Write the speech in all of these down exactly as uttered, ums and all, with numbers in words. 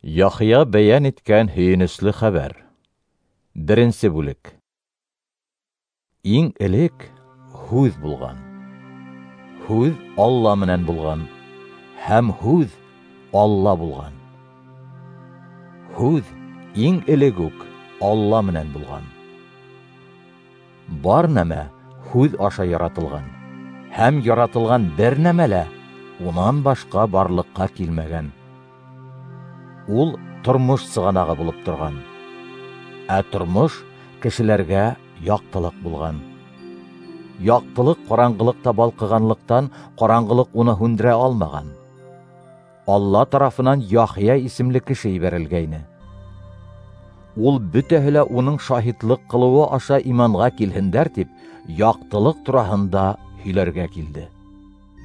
Яхъя бәйән иткән һөйөнөслө хәбәр. Беренсе бүлек. Иң элек Һүҙ булған. Һүҙ Алла менән булған, һәм Һүҙ Алла булған. Һүҙ иң элек үк Алла менән булған. Бар нәмә Һүҙ аша яратылған, һәм яратылған бер нәмә лә унан башҡа барлыҡҡа килмәгән. Ул тормош сығанағы булып торған, ә тормош кешеләргә яҡтылыҡ булған. Яҡтылыҡ ҡараңғылыҡта балҡығанлыҡтан ҡараңғылыҡ уны һүндерә алмаған. Алла тарафынан Яхъя исемле кеше ебәрелгәйне. Ул бөтәһе лә уның шаһитлыҡ ҡылыуы аша иманға килһендәр тип, яҡтылыҡ тураһында һөйләргә килде.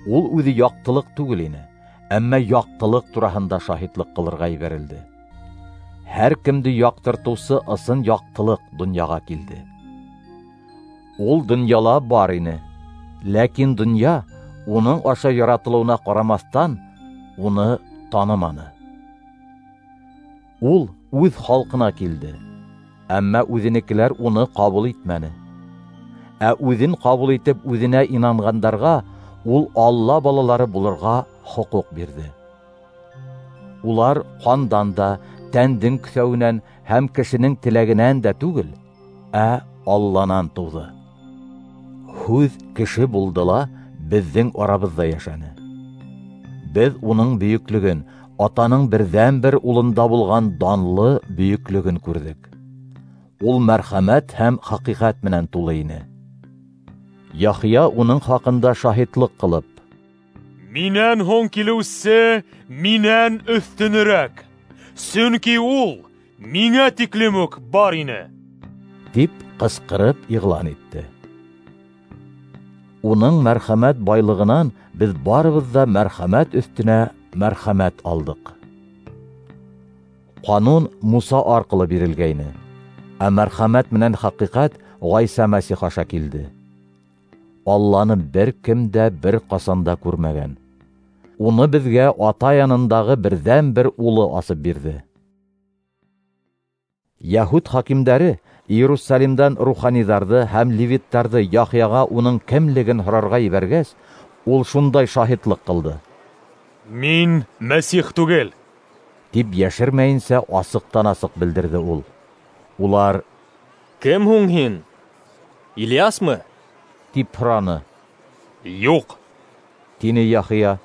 Ул үҙе яҡтылыҡ түгел ине, әммә яҡтылыҡ тураһында шаһитлыҡ ҡылырға ебәрелде. Һәр кемде яҡтыртыусы ысын яҡтылыҡ донъяға килде. Ул донъяла бар ине, ләкин донъя уның аша яратылыуына ҡарамаҫтан уны таныманы. Ул үҙ халҡына килде, әммә үҙенекеләр уны ҡабул итмәне. Ә үҙен ҡабул итеп үҙенә инанғандарға ул Алла балалары булырға хоҡуҡ бирҙе. Улар ҡандан да, тәндең көҫәүенән һәм кешенең теләгенән дә түгел, ә Алланан тыуҙы. Һүҙ кеше булды ла беҙҙең арабыҙҙа йәшәне. Беҙ уның бөйөклөгөн, атаның берҙән-бер улында булған данлы бөйөклөгөн күрҙек. Ул мәрхәмәт һәм хәҡиҡәт менән тулы ине. Яхъя уның хаҡында шаһитлыҡ ҡылып: "Минән һуң килеүсе минән өҫтөнөрәк, сөнки ул миңә тиклем үк бар ине", тип ҡысҡырып иғлан итте. Уның мәрхәмәт байлығынан беҙ барыбыҙ ҙа мәрхәмәт өҫтөнә мәрхәмәт алдыҡ. Ҡанун Муса арҡылы бирелгәйне, ә мәрхәмәт менән хәҡиҡәт Ғайса Мәсих аша килде. Алланы бер кем дә бер ҡасан да күрмәгән. Уны беҙгә ата янындағы берҙән-бер улы асып бирҙе. Яһүд хакимдәре Иерусалимдан руханиҙарҙы һәм левиттарҙы Яхъяға уның кемлеген һорарға ебәргәс, ул шундай шаһитлыҡ ҡылды: "Мин Мәсих түгел", тип йәшермәйенсә асыҡтан-асыҡ белдерҙе ул. Улар: "Кем һуң һин? Ильясмы?" тип һораны. "Юҡ", тине Яхъя.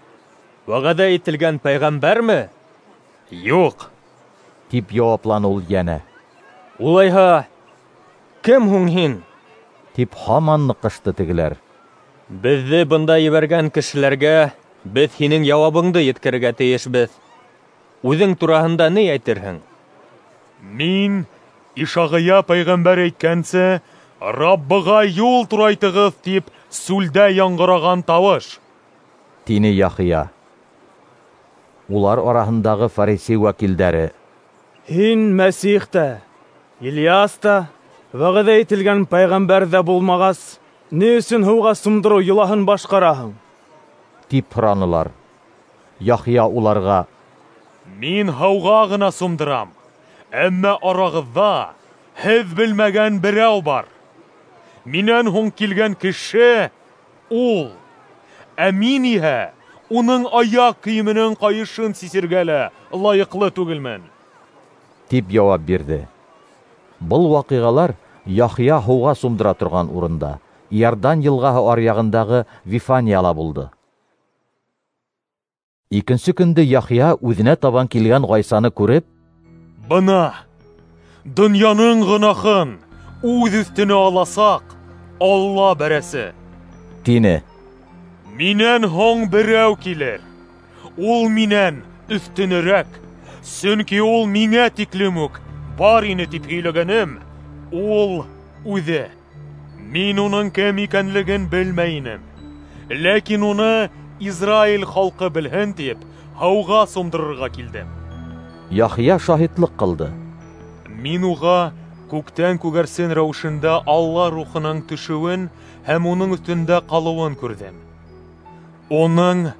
"Вәғәҙә ителгән пәйғәмбәрме?" "Юҡ", тип яуапланы ул йәнә. "Улайһа, кем һуң һин?" тип һаман ныҡышты тегеләр. "Беҙҙе бында ебәргән кешеләргә беҙ һинең яуабыңды еткерергә тейешбеҙ. Үҙең тураһында ни әйтерһең?" "Мин Ишағия пәйғәмбәр әйткәнсә, Раббыға юл турайтығыҙ тип сүлдә яңғыраған тауыш", тине Яхъя. Улар араһындағы фарисей вәкилдәре: "Һин Мәсих тә, Ильяс та, вәғәҙә ителгән пәйғәмбәр ҙә булмағас, ни өсөн һыуға сумдырыу йолаһын башҡараһың?" тип һоранылар. Яхъя уларға: "Мин һыуға ғына сумдырам, әммә арағыҙҙа һеҙ белмәгән берәү бар. Минән һуң килгән кеше ул, ә мин иһә уның аяҡ кейеменең ҡайышын сисергә лә лайыҡлы түгелмен", тип яуап бирҙе. Был ваҡиғалар Яхъя һыуға сумдыра торған урында, Иордан йылғаһы аръяғындағы Вифанияла булды. Икенсе көндө Яхъя үҙенә табан килгән Ғайсаны күреп: "Бына донъяның гонаһын үҙ өҫтөнә аласаҡ Алла бәрәсе", тине. "Минән һуң берәү килер, ул минән өҫтөнөрәк, сөнки ул миңә тиклем үк бар ине тип һөйләгәнем ул үҙе. Мин уның кем икәнлеген белмәй инем, ләкин уны Израиль халҡы белһен тип һыуға сумдырырға килдем." Яхъя шаһитлыҡ ҡылды: "Мин уға күктән күгәрсен рәүешендә Алла рухының төшөүен һәм уның өҫтөндә ҡалыуын күрҙем. Уның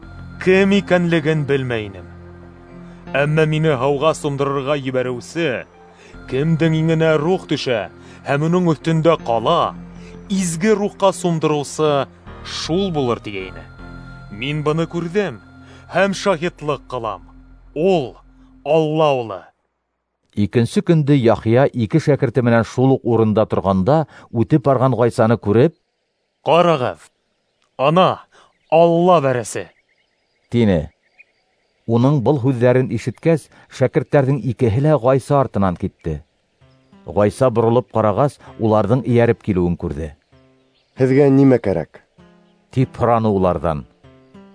кем икәнлеген белмәй инем. Әммә мине һыуға сумдырырға ебәреүсе, кемдең иңенә рух төшә һәм уның өҫтөндә ҡала, изге рухҡа сумдырыусы шул булыр тигәйне. Мин быны күрҙем һәм шаһитлыҡ ҡылам. Ул Алла улы. Икенсе көндө Яхъя ике шәкерте менән шул уҡ урында торғанда үтеп барған Ғайсаны күреп, "Ҡарағыҙ, ана Алла бәрәсе!" тине. Уның был һүҙҙәрен ишеткәс, шәкерттәрҙең икеһе лә Ғайса артынан китте. Ғайса боролоп ҡарағас, уларҙың эйәреп килеүен күрҙе. "Һеҙгә нимә кәрәк?" тип һораны уларҙан.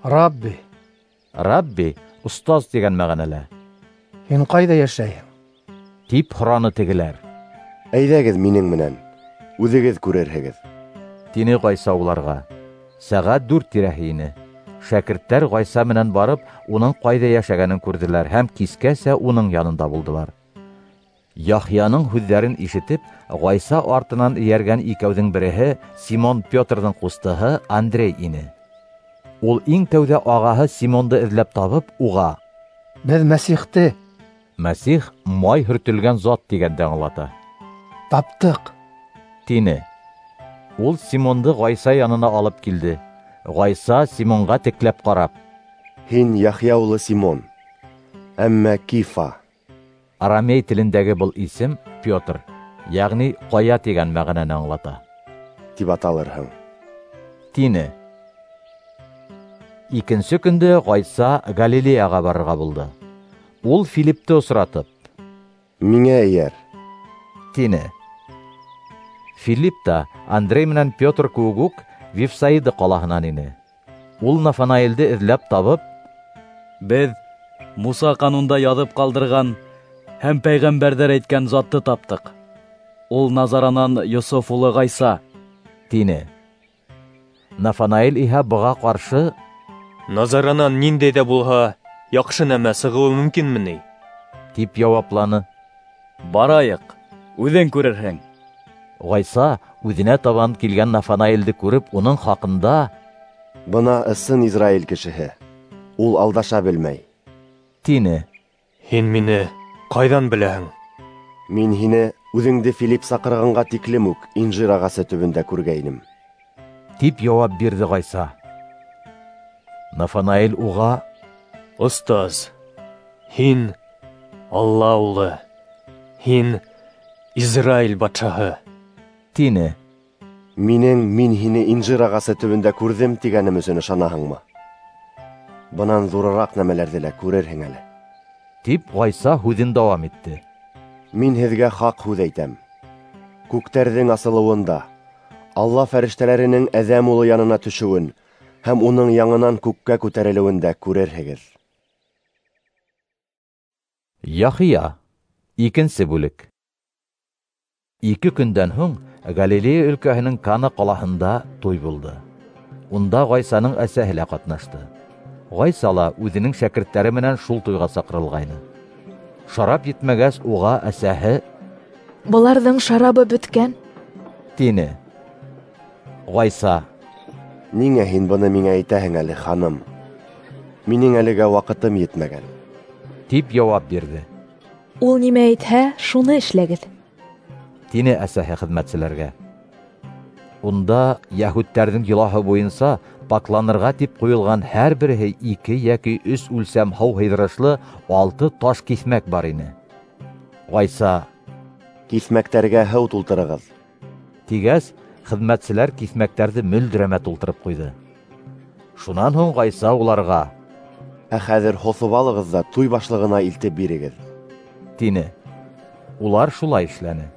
"Рабби." Рабби остаз тигән мәғәнәлә. "Һин ҡайҙа йәшәйһең?" тип һораны тегеләр. "Әйҙәгеҙ минең менән, үҙегеҙ күрерһегеҙ", тине Ғайса уларға. Сәғәт дүрт тирәһе ине. Шәкерттәр Ғайса менән барып, уның ҡайҙа йәшәгәнен күрҙеләр һәм кискәсә уның янында булдылар. Яхъяның һүҙҙәрен ишетеп, Ғайса артынан эйәргән икәүҙең береһе Симон Петрҙың ҡустыһы Андрей ине. Ул иң тәүҙә ағаһы Симонды эҙләп табып, уға: "Беҙ Мәсихте", Мәсих май һөртөлгән зат тигәнде аңлата, "таптыҡ", тине. Ул Симонды Ғайса янына алып килде. Ғайса Симонға текләп ҡарап: "Һин Яхъя улы Симон, әммә Кифа." Арамей телендәге был исем Петр, йәғни ҡая тигән мәғәнәне аңлата, тип аталырһың, тине. Икенсе көндө Ғайса Галилеяға барырға булды. Ул Филиппте осратып, "Миңә эйәр", тине. Филипп та Андрей менән Петр кеүек үк Вифсаида ҡалаһынан ине. Ул Нафанаилде эҙләп табып, "Беҙ Муса ҡанунда яҙып ҡалдырған һәм пәйғәмбәрҙәр әйткән затты таптыҡ. Ул Назаранан Йософ улы Ғайса", тине. Нафанаил иһә быға ҡаршы: "Назаранан ниндәй ҙә булһа яҡшы нәмә сығыуы мөмкинме ни?" тип яуапланы. "Барайыҡ, үҙең күрерһең." Ғайса үҙенә табан килгән Нафанаилде күреп, уның хаҡында: "Бына ысын Израиль кешеһе, ул алдаша белмәй", тине. "Һин мине ҡайҙан беләһең?" "Мин һине үҙеңде Филипп саҡырғанға тиклем үк инжир ағасы төбөндә күргәйнем", тип яуап бирҙе Ғайса. Нафанаил уға: "Остаз, һин Алла улы, һин Израиль батшаһы", тине. "Минең мин һине инжир ағасы төбөндә күрҙем тигәнем өсөн ышанаһыңмы? Бынан ҙурыраҡ нәмәләрҙе лә күрерһең әле", тип Ғайса һүҙен дауам итте. "Мин һеҙгә хаҡ һүҙ әйтәм. Күктәрҙең асылыуында, Алла фәрештәләренең Әҙәм улы янына төшөүен һәм уның яңынан күккә күтәрелеүен дә күрерһегеҙ." Яхъя, икенсе бүлек. Ике көндән һуң Галилея өлкәһенең Кана ҡалаһында туй булды. Унда Ғайсаның әсәһе лә ҡатнашты. Ғайса ла үҙенең шәкерттәре менән шул туйға саҡырылғайны. Шарап етмәгәс, уға әсәһе: "Быларҙың шарабы бөткән", тине. Ғайса: "Ниңә һин быны миңә әйтәһең әле, ханым? Минең әлегә ваҡытым етмәгән", тип яуап бирҙе. "Ул нимә әйтһә, шуны эшләгеҙ", тине әсәһе хеҙмәтселәргә. Унда йәһүдтәрҙең йолаһы буйынса пакланырға тип ҡуйылған һәр береһе ике йәки өс үлсәм һыу һыйҙырышлы алты таш киҫмәк бар ине. Ғайса: "Киҫмәктәргә һыу тултырығыҙ", тигәс, хеҙмәтселәр киҫмәктәрҙе мөлдөрәмә тултырып ҡуйҙы. Шунан һуң Ғайса уларға: "Ә хәҙер һоҫоп алығыҙ ҙа туй башлығына илтеп бирегеҙ", тине. Улар шулай эшләне.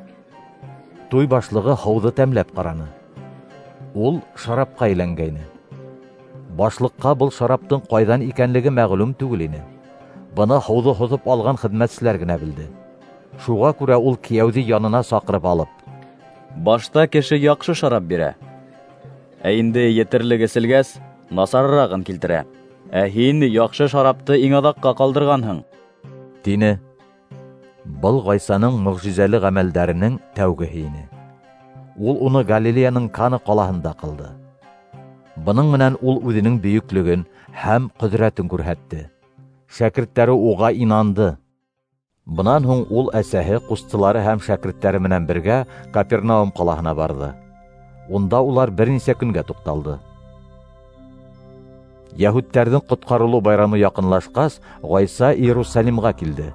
Туй башлығы һыуҙы тәмләп ҡараны. Ул шарапҡа әйләнгәйне. Башлыҡҡа был шараптың ҡайҙан икәнлеге мәғлүм түгел ине. Быны һыуҙы һоҫоп алған хеҙмәтселәр генә белде. Шуға күрә ул кейәүҙе янына саҡырып алып: "Башта кеше яҡшы шарап бирә, ә инде етерлек эселгәс, насарырағын килтерә. Ә һин яҡшы шарапты иң аҙаҡҡа ҡалдырғанһың", тине. Был Ғайсаның мөғжизәле ғәмәлдәренең тәүгеһе ине. Ул уны Галилеяның Кана ҡалаһында ҡылды. Бының менән ул үҙенең бөйөклөгөн һәм ҡөҙрәтен күрһәтте. Шәкерттәре уға инанды. Бынан һуң ул әсәһе, ҡустылары һәм шәкерттәре менән бергә Капернаум ҡалаһына барҙы. Унда улар бер нисә көнгә туҡталды. Йәһүдтәрҙең ҡотҡарылыу байрамы яҡынлашҡас, Ғайса Иерусалимға килде.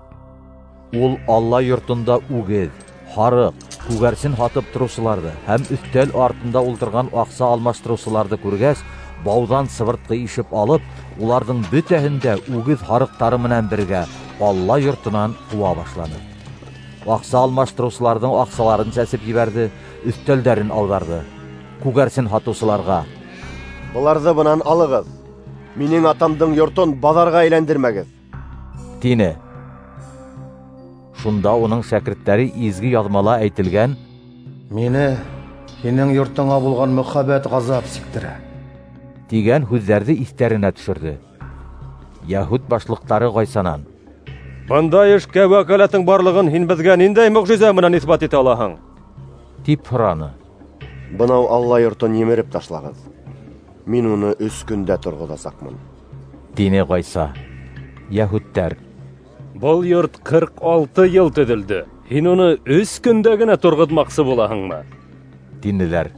Ул Алла йортонда үгеҙ, һарыҡ, күгәрсен һатып тороусыларҙы һәм өҫтәл артында ултырған аҡса алмаштырыусыларҙы күргәс, бауҙан сыбыртҡы ишеп алып, уларҙың бөтәһен дә үгеҙ һарыҡтары менән бергә Алла йортонан ҡыуа башланы. Аҡса алмаштырыусыларҙың аҡсаларын сәсеп ебәрҙе, өҫтәлдәрен ауҙарҙы. Күгәрсен һатыусыларға: "Быларҙы бынан алығыҙ, минең атамдың йортон баҙарға әйләндермәгеҙ", тине. Шунда уның шәкерттәре изге яҙмала әйтелгән: "Мине һинең йортоңа булған мөхәббәт ғазап сиктерә", тигән һүҙҙәрҙе иҫтәренә төшөрҙө. Йәһүд башлыҡтары Ғайсанан: "Бындай эшкә вәкәләтең барлығын һин беҙгә ниндәй мөғжизә менән иҫбат итә алаһың?" тип һораны. "Бынау Алла йортон емереп ташлағыҙ, мин уны өс көндә торғоҙасаҡмын", тине Ғайса. Йәһүдтәр: "Был йорт ҡырҡ алты йыл төҙөлдө, һин уны өс көндә генә торғоҙмаҡсы булаһыңмы?" тинеләр.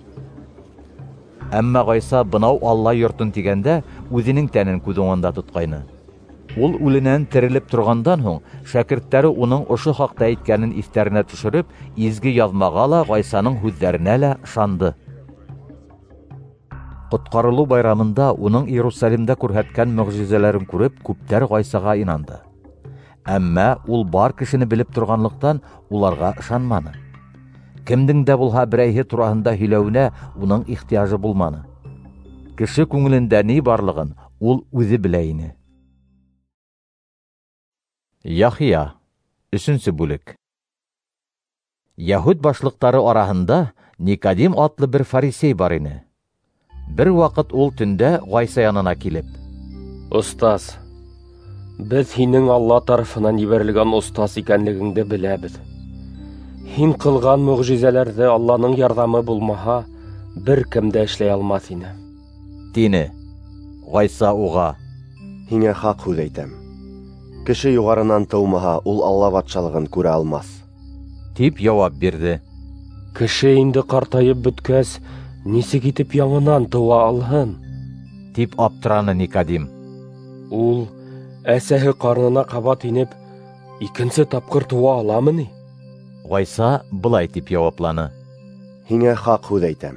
Әммә Ғайса бынау Алла йортон тигәндә үҙенең тәнен күҙ уңында тотҡайны. Ул үленән терелеп торғандан һуң шәкерттәре уның ошо хаҡта әйткәнен иҫтәренә төшөрөп, изге яҙмаға ла, Ғайсаның һүҙҙәренә лә ышанды. Ҡотҡарылыу байрамында уның Иерусалимда күрһәткән мөғжизәләрен күреп, күптәр Ғайсаға инанды. Әммә ул бар кешене белеп торғанлыҡтан уларға ышанманы. Кемдең дә булһа берәйһе тураһында һөйләүенә уның ихтыяжы булманы. Кеше күңелендә ни барлығын ул үҙе белә ине. Яхия, өсөнсө бүлек. Йәһүд башлыҡтары араһында Никодим атлы бер фарисей бар ине. Бер ваҡыт ул төндә Ғайса янына килеп: "Остаз, беҙ һинең Алла тарафынан ебәрелгән остаз икәнлегеңде беләбеҙ. Һин ҡылған мөғжизәләрҙе Алланың ярҙамы булмаһа, бер кем дә эшләй алмаҫ ине", тине. Ғайса уға: "Һиңә хаҡ һүҙ әйтәм, кеше юғарынан тыумаһа, ул Алла батшалығын күрә алмаҫ", тип яуап бирҙе. "Кеше инде ҡартайып бөткәс, нисек итеп яңынан тыуа алһын?" тип аптыраны Никодим. "Ул әсәһе ҡарынына ҡабат инеп, икенсе тапҡыр тыуа аламы ни?" Ғайса былай тип яуапланы: "Һиңә хаҡ һүҙ әйтәм,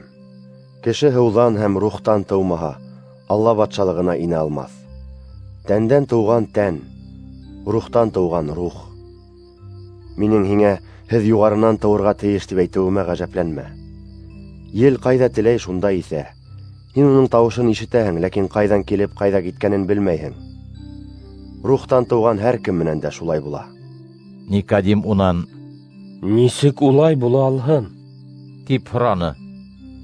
кеше һыуҙан һәм рухтан тыумаһа, Алла батшалығына инә алмаҫ. Тәндән тыуған тән, рухтан тыуған рух. Минең һиңә һеҙ юғарынан тыуырға тейеш тип әйтеүемә ғәжәпләнмә. Ел ҡайҙа теләй, шунда иҫә. Һин уның тауышын ишетәһең, ләкин ҡайҙан килеп, ҡайҙа киткәнен белмәйһең. Рухтан тыуған һәр кем менән дә шулай була." Никодим унан: "Нисек улай була алһын?" тип һораны.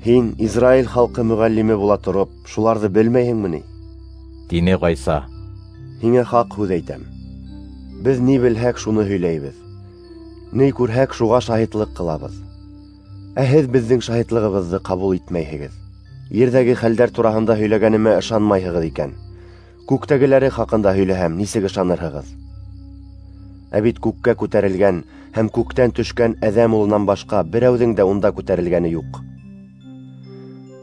"Һин Израиль халҡы мөғәллиме була тороп, шуларҙы белмәйһеңме ни?" тине Ғайса. "Һиңә хаҡ һүҙ әйтәм, беҙ ни белһәк, шуны һөйләйбеҙ, ни күрһәк, шуға шаһитлыҡ ҡылабыҙ. Ә һеҙ беҙҙең шаһитлығыбыҙҙы ҡабул итмәйһегеҙ. Ерҙәге хәлдәр тураһында һөйләгәнемә ышанмайһығыҙ икән, күктәгеләре хаҡында һөйләһәм, нисек ышанырһығыҙ? Ә бит күккә күтәрелгән һәм күктән төшкән Әҙәм улынан башҡа берәүҙең дә унда күтәрелгәне юҡ.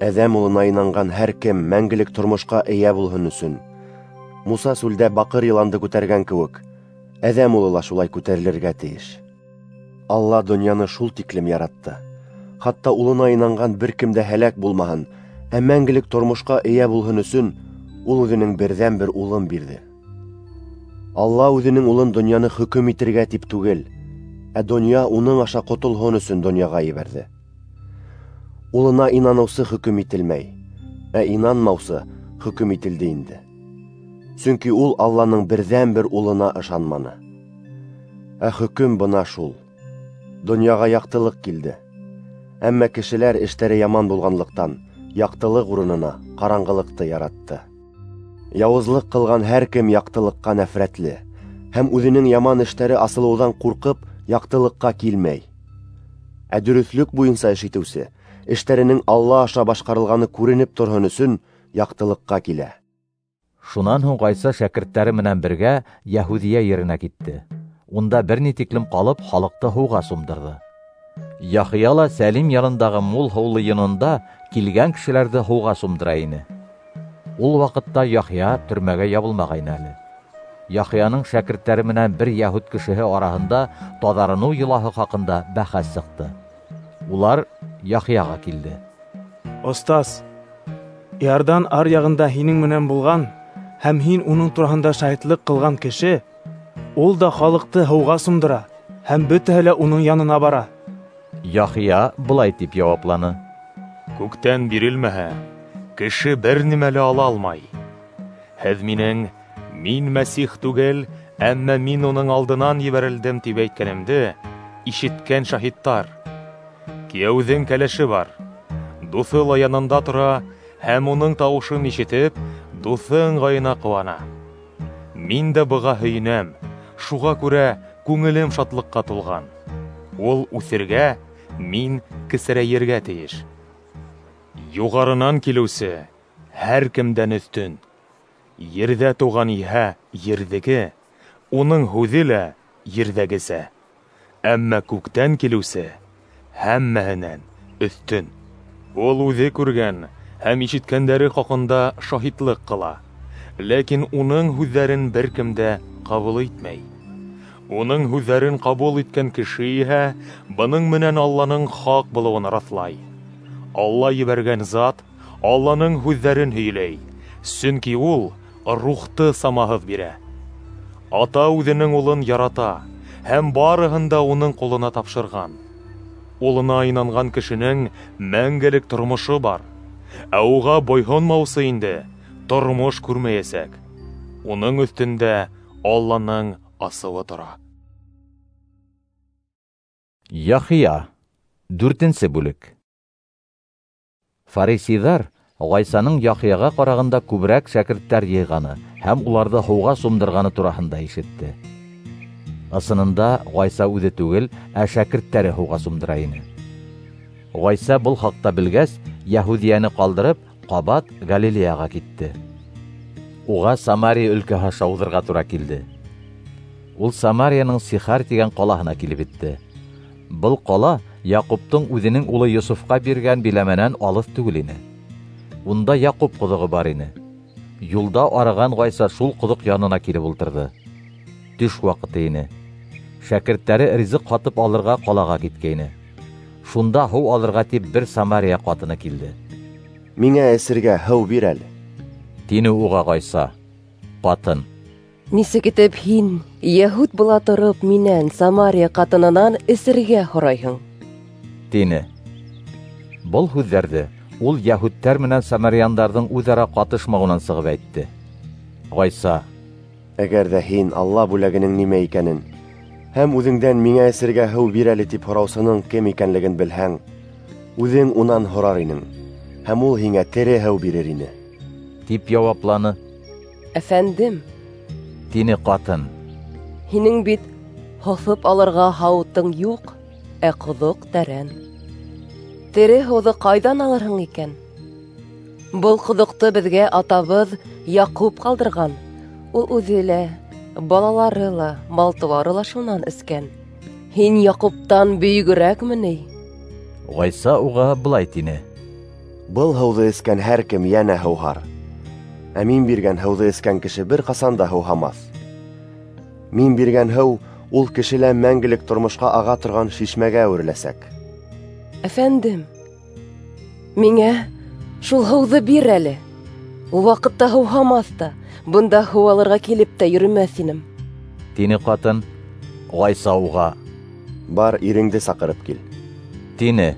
Әҙәм улына инанған һәр кем мәңгелек тормошҡа эйә булһын өсөн, Муса сүлдә баҡыр йыланды күтәргән кеүек, Әҙәм улы ла шулай күтәрелергә тейеш. Алла донъяны шул тиклем яратты, хатта улына инанған бер кем дә һәләк булмаһын, ә мәңгелек тормошҡа эйә булһын өсөн, ул үҙенең берҙән-бер улын бирҙе. Алла үҙенең улын донъяны хөкөм итергә тип түгел, ә донъя уның аша ҡотолһон өсөн донъяға ебәрҙе. Улына инаныусы хөкөм ителмәй, ә инанмаусы хөкөм ителде инде. Сөнки ул Алланың берҙән-бер улына ышанманы. Ә хөкөм бына шул: донъяға яҡтылыҡ килде, әммә кешеләр эштәре яман булғанлыҡтан яҡтылыҡ урынына ҡараңғылыҡты яратты. Яуызлыҡ ҡылған һәр кем яҡтылыҡҡа нәфрәтле һәм үҙенең яман эштәре асылыуҙан ҡурҡып яҡтылыҡҡа килмәй. Ә дөрөҫлөк буйынса эш итеүсе эштәренең Алла аша башҡарылғаны күренеп торһон өсөн яҡтылыҡҡа килә. Шунан һуң Ғайса шәкерттәре менән бергә Яһүҙиә еренә китте. Унда бер ни тиклем ҡалып, халыҡты һыуға сумдырҙы. Яхъя ла Сәлим янындағы мул һыулы йононда килгән кешеләрҙе һыуға сумдыра ине. Ул ваҡытта Яхъя төрмәгә ябылмағайны әле. Яхъяның шәкерттәре менән бер яһүд кешеһе араһында таҙарыныу йолаһы хаҡында бәхәс сыҡты. Улар Яхъяға килде. Остаз, Иордан ар яғында һинең менән булған һәм һин уның тураһында шаһитлыҡ ҡылған кеше, ул да халыҡты һыуға сумдыра, һәм бөтәһе лә уның янына бара. Яхъя былай тип яуапланы: Күктән бирелмәһә, кеше бер нимә лә ала алмай. Һеҙ минең мин Мәсих түгел, әммә мин уның алдынан ебәрелдем тип әйткәнемде ишеткән шаһиттар. Кейәүҙең кәләше бар. Дуҫы ла янында тора һәм уның тауышын ишетеп, дуҫы ыңғайына ҡыуана. Мин дә быға һөйөнәм, шуға күрә күңелем шатлыҡҡа тулған. Ул үҫергә, мин кесерәйергә тейеш. Юғарынан килеүсе һәр кемдән өҫтөн. Ерҙә тыуған иһә ерҙеке, уның һүҙе лә ерҙәгесә. Әммә күктән килеүсе һәммәһенән өҫтөн. Ул үҙе күргән һәм ишеткәндәре хаҡында шаһитлыҡ ҡыла, ләкин уның һүҙҙәрен бер кем дә ҡабул итмәй. Уның һүҙҙәрен ҡабул иткән кеше иһә бының менән Алланың хаҡ булыуын раҫлай. Алла ебәргән зат Алланың һүҙҙәрен һөйләй, сөнки ул рухты самаһыҙ бирә. Ата үҙенең улын ярата һәм барыһын да уның ҡулына тапшырған. Улына инанған кешенең мәңгелек тормошо бар, ә уға буйһонмаусы инде тормош күрмәйәсәк. Уның өҫтөндә Алланың асыуы тора. Яхъя, дүртенсе бүлек. Фарисейҙар Ғайсаның Яхъяға ҡарағанда күберәк шәкерттәр йыйғаны һәм уларҙы һыуға сумдырғаны тураһында ишетте. Ысынында Ғайса үҙе түгел, ә шәкерттәре һыуға сумдыра ине. Ғайса был хаҡта белгәс, Яһүҙиәне ҡалдырып, ҡабат Галилеяға китте. Уға Самария өлкәһе аша уҙырға тура килде. Ул Самарияның Сихар тигән ҡалаһына килеп етте. Был ҡала Яҡуптың үҙенең улы Йософҡа биргән биләмәнән алыҫ түгел ине. Унда Яҡуп ҡоҙоғо бар ине. Юлда арыған Ғайса шул ҡоҙоҡ янына килеп ултырҙы. Төш ваҡыты ине. Шәкерттәре ризыҡ һатып алырға ҡалаға киткәйне. Шунда һыу алырға тип бер Самария ҡатыны килде. Миңә эсергә һыу бир әле, тине уға Ғайса. Ҡатын: Нисек итеп һин, йәһүд була тороп, минән, Самария ҡатынынан, эсергә һорайһың? Тине. Был һүҙҙәрҙе ул йәһүдтәр менән самаряндарҙың үҙ-ара ҡатышмауынан сығып әйтте. Ғайса: Әгәр ҙә һин Алла бүләгенең нимә икәнен һәм үҙеңдән миңә эсергә һыу бир әле тип һораусының кем икәнлеген белһәң, үҙең унан һорар инең, һәм ул һиңә тере һыу бирер ине, тип яуапланы. Әфәндем, тине ҡатын, һинең бит һоҫоп алырға һауытың юҡ, ә ҡоҙоҡ тәрән. Тере һыуҙы ҡайҙан алырһың икән? Был ҡоҙоҡто беҙгә атабыҙ Яҡуп ҡалдырған. Ул үҙе лә, балалары ла, мал-тыуары ла шунан эскән. Һин Яҡуптан бөйөгөрәкме ни? Ғайса уға былай тине: Был һыуҙы эскән һәр кем йәнә һыуһар. Ә мин биргән һыуҙы эскән кеше бер ҡасан да һыуһамаҫ. Мин биргән һыу ул кешелә мәңгелек тормошҡа аға торған шишмәгә әүереләсәк. Әфәндем, миңә шул һыуҙы бир әле. Ул ваҡытта һыуһамаҫ та, бында һыу алырға килеп тә йөрөмәҫ инем, тине ҡатын. Ғайса уға: Бар, иреңде саҡырып кил, тине.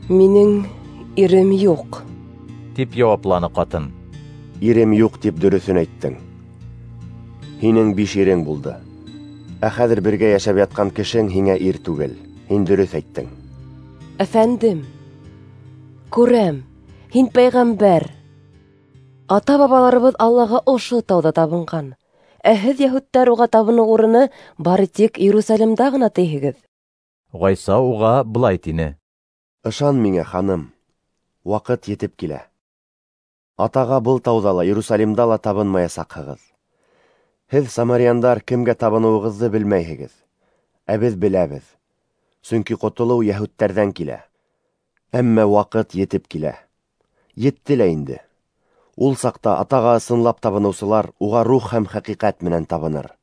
Минең ирем юҡ, тип яуапланы ҡатын. Ирем юҡ тип дөрөҫөн әйттең. Һинең биш ирең булды. Ә хәҙер бергә йәшәп ятҡан кешең һиңә ир түгел. Һин дөрөҫ әйттең. Әфәндем, күрәм, һин пәйғәмбәр. Ата-бабаларыбыҙ Аллаға ошо тауҙа табынған. Ә һеҙ, йәһүдтәр, уға табыныу урыны бары тик Иерусалимда ғына тейһегеҙ. Ғайса уға былай тине: Ышан миңә, ханым, ваҡыт етеп килә. Атаға был тауҙа ла, Иерусалимда ла табынмаясаҡһығыҙ. Һеҙ, самаряндар, кемгә табыныуығыҙҙы белмәйһегеҙ, ә беҙ беләбеҙ, сөнки ҡотолоу йәһүдтәрҙән килә. Әммә ваҡыт етеп килә. Етте лә инде. Ул саҡта Атаға ысынлап табыныусылар уға рух һәм хәҡиҡәт менән табыныр.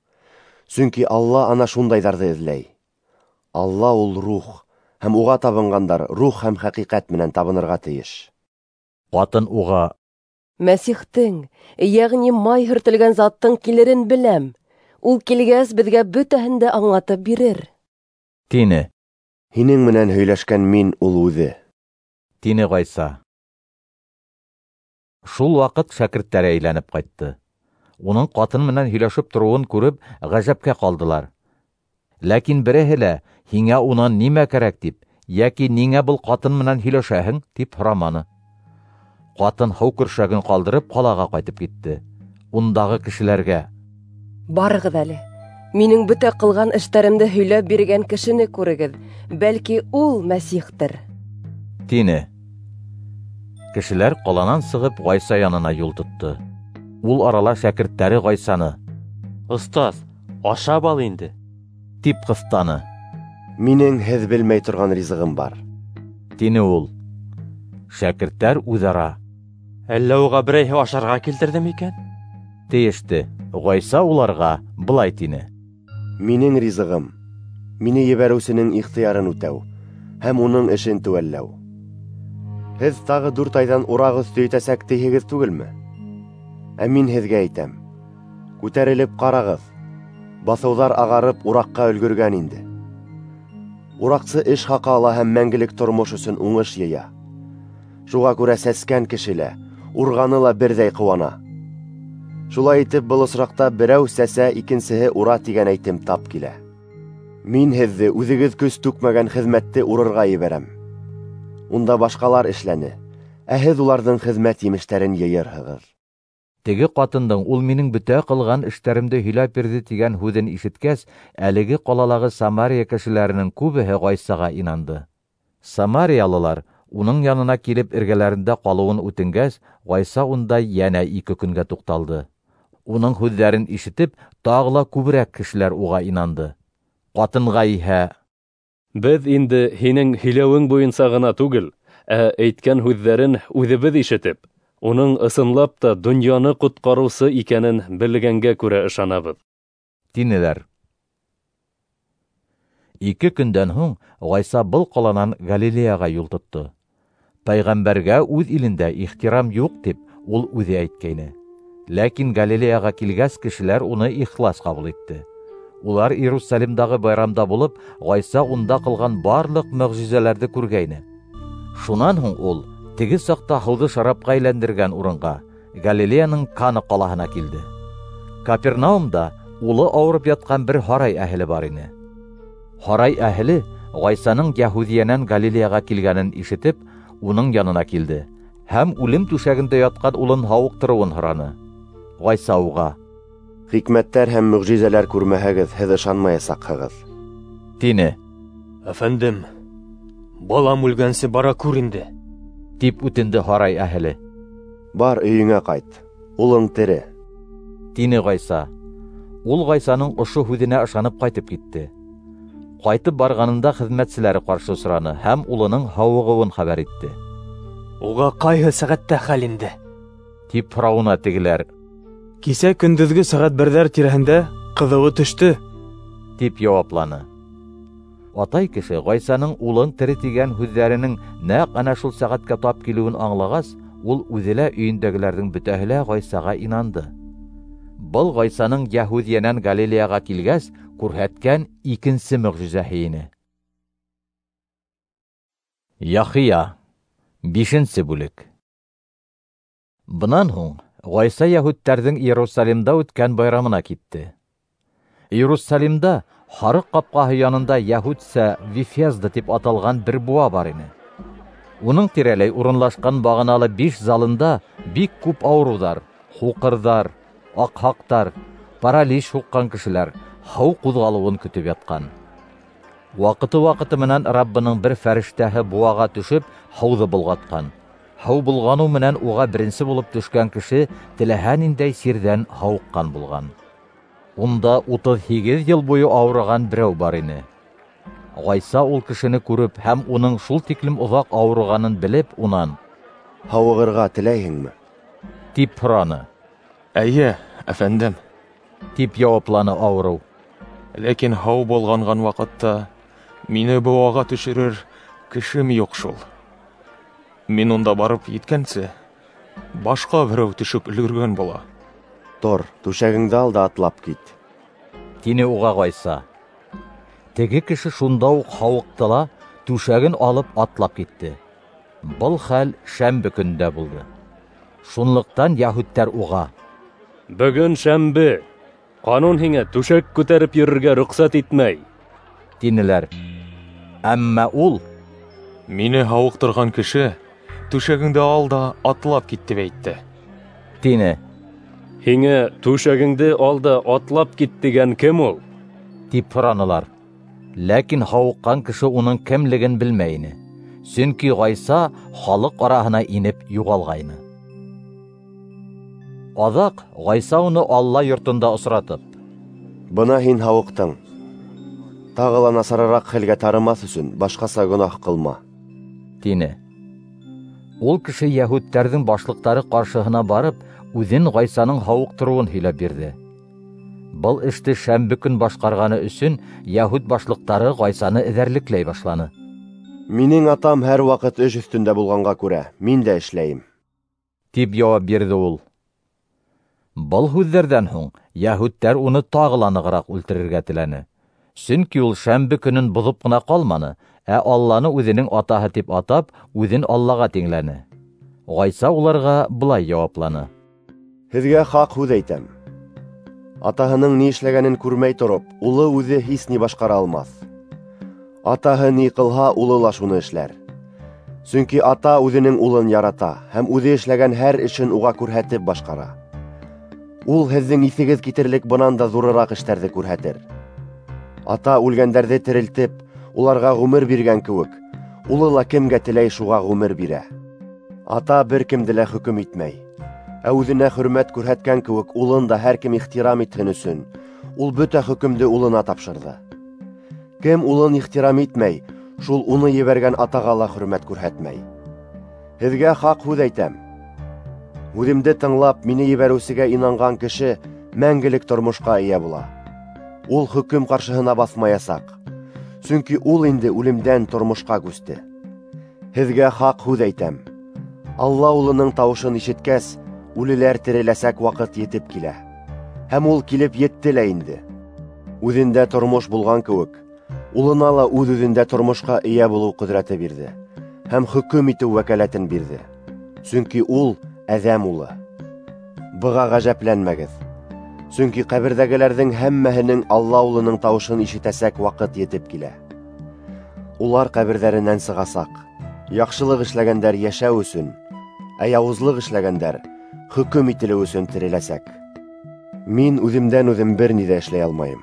Сөнки Алла ана шундайҙарҙы эҙләй. Алла ул рух, һәм уға табынғандар рух һәм хәҡиҡәт менән табынырға тейеш. Ҡатын уға: Мәсихтең, йәғни май һөртөлгән заттың килерен беләм. Ул килгәс, беҙгә бөтәһен дә аңлатып бирер, тине. Һинең менән һөйләшкән мин ул үҙе, тине Ғайса. Шул ваҡыт шәкерттәре әйләнеп ҡайтты. Уның ҡатын менән һөйләшеп тороуын күреп, ғәжәпкә ҡалдылар. Ләкин береһе лә һиңә унан нимә кәрәк тип, йәки ниңә был ҡатын менән һөйләшәһең тип һораманы. Ҡатын һыу көршәген ҡалдырып ҡалаға ҡайтып китте. Ундағы кешеләргә: Барығыҙ әле, минең бөтә ҡылған эштәремде һөйләп биргән кешене күрегеҙ, бәлки ул Мәсихтер, тине. Кешеләр ҡаланан сығып Ғайса янына юл тотто. Ул арала шәкерттәре Ғайсаны: Остаз, ашап ал инде, тип ҡыҫтаны. Минең һеҙ белмәй торған ризығым бар, тине ул. Шәкерттәр үҙ-ара: Әллә уға берәйһе ашарға килтерҙе микән? тейеште. Ғайса уларға былай тине: Минең ризығым мине ебәреүсенең ихтыярын үтәү һәм уның эшен теүәлләү. Һеҙ тағы дүрт айҙан ураҡ өҫтө етәсәк тиһегеҙ түгелме? Ә мин һеҙгә әйтәм: күтәрелеп ҡарағыҙ, баҫыуҙар ағарып ураҡҡа өлгөргән инде. Ураҡсы эш хаҡы ала һәм мәңгелек тормош өсөн уңыш йыя. Шуға күрә сәскән кеше лә, урғаны ла берҙәй ҡыуана. Шулай итеп, был осраҡта берәү сәсә, икенсеһе ура тигән әйтем тап килә. Мин һеҙҙе үҙегеҙ көс түкмәгән хеҙмәтте урырға ебәрәм. Унда башҡалар эшләне, ә һеҙ уларҙың хеҙмәт емештәрен йыйырһығыҙ. Теге ҡатындың ул минең бөтә ҡылған эштәремде һөйләп бирҙе тигән һүҙен ишеткәс, әлеге ҡалалағы Самария кешеләренең күбеһе Ғайсаға инанды. Самариялылар уның янына килеп эргәләрендә ҡалыуын үтенгәс, Ғайса унда йәнә ике көнгә туҡталды. Уның һүҙҙәрен ишетеп, тағы ла күберәк кешеләр уға инанды. Ҡатынға иһә: Беҙ инде һинең һөйләүең буйынса ғына түгел, ә әйткән һүҙҙәрен үҙебеҙ ишетеп, уның ысынлап та донъяны ҡотҡарыусы икәнен белгәнгә күрә ышанабыҙ, тинеләр. Ике көндән һуң Ғайса был ҡаланан Галилеяға юл тотто. Пәйғәмбәргә үҙ илендә ихтирам юҡ тип ул үҙе әйткәйне. Ләкин Галилеяға килгәс, кешеләр уны ихлас ҡабул итте. Улар Иерусалимдағы байрамда булып, Ғайса унда ҡылған барлыҡ мөғжизәләрҙе күргәйне. Шунан һуң ул теге саҡта һыуҙы шарапҡа әйләндергән урынға, Галилеяның Кана ҡалаһына килде. Капернаумда улы ауырып ятҡан бер һарай әһеле бар ине. Һарай әһеле Ғайсаның Йәһүҙиәнән Галилеяға килгәнен ишетеп, уның янына килде һәм үлем түшәгендә ятҡан улын һауыҡтырыуын һораны. Ғайса уға: Хикмәттәр һәм мөғжизәләр күрмәһәгеҙ, һеҙ ышанмаясаҡһығыҙ, тине. Әфәндем, балам үлгәнсе бара күр инде, тип үтенде һарай әһеле. Бар, өйөңә ҡайт, улың тере, тине Ғайса. Ул Ғайсаның ошо һүҙенә ышанып ҡайтып китте. Ҡайтып барғанында хеҙмәтселәре ҡаршы осраны һәм улының һауығыуын хәбәр итте. Уға ҡайһы сәғәттә хәл инде? Тип һорауына тегеләр: Кисә көндөҙгө сәғәт берҙәр тирәһендә ҡыҙыуы төштө, тип яуапланы. Атай кеше Ғайсаның улың тере тигән һүҙҙәренең нәҡ әнә шул сәғәткә тап килеүен аңлағас, ул үҙе лә өйөндәгеләрҙең бөтәһе лә Ғайсаға инанды. Был Ғайсаның Йәһүҙиәнән Галилеяға килгәс күрһәткән икенсе мөғжизәһе ине. Яхия, бишенсе бүлек. Бынан һуң Ғайса йәһүдтәрҙең Иерусалимда үткән байрамына китте. Иерусалимда һарыҡ ҡапҡаһы янында йәһүдсә Вифезда тип аталған бер быуа бар ине. Уның тирәләй урынлашҡан бағаналы биш залында бик күп ауырыуҙар, һуҡырҙар, аҡһаҡтар, паралич һуҡҡан кешеләр һыу ҡуҙғалыуын көтөп ятҡан. Ваҡыты-ваҡыты менән Раббының бер фәрештәһе быуаға төшөп, һыуҙы болғатҡан. Һыу болғаныу менән уға беренсе булып төшкән кеше теләһә ниндәй сирҙән һауыҡҡан булған. Унда утыҙ һигеҙ йыл буйы ауырыған берәү бар ине. Ғайса ул кешене күреп һәм уның шул тиклем оҙаҡ ауырығанын белеп, унан: "Һауығырға теләйһеңме?" тип һораны. "Эйе, әфәндем", тип яуапланы ауырыу. "Ләкин һыу болғанған ваҡытта мине быуаға төшөрөр кешем юҡ шул. Мин унда барып еткәнсе, башҡа берәү төшөп өлгөргән була." "Тор, түшәгеңде ал да атлап кит", тине уға Ғайса. Теге кеше шунда уҡ һауыҡты ла, түшәген алып атлап китте. Был хәл шәмбе көндә булды. Шунлыҡтан яһүдтәр уға: "Бөгөн шәмбе, ҡанун һиңә түшәк күтәреп йөрөргә рөхсәт итмәй", тинеләр. Әммә ул: "Мине һауыҡтырған кеше түшәгеңде ал да атлап кит тип әйтте", тине. "Һиңә түшәгеңде ал да атлап кит тигән кем ул?" тип һоранылар. Ләкин һауыҡҡан кеше уның кемлеген белмәй ине, сөнки Ғайса халыҡ араһына инеп юғалғайны. Аҙаҡ Ғайса уны Алла йортонда осратып: "Бына һин һауыҡтың. Тағы ла насарыраҡ хәлгә тарымаҫ өсөн башҡаса гонаһ ҡылма", тине. Ул кеше яһүдтәрҙең башлыҡтары ҡаршыһына барып, үҙен Ғайсаның һауыҡтырыуын һөйләп бирҙе. Был эште шәмбе көн башҡарғаны өсөн яһүд башлыҡтары Ғайсаны эҙәрлекләй башланы. "Минең атам һәр ваҡыт эш өҫтөндә булғанға күрә, мин дә эшләйем", тип яуап бирҙе ул. Был һүҙҙәрҙән һуң яһүдтәр уны тағы ла нығыраҡ үлтерергә теләне. Сөнки ул шәмбе көнөн боҙоп ҡына ҡалманы, ә Алланы үҙенең атаһы тип атап, үҙен Аллаға тиңләне. Ғайса уларға былай яуапланы: "Һеҙгә хаҡ һүҙ әйтәм. Атаһының ни эшләгәнен күрмәй тороп, улы үҙе һис ни башҡара алмаҫ. Атаһы ни ҡылһа, улы ла шуны эшләр. Сөнки ата үҙенең улын ярата һәм үҙе эшләгән һәр эшен уға күрһәтеп башҡара. Ул һеҙҙең иҫегеҙ китерлек бынан да ҙурыраҡ эштәрҙе күрһәтер. Ата үлгәндәрҙе терелтеп, уларға ғүмер биргән кеүек, улы ла кемгә теләй шуға ғүмер бирә. Ата бер кемде лә хөкөм итмәй, ә үҙенә хөрмәт күрһәткән кеүек улын да һәр кем ихтирам итһен өсөн, ул бөтә хөкөмдө улына тапшырҙы. Кем улын ихтирам итмәй, шул уны ебәргән атаға ла хөрмәт күрһәтмәй. Һеҙгә хаҡ һүҙ әйтәм. Һүҙемде тыңлап, мине ебәреүсегә инанған кеше мәңгелек тормошҡа эйә була. Ул хөкөм ҡаршыһына баҫмаясаҡ, сөнки ул инде үлемдән тормошҡа күсте. Һеҙгә хаҡ һүҙ әйтәм. Алла улының тауышын ишеткәс, үлеләр тереләсәк ваҡыт етеп килә. Һәм ул килеп етте лә инде. Үҙендә тормош булған кеүек, улына ла үҙ-үҙендә тормошҡа эйә булыу ҡөҙрәте бирҙе һәм хөкөм итеү вәкәләтен бирҙе. Сөнки ул Әҙәм улы. Быға ғәжәпләнмәгеҙ. Сөнки ҡәберҙәгеләрҙең һәммәһенең Алла улының тауышын ишетәсәк ваҡыт етеп килә. Улар ҡәберҙәренән сығасаҡ. Яҡшылыҡ эшләгәндәр йәшәү өсөн, ә яуызлыҡ эшләгәндәр хөкөм ителеү өсөн тереләсәк. Мин үҙемдән үҙем бер ни ҙә эшләй алмайым.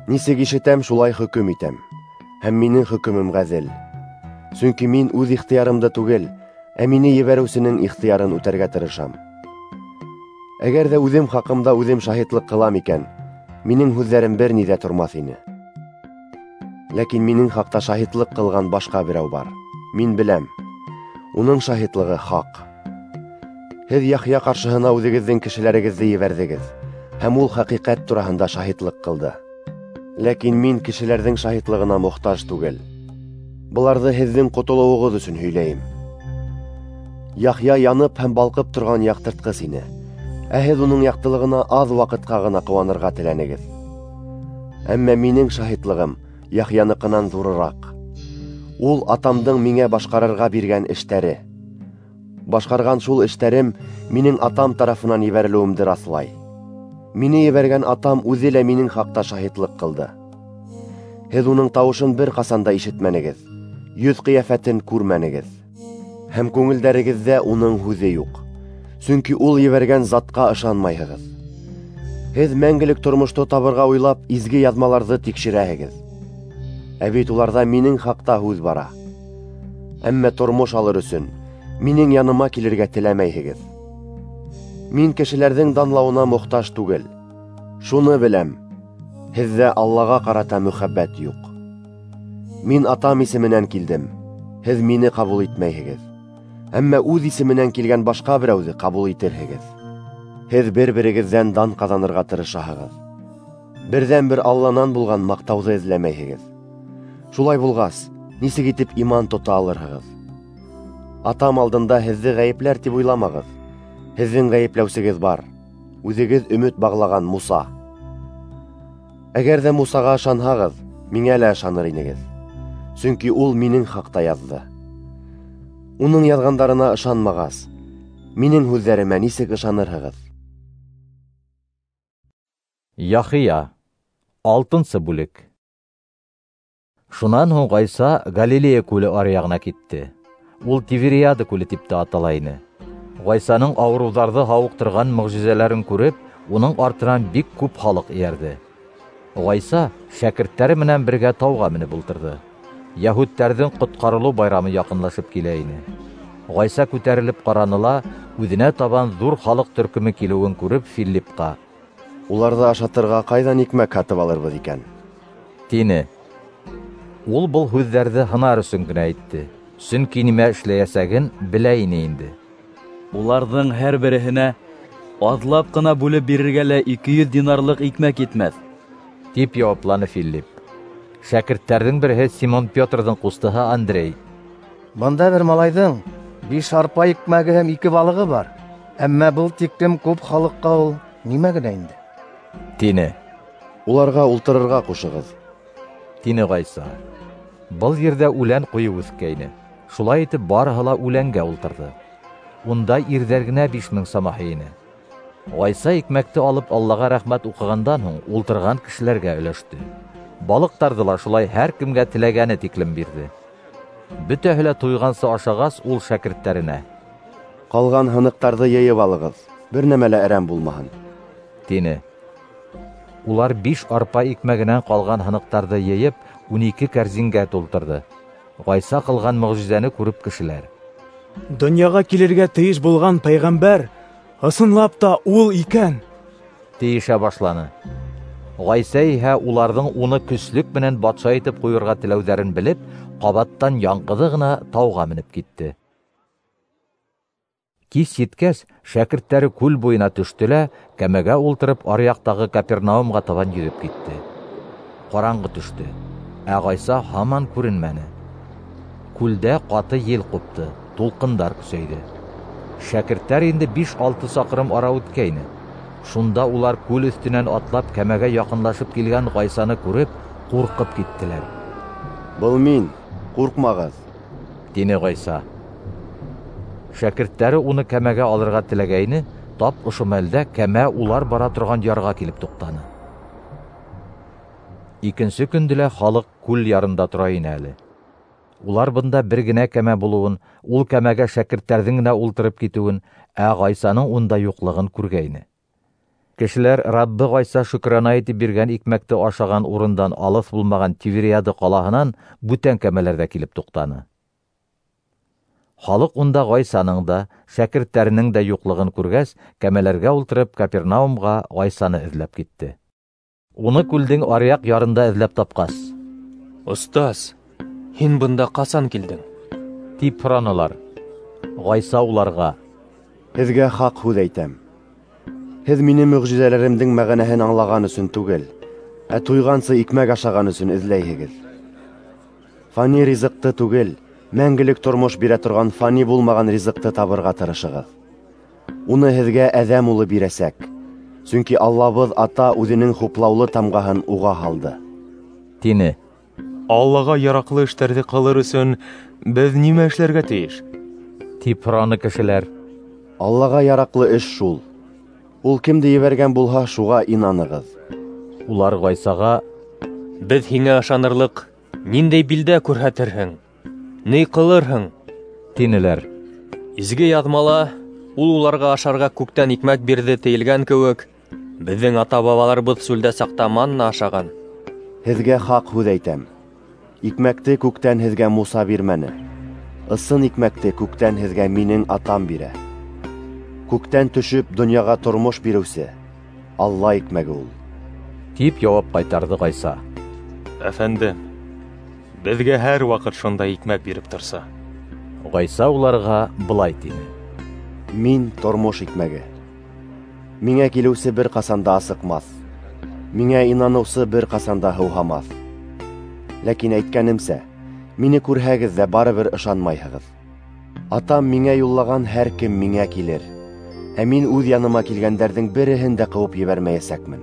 Нисек ишетәм, шулай хөкөм итәм, һәм минең хөкөмөм ғәҙел. Сөнки мин үҙ ихтыярымды түгел, ә мине ебәреүсенең ихтыярын үтәргә тырышам. Әгәр ҙә үҙем хаҡымда үҙем шаһитлыҡ ҡылам икән, минең һүҙҙәрем бер ни ҙә тормаҫ ине. Ләкин минең хаҡта шаһитлыҡ ҡылған башҡа берәү бар. Мин беләм, уның шаһитлығы хаҡ. Һеҙ Яхъя ҡаршыһына үҙегеҙҙең кешеләрегеҙҙе ебәрҙегеҙ, һәм ул хәҡиҡәт тураһында шаһитлыҡ ҡылды. Ләкин мин кешеләрҙең шаһитлығына мохтаж түгел. Быларҙы һеҙҙең ҡотолоуығыҙ өсөн һөйләйем. Яхъя янып һәм балҡып торған яҡтыртҡыс ине, ә һеҙ уның яҡтылығына аҙ ваҡытҡа ғына ҡыуанырға теләнегеҙ. Әммә минең шаһитлығым Яхъяныҡынан ҙурыраҡ. Ул атамдың миңә башҡарырға биргән эштәре. Башҡарған шул эштәрем минең атам тарафынан ебәрелеүемде раҫлай. Мине ебәргән атам үҙе лә минең хаҡта шаһитлыҡ ҡылды. Һеҙ уның тауышын бер ҡасан да ишетмәнегеҙ, йөҙ ҡиәфәтен күрмәнегеҙ. Һәм күңелдәрегеҙҙә уның һүҙе юҡ, сөнки ул ебәргән затҡа ышанмайһығыҙ. Һеҙ мәңгелек тормошто табырға уйлап, изге яҙмаларҙы тикшерәһегеҙ. Ә бит уларҙа минең хаҡта һүҙ бара. Әммә тормош алыр өсөн минең яныма килергә теләмәйһегеҙ. Мин кешеләрҙең данлауына мохтаж түгел. Шуны беләм, һеҙҙә Аллаға ҡарата мөхәббәт юҡ. Мин Атам исеменән килдем, һеҙ мине ҡабул итмәйһегеҙ. Әммә үҙ исеменән килгән башҡа берәүҙе ҡабул итерһегеҙ. Һеҙ бер-берегеҙҙән дан ҡаҙанырға тырышаһығыҙ. Берҙән-бер Алланан булған маҡтауҙы эҙләмәйһегеҙ. Шулай булғас, нисек итеп иман тота алырһығыҙ? Атам алдында һеҙҙе ғәйепләр тип уйламағыҙ. Һеҙҙең ғәйепләүсегеҙ бар, үҙегеҙ өмөт бағлаған Муса. Әгәр ҙә Мусаға ышанһағыҙ, миңә лә ышаныр инегеҙ. Сөнки ул минең хаҡта яҙҙы. Уның яҙғандарына ышанмағас, минең һүҙҙәремә нисек ышанырһығыҙ? Яхия, алтынсы бүлек. Шунан һуң Ғайса Галилея күле аръяғына китте. Ул Тивериада күле тип тә атала ине. Ғайсаның ауырыуҙарҙы һауыҡтырған мөғжизәләрен күреп, уның артынан бик күп халыҡ эйәрҙе. Ғайса шәкерттәре менән бергә тауға менеп ултырҙы. Йәһүдтәрҙең ҡотҡарылыу байрамы яҡынлашып килә ине. Ғайса күтәрелеп ҡараны ла, үҙенә табан ҙур халыҡ төркөмө килеүен күреп, Филиппҡа: "Уларҙы ашатырға ҡайҙан икмәк һатып алырбыҙ икән?" тине. Ул был һүҙҙәрҙе һынар өсөн генә әйтте, сөнки нимә эшләйәсәген белә ине инде. Уларҙың һәр береһенә аҙлап ҡына бүлеп бирергә лә ике йөҙ динарлыҡ икмәк етмәҫ, тип яуапланы Филипп. Шәкерттәрҙең береһе Симон Петрҙың ҡустыһы Андрей: "Бында бер малайҙың биш арпа икмәге һәм ике балығы бар, әммә был тиклем күп халыҡҡа ул нимә генә инде?" тине. "Уларға ултырырға ҡушығыҙ", тине Ғайса. Был ерҙә үлән ҡуйып үҫкәйне. Шулай итеп барыһы ла үләнгә ултырҙы. Унда ирҙәр генә биш мең самаһы ине. Ғайса икмәкте алып Аллаға рәхмәт уҡығандан һуң ултырған кешеләргә өләште. Балыҡтарҙы ла шулай һәр кемгә теләгәне тиклем бирҙе. Бөтәһе лә туйғансы ашағас, ул шәкерттәренә: "Ҡалған һыныҡтарҙы йыйып алығыҙ, бер нәмә лә әрәм булмаһын", тине. Улар биш арпа икмәгенән ҡалған һыныҡтарҙы йыйып, ун ике кәрзингә тултырҙы. Ғайса ҡылған мөғжизәне күреп кешеләр: "Донъяға килергә тейеш булған пәйғәмбәр ысынлап та ул икән", тейешә башланы. Ғайса иһә уларҙың уны көслөк менән батша итеп ҡуйырға теләүҙәрен белеп, ҡабаттан яңғыҙы ғына тауға менеп китте. Кис еткәс, шәкерттәре күл буйына төштө лә, кәмәгә ултырып, аръяҡтағы Капернаумға табан йөҙөп китте. Ҡараңғы төштө, ә Ғайса һаман күренмәне. Күлдә ҡаты ел ҡупты, тулҡындар көсәйҙе. Шәкерттәр инде биш-алты саҡрым ара үткәйне. Шунда улар күл өҫтөнән атлап кәмәгә яҡынлашып килгән Ғайсаны күреп, ҡурҡып киттеләр. "Был мин, ҡурҡмағыҙ", тине Ғайса. Шәкерттәре уны кәмәгә алырға теләгәйне, тап ошо мәлдә кәмә улар бара торған ярға килеп туҡтаны. Икенсе көндө лә халыҡ күл ярында тора ине әле. Улар бында бер генә кәмә булыуын, ул кәмәгә шәкерттәрҙең генә ултырып китеүен, ә Ғайсаның унда юҡлығын күргәйне. Кешеләр Раббы Ғайса шөкрана итеп биргән икмәкте ашаған урындан алыҫ булмаған Тивериада ҡалаһынан бүтән кәмәләрҙә килеп туҡтаны. Халыҡ унда Ғайсаның да, шәкерттәренең дә юҡлығын күргәс, кәмәләргә ултырып Капернаумға Ғайсаны эҙләп китте. Уны күлдең аръяҡ ярында эҙләп тапҡас: "Остаз, һин бында ҡасан килдең?" тип һоранылар. Ғайса уларға: "Һеҙгә хаҡ һүҙ әйтәм. Һеҙ мине мөғжизәләремдең мәғәнәһен аңлаған өсөн түгел, ә туйғансы икмәк ашаған өсөн эҙләйһегеҙ. Фани ризыҡты түгел, мәңгелек тормош бирә торған фани булмаған ризыҡты табырға тырышығыҙ. Уны һеҙгә Әҙәм улы бирәсәк, сөнки Аллабыҙ Ата үҙенең хуплаулы тамғаһын уға һалды", тине. "Аллаға яраҡлы эштәрҙе ҡылыр өсөн беҙ нимә эшләргә тейеш?" тип һораны кешеләр. "Аллаға яраҡлы эш шул: ул кемде ебәргән булһа, шуға инанығыҙ". Улар Ғайсаға: "Беҙ һиңә ышанырлыҡ ниндәй билдә күрһәтерһең? Ни ҡылырһың?" тинеләр. Изге яҙмала ул уларға ашарға күктән икмәк бирҙе тейелгән кеүек, беҙҙең ата-бабаларыбыҙ сүлдә саҡта манна ашаған. Һеҙгә хаҡ һүҙ әйтәм: икмәкте күктән һеҙгә Муса бирмәне, Ысын икмәкте күктән һеҙгә минең Атам бирә. Күктән төшөп донъяға тормош биреүсе Алла икмәге ул. Тип яуап ҡайтарҙы Ғайса. Әфәндем, беҙгә һәр ваҡыт шундай икмәк биреп торса. Ғайса уларға былай тине: Мин тормош икмәге. Миңә килеүсе бер ҡасан да асыҡмаҫ, миңә инаныусы бер ҡасан да һыуһамаҫ. Ләкин әйткәнемсә, мине күрһәгеҙ ҙә барыбер ышанмайһығыҙ. Атам миңә юллаған һәр кем миңә килер, ә мин үҙ яныма килгәндәрҙең береһен дә ҡыуып ебәрмәйәсәкмен.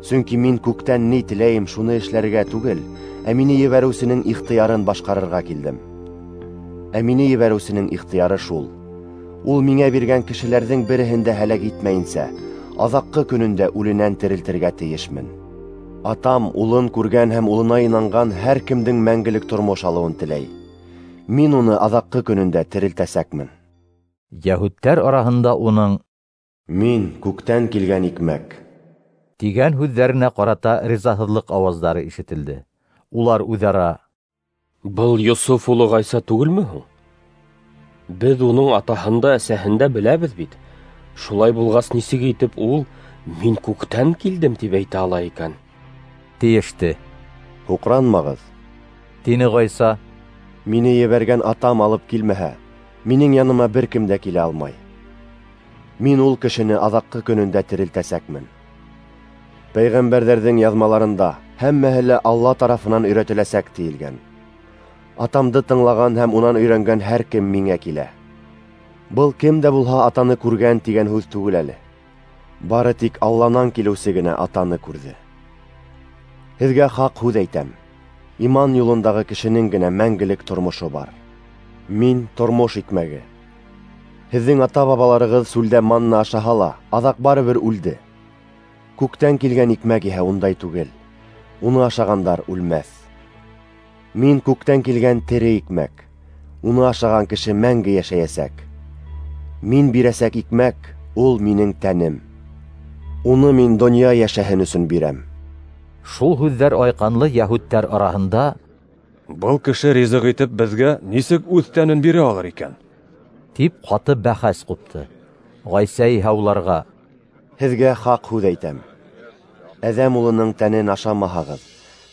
Сөнки мин күктән ни теләйем, шуны эшләргә түгел, ә мине ебәреүсенең ихтыярын башҡарырға килдем. Ә мине ебәреүсенең ихтыяры шул: ул миңә биргән кешеләрҙең береһен дә һәләк итмәйенсә, аҙаҡҡы көнөндә үленән терелтергә тейешмен. Атам улын күргән һәм улына инанған һәр кемдең мәңгелек тормош алыуын теләй. Мин уны аҙаҡҡы көнөндә терелтәсәкмен. Йәһүдтәр араһында уның «Мин күктән килгән икмәк» тигән һүҙҙәренә ҡарата ризаһыҙлыҡ ауаздары ишетелде. Улар үҙ-ара: «Был Йософ улы Ғайса түгелме һуң? Беҙ уның атаһын да, әсәһен дә беләбеҙ бит. Шулай булғас, нисек итеп ул «Мин күктән килдем» тип әйтә ала икән?» тиеште. «Һуҡранмағыҙ», тине Ғайса. «Мине ебәргән Атам алып килмәһә, минең яныма бер кем дә килә алмай. Мин ул кешене аҙаҡҡы көнөндә терелтәсәкмен. Пәйғәмбәрҙәрҙең яҙмаларында һәммәһе лә Алла тарафынан өйрәтеләсәк тиелгән. Атамды тыңлаған һәм унан өйрәнгән һәр кем миңә килә. Был кем дә булһа Атаны күргән тигән һүҙ түгел әле. Бары тик Алланан килеүсе генә Атаны күрҙе. Һеҙгә хаҡ һүҙ әйтәм: иман юлындағы кешенең генә мәңгелек тормошо бар. Мин тормош икмәге. Һеҙҙең ата-бабаларығыҙ сүлдә манна ашаһа ла, аҙаҡ барыбер үлде. Күктән килгән икмәк иһә ундай түгел. Уны ашағандар үлмәҫ. Мин күктән килгән тере икмәк. Уны ашаған кеше мәңге йәшәйәсәк. Мин бирәсәк икмәк ул минең тәнем. Уны мин донъя йәшәһен өсөн бирәм». Шул һүҙҙәр айҡанлы йәһүдтәр араһында: «Был кеше ризыҡ итеп беҙгә нисек үҙ тәнен бирә алыр икән?» тип ҡаты бәхәс ҡупты. Ғайса иһә уларға: «Һеҙгә хаҡ һүҙ әйтәм: Әҙәм улының тәнен ашамаһағыҙ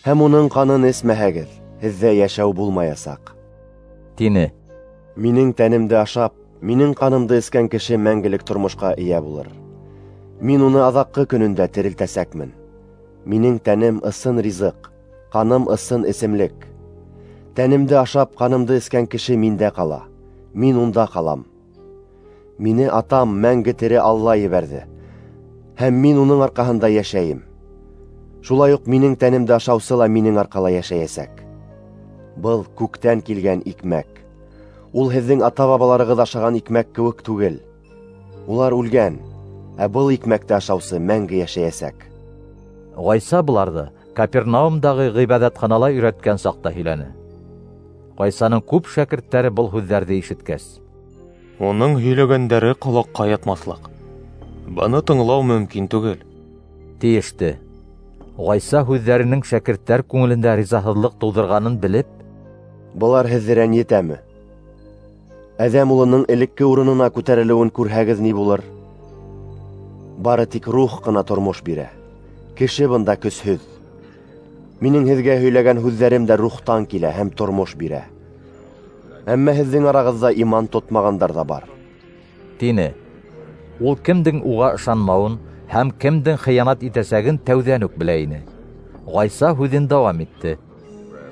һәм уның ҡанын эсмәһәгеҙ, һеҙҙә йәшәү булмаясаҡ», тине. «Минең тәнемде ашап, минең ҡанымды эскән кеше мәңгелек тормошҡа эйә булыр. Мин уны аҙаҡҡы көнөндә терелтәсәкмен. Минең тәнем ысын ризыҡ, ҡаным ысын эсемлек. Тәнемде ашап, ҡанымды эскән кеше миндә ҡала, мин унда ҡалам. Мине Атам мәңге тере Алла ебәрҙе, һәм мин уның арҡаһында йәшәйем. Шулай уҡ минең тәнемде ашаусы ла минең арҡала йәшәйәсәк. Был күктән килгән икмәк. Ул һеҙҙең ата-бабаларығыҙ ашаған икмәк кеүек түгел. Улар үлгән, ә был икмәкте ашаусы мәңге йәшәйәсәк». Ғайса быларҙы Капернаумдағы ғибәҙәтханала өйрәткән саҡта һөйләне. Ғайсаның күп шәкерттәре был һүҙҙәрҙе ишеткәс: «Уның һөйләгәндәре ҡолаҡҡа ятмаҫлыҡ, быны тыңлау мөмкин түгел», тиеште. Ғайса һүҙҙәренең шәкерттәр күңелендә ризаһыҙлыҡ тыуҙырғанын белеп: «Былар һеҙҙе рәнйетәме? Әҙәм улының элекке урынына күтәрелеүен күрһәгеҙ ни булыр? Бары тик рух ҡына тормош бирә. Кеше бында көсһөҙ. Минең һеҙгә һөйләгән һүҙҙәрем дә рухтан килә һәм тормош бирә. Әммә һеҙҙең арағыҙҙа иман тотмағандар ҙа бар», тине. Ул кемдең уға ышанмауын һәм кемдең хыянат итәсәген тәүҙән үк белә ине. Ғайса һүҙен дауам итте: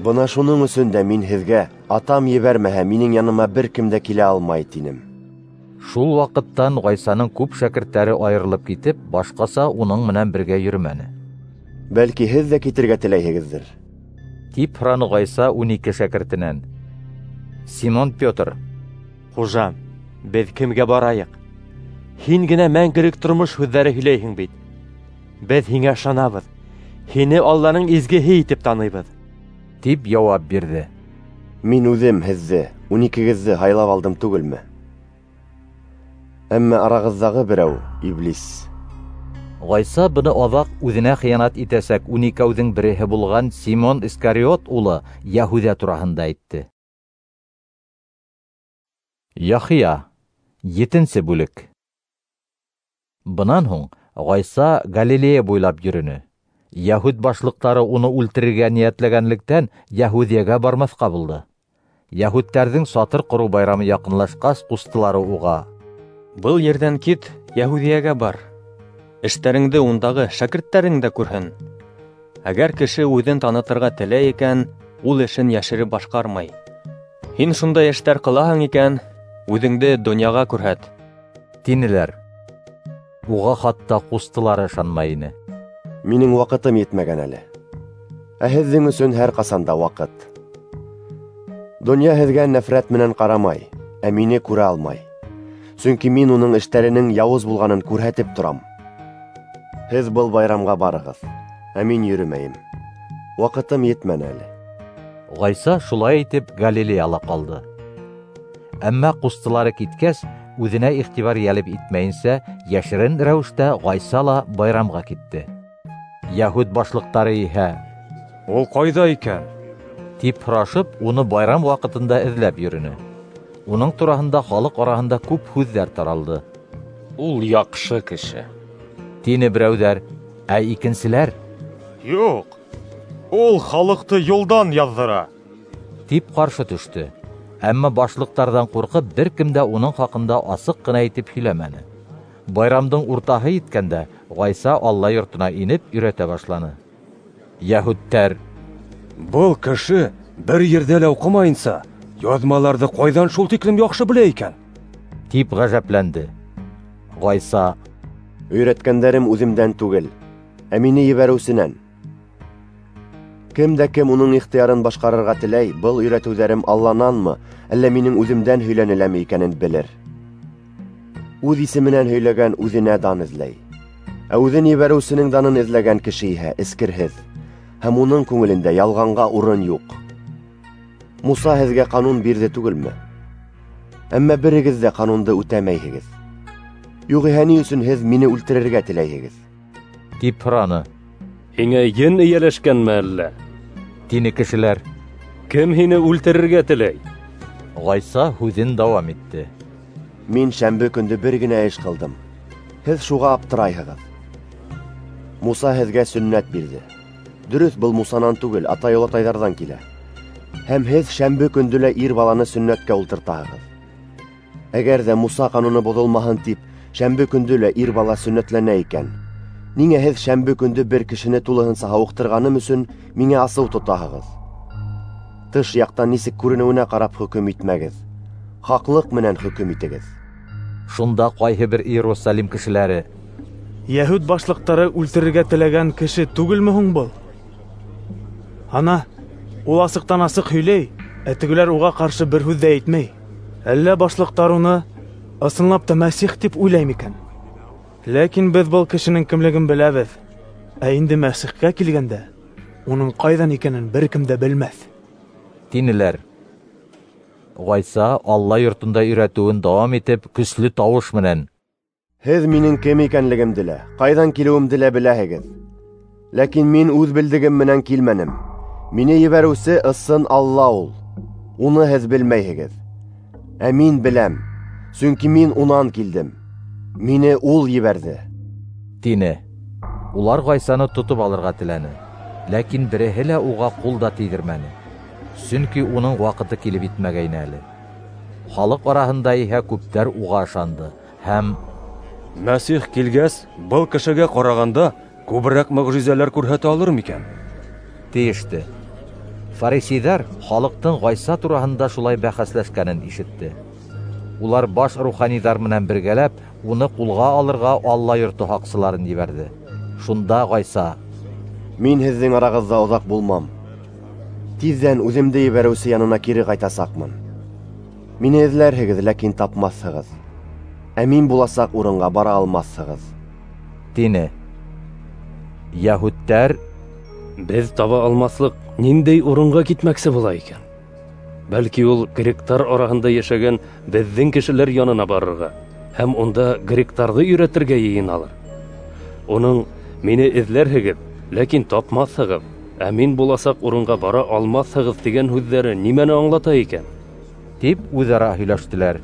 «Бына шуның өсөн дә мин һеҙгә, Атам ебәрмәһә, минең яныма бер кем дә килә алмай, тинем». Шул ваҡыттан Ғайсаның күп шәкерттәре айырылып китеп, башҡаса уның менән бергә йөрөмәне. «Бәлки һеҙ ҙә китергә теләйһегеҙҙер?» тип һораны Ғайса ун ике шәкертенән. Симон Петр: «Хужам, беҙ кемгә барайыҡ? Һин генә мәңгелек тормош һүҙҙәре һөйләйһең бит. Беҙ һиңә ышанабыҙ, һине Алланың изгеһе итеп таныйбыҙ», тип яуап бирҙе. «Мин үҙем һеҙҙе, ун икегеҙҙе һайлап алдым түгелме? Әммә арағыҙҙағы берәү — иблис». Ғайса быны аҙаҡ үҙенә хыянат итәсәк ун икәүҙең береһе булған Симон Искариот улы Йәһүҙә тураһында әйтте. Яхия, етенсе бүлек. Бынан һуң Ғайса Галилея буйлап йөрөнө. Яһүд башлыҡтары уны үлтерергә ниәтләгәнлектән Яһүҙиәгә бармаҫҡа булды. Яһүдтәрҙең сатыр ҡороу байрамы яҡынлашҡас, ҡустылары уға: "Был ерҙән кит, Яһүҙиәгә бар. Эштәреңде ундағы шәкерттәрең дә күрһен. Әгәр кеше үҙен танытырға теләй икән, ул эшен йәшереп башҡармай. Һин шундай эштәр ҡылаһың икән, үҙеңде донъяға күрһәт", тинеләр. Уға хатта ҡустылары ышанмай ине. Минең ваҡытым етмәгән әле. Ә һеҙҙең өсөн һәр ҡасан да ваҡыт. Донъя һеҙгә нәфрәт менән ҡарамай, ә мине күрә алмай. Сөнки мин уның эштәренең яуыз булғанын күрһәтеп торам. Һеҙ был байрамға барығыҙ, ә мин йөрөмәйем. Ваҡытым етмәне әле. Ғайса шулай итеп Галилеяла ҡалды. Әммә ҡустылары киткәс, үҙенә иғтибар йәлеп итмәйенсә, йәшерен рәүештә Ғайса ла байрамға китте. Яһүд башлыҡтары иһә: "Ул ҡайҙа икән?" тип һорашып, уны байрам ваҡытында эҙләп йөрөнө. Уның тураһында халыҡ араһында күп һүҙҙәр таралды. "Ул яҡшы кеше", тине берәүҙәр, ә икенселәр: "Юҡ, ул халыҡты юлдан яҙҙыра", тип ҡаршы төштө. Әммә башлыҡтарҙан ҡурҡып, бер кем дә уның хаҡында асыҡ ҡына итеп һөйләмәне. Байрамдың уртаһы еткәндә, Ғайса Алла йортона инеп өйрәтә башланы. Яһүдтәр: "Был кеше бер ерҙә лә уҡымайынса, яҙмаларҙы ҡайҙан шул тиклем яҡшы белә икән?" тип ғәжәпләнде. Ғайса: "Өйрәткәндәрем үҙемдән түгел, ә мине ебәреүсенән. Кем дә кем уның ихтыярын башҡарырға теләй, был өйрәтеүҙәрем Аллананмы, әллә минең үҙемдән һөйләнеләме икәнен белер. Үҙ исеменән һөйләгән үҙенә дан эҙләй. Ә үҙен ебәреүсенең данын эҙләгән кеше иһә эскерһеҙ, һәм уның күңелендә ялғанға урын юҡ. Муса һеҙгә ҡанун бирҙе түгелме? Әммә берегеҙ ҙә ҡанунды үтәмәйһегеҙ. Юғиһә ни өсөн һеҙ мине үлтерергә теләйһегеҙ?" тип һораны. "Һиңә ен эйәләшкәнме әллә?" тине кешеләр. "Кем һине үлтерергә теләй?" Ғайса һүҙен дауам итте: "Мин шәмбе көндө бер генә эш ҡылдым. Һеҙ шуға аптырайһығыҙ. Муса һеҙгә сөннәт бирҙе. Дөрөҫ, был Мусанан түгел, атай-олатайҙарҙан килә. Һәм һеҙ шәмбе көндө лә ир баланы сөннәткә ултыртаһығыҙ. Әгәр ҙә Муса ҡануны боҙолмаһын тип, шәмбе көндө лә ир бала сөннәтләнә икән, ниңә һеҙ шәмбе көндө бер кешене тулыһынса һауыҡтырғаным өсөн миңә асыу тотаһығыҙ? Тыш яҡтан нисек күренеүенә ҡарап хөкөм итмәгеҙ, хаҡлыҡ менән хөкөм итегеҙ." Шунда ҡайһы бер Иерусалим кешеләре: "Яһүд башлыҡтары үлтерергә теләгән кеше түгелме һуң был? Ана, ул асыҡтан асыҡ һөйләй, ә тегеләр уға ҡаршы бер һүҙ ҙә әйтмәй. Әллә башлыҡтар уны ысынлап та Мәсих тип уйлай микән? Ләкин беҙ был кешенең кемлеген беләбеҙ. Ә инде Мәсихкә килгәндә, уның ҡайҙан икәнен бер кем дә белмәҫ", тинеләр. Ғайса Алла йортонда өйрәтеүен дауам итеп, көслө тауыш менән: "Һеҙ минең кем икәнлегемде лә, ҡайҙан килеүемде лә беләһегеҙ. Ләкин мин үҙ белдегем менән килмәнем. Мине ебәреүсе ысын Алла ул. Уны һеҙ белмәйһегеҙ. Ә мин беләм, сөнки мин унан килдем. Мине ул ебәрҙе", тине. Улар Ғайсаны тотоп алырға теләне, ләкин береһе лә уға ҡул да тейҙермәне, сөнки уның ваҡыты килеп етмәгәйне әле. Халыҡ араһында иһә күптәр уға ышанды һәм: "Мәсих килгәс, был кешегә ҡарағанда күберәк мөғжизәләр күрһәтә алыр микән?" тейеште. Фарисейҙар халыҡтың Ғайса тураһында шулай бәхәсләшкәнен ишетте. Улар баш руханиҙар менән бергәләп уны ҡулға алырға Алла йорто һаҡсыларын ебәрҙе. Шунда Ғайса: "Мин һеҙҙең арағыҙҙа оҙаҡ булмам. Тиҙҙән үҙемде ебәреүсе янына кире ҡайтасаҡмын. Мине эҙләрһегеҙ, ләкин тапмаҫһығыҙ. Ә мин буласаҡ урынға бара алмаҫһығыҙ", тине. Яһүдтәр: "Беҙ таба алмаҫлыҡ ниндәй урынға китмәксе була икән? Бәлки ул гректар араһында йәшәгән беҙҙең кешеләр янына барырға һәм унда гректарҙы өйрәтергә йыйыналыр. Уның мине эҙләрһегеҙ, ләкин тапмаҫһығыҙ, ә мин буласаҡ урынға бара алмаҫһығыҙ тигән һүҙҙәре нимәне аңлата икән?" тип үҙ-ара һөйләштеләр.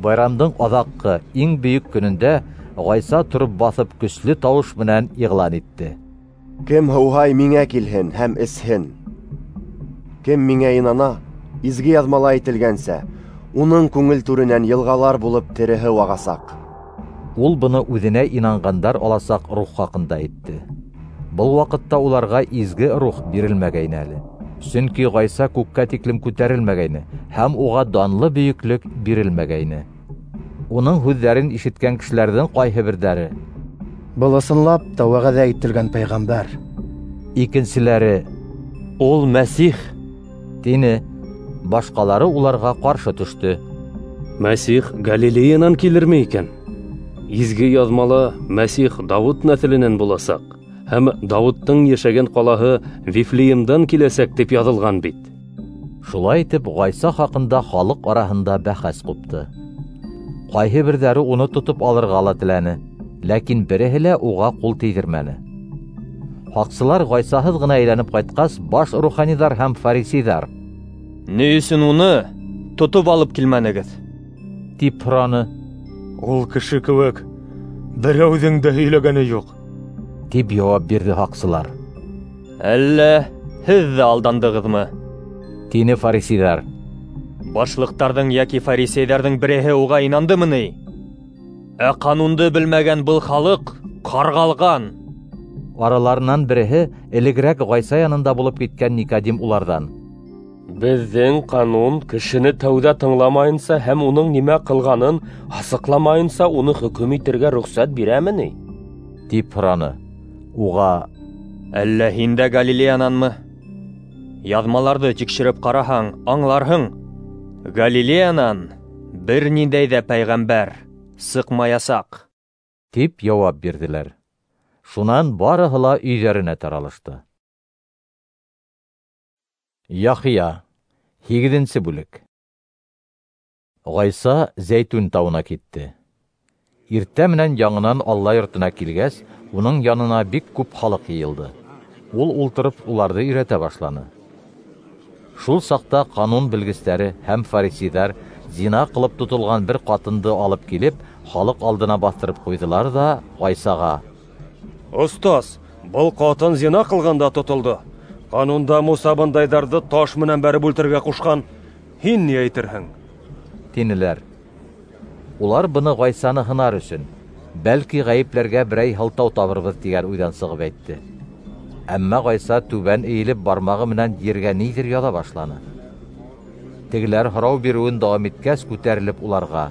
Байрамдың аҙаҡҡы, иң бөйөк көнөндә Ғайса тороп баҫып көслө тауыш менән иғлан итте: Кем һыуһай, миңә килһен һәм эсһен. Кем миңә инана, изге яҙмала әйтелгәнсә, уның күңел түренән йылғалар булып тере һыу ағасаҡ. Ул быны үҙенә инанғандар аласаҡ рух хаҡында әйтте. Был ваҡытта уларға изге рух бирелмәгәйне әле, сөнки Ғайса күккә тиклем күтәрелмәгәйне һәм уға данлы бөйөклөк бирелмәгәйне. Уның һүҙҙәрен ишеткән кешеләрҙең ҡайһы берҙәре: Был ысынлап та вәғәҙә ителгән пәйғәмбәр. Икенселәре: Ул Мәсих, тине. Башҡалары уларға ҡаршы төштө: Мәсих Галилеянан килерме икән? Изге яҙмала Мәсих Дауыт нәҫеленән буласаҡ һәм Дауыттың йәшәгән ҡалаһы Вифлеемдан киләсәк тип яҙылған бит. Шулай итеп, Ғайса хаҡында халыҡ араһында бәхәс ҡупты. Ҡайһы берҙәре уны тотоп алырға ла теләне, ләкин береһе лә уға ҡул тейҙермәне. Һаҡсылар Ғайсаһыҙ ғына әйләнеп ҡайтҡас, баш руханиҙар һәм фарисейҙар: Ни өсөн уны тотоп алып килмәнегеҙ? тип һораны. Ул кеше кеүек берәүҙең дә һөйләгәне юҡ, тип яуап бирҙе һаҡсылар. Әллә һеҙ ҙә алдандығыҙмы? Тине фарисейҙар. Башлыҡтарҙың йәки фарисейҙәрҙең береһе уға инандымы ни? Ә ҡанунды белмәгән был халыҡ ҡарғалған. Араларынан береһе, элегерәк Ғайса янында булып киткән Никодим, уларҙан: Беҙҙең ҡанун кешене тәүҙә тыңламайынса һәм уның нимә ҡылғанын асыҡламайынса уны хөкөм итергә рөхсәт бирәме ни? Тип һораны. Уға: Әллә һин дә Галилеянанмы? Яҙмаларҙы тикшереп ҡараһаң, аңларһың: Галилеянан бер ниндәй ҙә пәйғәмбәр сыҡмаясаҡ, тип яуап бирҙеләр. Шунан барыһы ла өйҙәренә таралышты. Яхия, һигеҙенсе бүлек. Ғайса Зәйтүн тауына китте. Иртә менән яңынан Алла йортона килгәс, уның янына бик күп халыҡ йыйылды. Ул ултырып уларҙы өйрәтә башланы. Шул саҡта ҡанун белгестәре һәм фарисейҙар зина ҡылып тотолған бер ҡатынды алып килеп, халыҡ алдына баҫтырып ҡуйҙылар ҙа Ғайсаға: Остаз, был ҡатын зина ҡылғанда тотолдо. Ҡанунда Муса бындайҙарҙы таш менән бәреп үлтерергә ҡушҡан. Һин ни әйтерһең? Тинеләр. Улар быны Ғайсаны һынар өсөн, бәлки ғәйепләргә берәй һылтау табырбыҙ тигән уйҙан сығып әйтте. Әммә Ғайса түбән эйелеп бармағы менән ергә ниҙер яҙа башланы. Тегеләр һорау биреүен дауам иткәс, күтәрелеп уларға: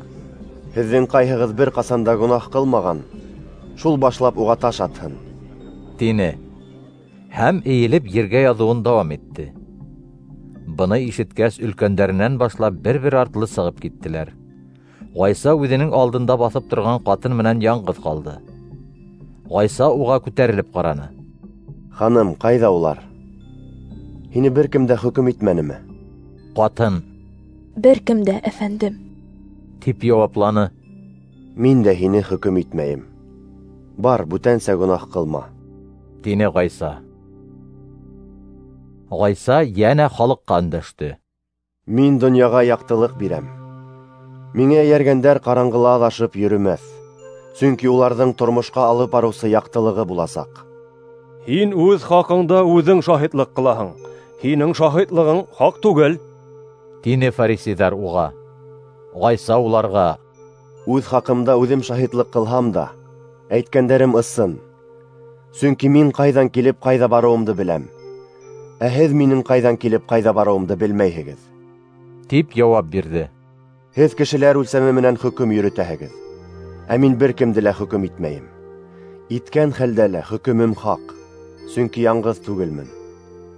Һеҙҙең ҡайһығыҙ бер ҡасан да гонаһ ҡылмаған, шул башлап уға таш атһын, тине. Һәм эйелеп ергә яҙыуын дауам итте. Быны ишеткәс, өлкәндәренән башлап бер-бер артлы сығып киттеләр. Ғайса үҙенең алдында баҫып торған ҡатын менән яңғыҙ ҡалды. Ғайса уға күтәрелеп ҡараны. Ханым, ҡайҙа улар? Һине бер кем дә хөкөм итмәнеме? Ҡатын: Бер кем дә, әфәндем, тип яуапланы. Мин дә һине хөкөм итмәйем. Бар, бүтәнсә гонаһ ҡылма, тине Ғайса. Ғайса йәнә халыҡҡа өндәште. Мин донъяға яҡтылыҡ бирәм. Миңә эйәргәндәр ҡараңғыла аҙашып йөрөмәҫ, сөнки уларҙың тормошҡа алып барыусы яҡтылығы буласаҡ. Һин үҙ хаҡыңда үҙең шаһитлыҡ ҡылаһың. Һинең шаһитлығың хаҡ түгел, тине фарисейҙар уға. Ғайса уларға: Үҙ хаҡымда үҙем шаһитлыҡ ҡылһам да, әйткәндәрем ысын. Сөнки мин ҡайҙан килеп ҡайҙа барыуымды беләм. Ә һеҙ минең ҡайҙан килеп ҡайҙа барыуымды белмәйһегеҙ, тип яуап бирҙе. Һеҙ кешеләр үлсәме менән хөкөм йөрөтәһегеҙ, ә мин бер кемде лә хөкөм итмәйем. Иткән хәлдә лә хөкөмөм хаҡ, сөнки яңғыҙ түгелмен.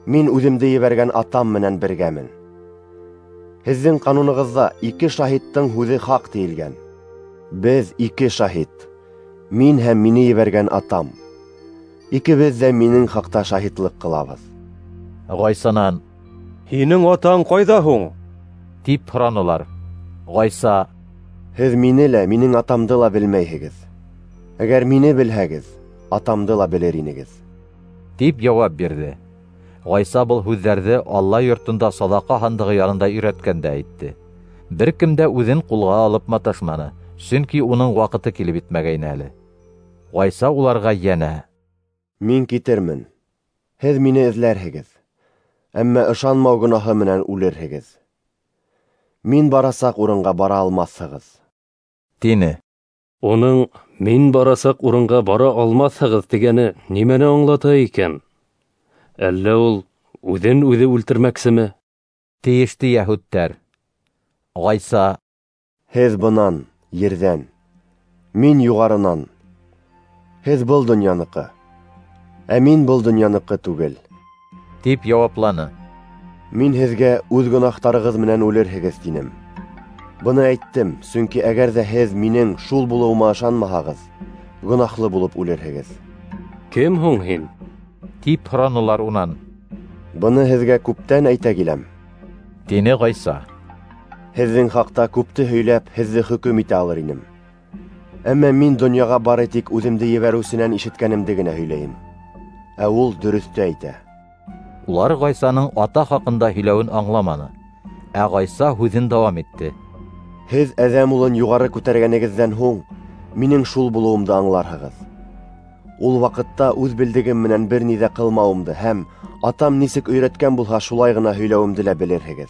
Мин үҙемде ебәргән атам менән бергәмен. Һеҙҙең ҡанунығыҙҙа ике шаһиттың һүҙе хаҡ тиелгән. Беҙ ике шаһит, мин һәм мине ебәргән атам. Икебеҙ ҙә минең хаҡта шаһитлыҡ ҡылабыҙ. Ғайсанан: Һинең атаң ҡайҙа һуң? Тип һоранылар. Ғайса: Һеҙ мине лә, минең атамды ла белмәйһегеҙ. Әгәр мине белһәгеҙ, атамды ла белер инегеҙ, тип яуап бирҙе. Ғайса был һүҙҙәрҙе Алла йортонда саҙаҡа һандығы янында өйрәткәндә әйтте. Бер кем дә үҙен ҡулға алып маташманы, сөнки уның ваҡыты килеп етмәгәйне әле. Ғайса уларға йәнә: Мин китермен, һеҙ мине эҙләрһегеҙ, әммә ышанмау гонаһы менән үлерһегеҙ. Мин барасаҡ урынға бара алмаҫһығыҙ, тине. Уның мин барасаҡ урынға бара алмаҫһығыҙ тигәне нимәне аңлата икән? Әллә ул үҙен үҙе үлтермәксеме? Тейеште йәһүдтәр. Ғайса: Һеҙ бынан, ерҙән, мин юғарынан. Һеҙ был донъяныҡы, ә мин был донъяныҡы түгел, тип яуапланы. Мин һеҙгә үҙ гонаһтарығыҙ менән үлерһегеҙ тинем. Быны әйттем, сөнки әгәр ҙә һеҙ минең шул булыуыма ышанмаһағыҙ, гонаһлы булып үлерһегеҙ. Кем һуң һин? Тип һоранылар унан. Быны һеҙгә күптән әйтә киләм, тине Ғайса. Һеҙҙең хаҡта күпте һөйләп, һеҙҙе хөкөм итә алыр инем. Әммә мин донъяға бары тик үҙемде ебәреүсенән ишеткәнемде генә һөйләйем. Ә ул дөрөҫтө әйтә. Улар Ғайсаның ата хаҡында һөйләүен аңламаны. Ә Ғайса һүҙен дауам итте. Һеҙ Әҙәм улын юғары күтәргәнегеҙҙән һуң минең шул булыуымды аңларһығыҙ. Ул ваҡытта үҙ белдегем менән бер ни ҙә ҡылмауымды һәм атам нисек өйрәткән булһа шулай ғына һөйләүемде лә белерһегеҙ.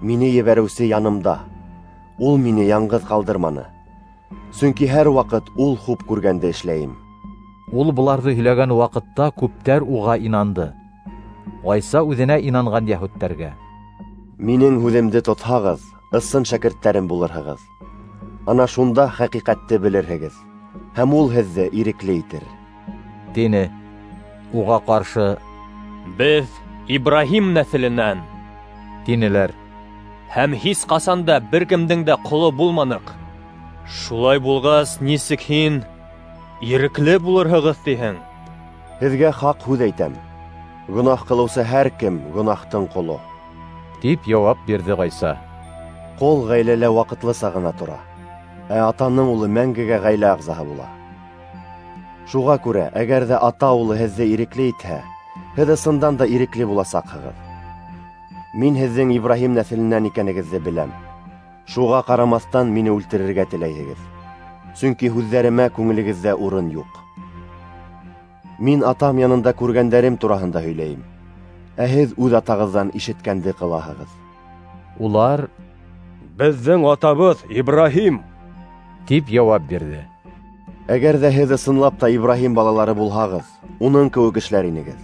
Мине ебәреүсе янымда. Ул мине яңғыҙ ҡалдырманы. Сөнки һәр ваҡыт ул хуп күргәнде эшләйем. Ул быларҙы һөйләгән ваҡытта күптәр уға инанды. Ғайса үҙенә инанған йәһүдтәргә: Минең һүҙемде тотһағыҙ, ысын шәкерттәрем булырһығыҙ. Ана шунда хәҡиҡәтте белерһегеҙ, һәм ул һеҙҙе ирекле итер, тине. Уға ҡаршы: Беҙ Ибраһим нәҫеленән, тинеләр, һәм һис ҡасан да бер кемдең дә ҡоло булманыҡ. Шулай булғас, нисек һин ирекле булырһығыҙ тиһең? Һеҙгә хаҡ һүҙ әйтәм: гонаһ ҡылыусы һәр кем гонаһтың ҡоло, тип яуап бирҙе Ғайса. Ҡол ғаиләлә ваҡытлыса ғына тора, ә атаның улы мәңгегә ғаилә ағзаһы була. Шуға күрә, әгәр ҙә ата улы һеҙҙе ирекле итһә, һеҙ ысындан да ирекле буласаҡһығыҙ. Мин һеҙҙең Ибраһим нәҫеленән икәнегеҙҙе беләм. Шуға ҡарамаҫтан мине үлтерергә теләйһегеҙ, сөнки һүҙҙәремә күңелегеҙҙә урын юҡ. Мин атам янында күргәндәрем тураһында һөйләйем, ә һеҙ үҙ атағыҙҙан ишеткәнде ҡылаһығыҙ. Улар: Беҙҙең атабыҙ Ибраһим, тип яуап бирҙе. Әгәр ҙә һеҙ ысынлап та Ибраһим балалары булһағыҙ, уның кеүек эшләр инегеҙ.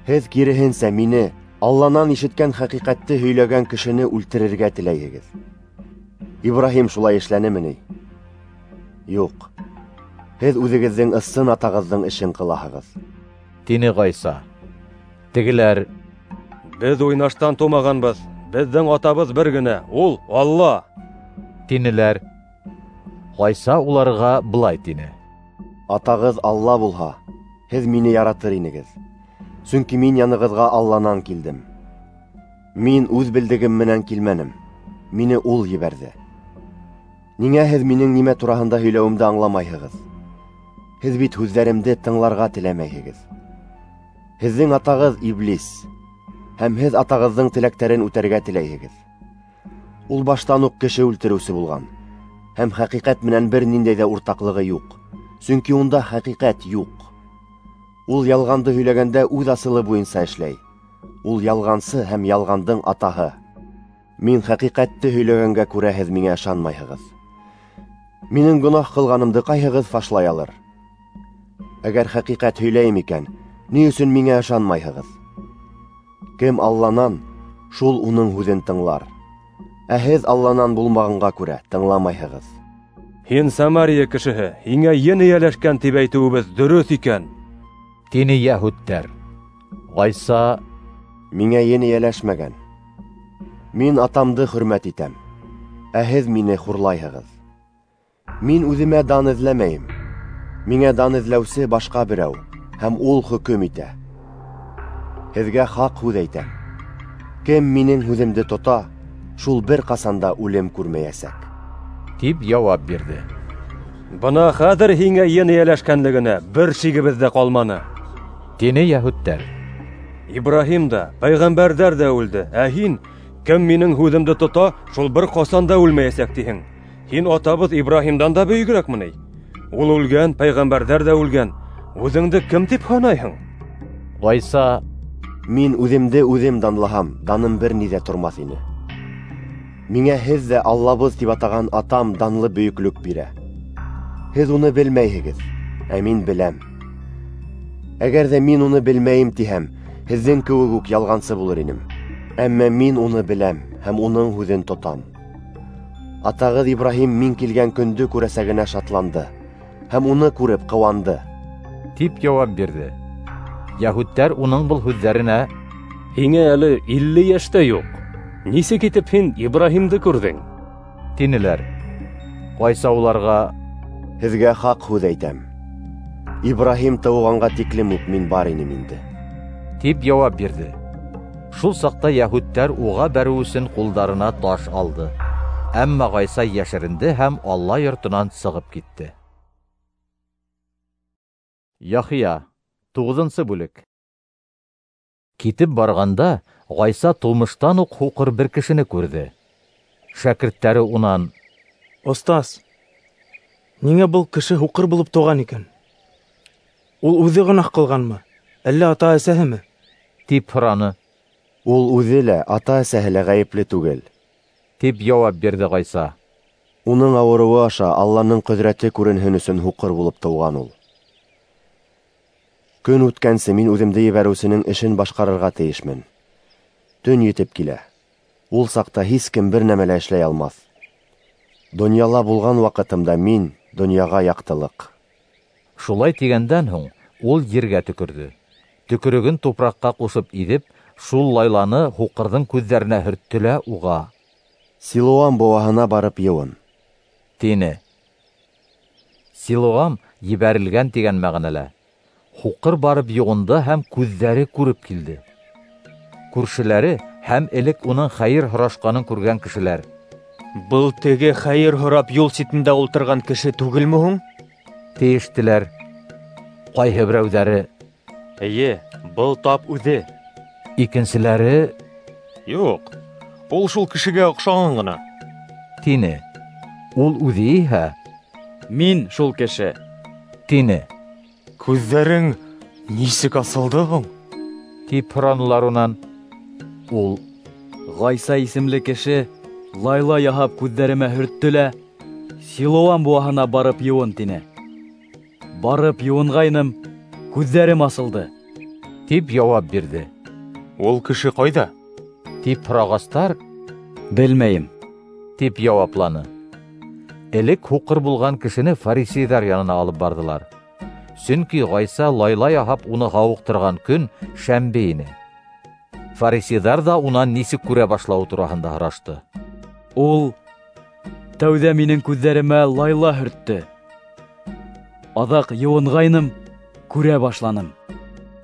Һеҙ киреһенсә мине, Алланан ишеткән хәҡиҡәтте һөйләгән кешене үлтерергә теләйһегеҙ. Ибраһим шулай эшләнеме ни? Юҡ. Һеҙ үҙегеҙҙең ысын атағыҙҙың эшен ҡылаһығыҙ, тине Ғайса. Тегеләр: Беҙ уйнаштан тыумағанбыҙ, беҙҙең атабыҙ бер генә, ул Алла, тинеләр. Ғайса уларға былай тине: Атағыҙ Алла булһа, һеҙ мине яратыр инегеҙ, сөнки мин янығыҙға Алланан килдем. Мин үҙ белдегем менән килмәнем, мине ул ебәрҙе. Ниңә һеҙ минең нимә тураһында һөйләүемде аңламайһығыҙ? Һеҙ бит һүҙҙәремде тыңларға теләмәйһегеҙ. Һеҙҙең атағыҙ Иблис, һәм һеҙ атағыҙҙың теләктәрен үтәргә теләйһегеҙ. Ул баштан уҡ кеше үлтереүсе булған, һәм хәҡиҡәт менән бер ниндәй ҙә уртаҡлығы юҡ, сөнки унда хәҡиҡәт юҡ. Ул ялғанды һөйләгәндә үҙ асылы буйынса эшләй. Ул ялғансы һәм ялғандың атаһы. Мин хәҡиҡәтте һөйләгәнгә күрә һеҙ миңә ышанмайһығыҙ. Минең гонаһ ҡылғанымды ҡайһығыҙ фашлай алыр? Әгәр хәҡиҡәт һөйләйем икән, ни өсөн миңә ышанмайһығыҙ? Кем Алланан, шул уның һүҙен тыңлар. Ә һеҙ Алланан булмағанға күрә тыңламайһығыҙ. Һин Самария кешеһе, һиңә ен эйәләшкән тип әйтеүебеҙ дөрөҫ икән, тине йәһүдтәр. Ғайса: Миңә ен эйәләшмәгән. Мин атамды хөрмәт итәм, ә һеҙ мине хурлайһығыҙ. Мин үҙемә дан эҙләмәйем. Миңә дан эҙләүсе башҡа берәү, һәм ул хөкөм итә. Һеҙгә хаҡ һүҙ әйтәм: кем минең һүҙемде тота, шул бер ҡасан да үлем күрмәйәсәк, тип яуап бирҙе. Бына хәҙер һиңә ен эйәләшкәнлегенә бер шигебеҙ ҙә ҡалманы, тине йәһүдтәр. Ибраһим да, пәйғәмбәрҙәр ҙә үлде, ә һин Кем минең һүҙемде тота, шул бер ҡасан да үлмәйәсәк тиһең. Һин атабыҙ Ибраһимдан да бөйөгөрәкме ни? Ул үлгән, пәйғәмбәрҙәр ҙә үлгән. Үҙеңде кем тип һанайһың? Ғайса: Мин үҙемде үҙем данлаһам, даным бер ни ҙә тормаҫ ине. Миңә һеҙ ҙә Аллабыҙ тип атаған атам данлы бөйөклөк бирә. Һеҙ уны белмәйһегеҙ, ә мин беләм. Әгәр ҙә мин уны белмәйем тиһәм, һеҙҙең кеүек үк ялғансы булыр инем. Әммә мин уны беләм һәм уның һүҙен тотам. Атағыҙ Ибраһим мин килгән көндө күрәсәгенә шатланды һәм уны күреп ҡыуанды, тип яуап бирҙе. Йәһүдтәр уның был һүҙҙәренә: Һиңә әле илле йәш тә юҡ, нисек итеп һин Ибраһимды күрҙең? Тинеләр. Ғайса уларға: Һеҙгә хаҡ һүҙ әйтәм, Ибраһим тыуғанға тиклем үк мин бар инем инде, тип яуап бирҙе. Шул саҡта йәһүдтәр уға бәреү өсөн ҡулдарына таш алды. Әммә Ғайса йәшеренде һәм Алла йортонан сығып китте. Яхия, туғыҙынсы бүлек. Китеп барғанда, Ғайса тыумыштан уҡ һуҡыр бер кешене күрҙе. Шәкерттәре унан: Остаз, ниңә был кеше һуҡыр булып тыуған икән? Ул үҙе гонаһ ҡылғанмы, әллә ата-әсәһеме? Тип һораны. Ул үҙе лә, ата-әсәһе лә ғәйепле түгел, тип яуап бирҙе Ғайса. Уның ауырыуы аша Алланың ҡөҙрәте күренһен өсөн һуҡыр булып тыуған ул. Көн үткәнсе мин үҙемде ебәреүсенең эшен башҡарырға тейешмен. Төн етеп килә. Ул саҡта һис кем бер нәмә лә эшләй алмаҫ. Донъяла булған ваҡытымда мин донъяға яҡтылыҡ. Шулай тигәндән һуң ул ергә төкөрҙө. Төкөрөгөн тупраҡҡа ҡушып иҙеп, шул лайланы һуҡырҙың күҙҙәренә һөрттө лә уға: Силоам быуаһына барып йыуын, тине. Силоам ебәрелгән тигән мәғәнәлә. Һуҡыр барып йыуынды һәм күҙҙәре күреп килде. Күршеләре һәм элек уның хәйер һорашҡанын күргән кешеләр: Был теге хәйер һорап юл ситендә ултырған кеше түгелме һуң? Тейештеләр. Ҡайһы берәүҙәре: Эйе, был тап үҙе. Икенселәре: Юҡ, ул шул кешегә оҡшаған ғына, тине. Ул үҙе иһә: Мин шул кеше, тине. Күҙҙәрең нисек асылды һуң? Тип һоранылар унан. Ул: Ғайса исемле кеше лайла яһап күҙҙәремә һөрттө лә Силоам быуаһына барып йыуын, тине. Барып йыуынғайным, күҙҙәрем асылды, тип яуап бирҙе. Ул кеше ҡайҙа? Тип һорағастар: Белмәйем, тип яуапланы. Элек һуҡыр булған кешене фарисейҙар янына алып барҙылар. Сөнки Ғайса лайла яһап уны һауыҡтырған көн шәмбе ине. Фарисейҙар ҙа унан нисек күрә башлауы тураһында һорашты. Ул тәүҙә минең күҙҙәремә лайла һөрттө. Аҙаҡ йыуынғайным, күрә башланым,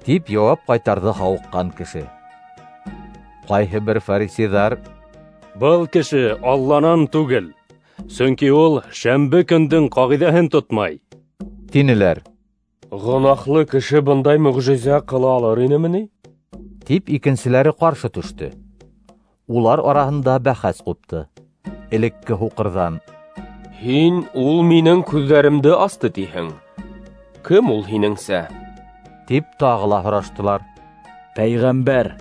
тип яуап ҡайтарҙы һауыҡҡан кеше. Ҡайһы бер фарисейҙар: Был кеше Алланан түгел, сөнки ул шәмбе көндөң ҡағиҙәһен тотмай, тинеләр. Гонаһлы кеше бындай мөғжизә ҡыла алыр инеме ни? Тип икенселәре ҡаршы төштө. Улар араһында бәхәс ҡупты. Элекке һуҡырҙан: Һин ул минең күҙҙәремде асты тиһең. Кем ул һинеңсә? Тип тағы ла һораштылар. Пәйғәмбәр,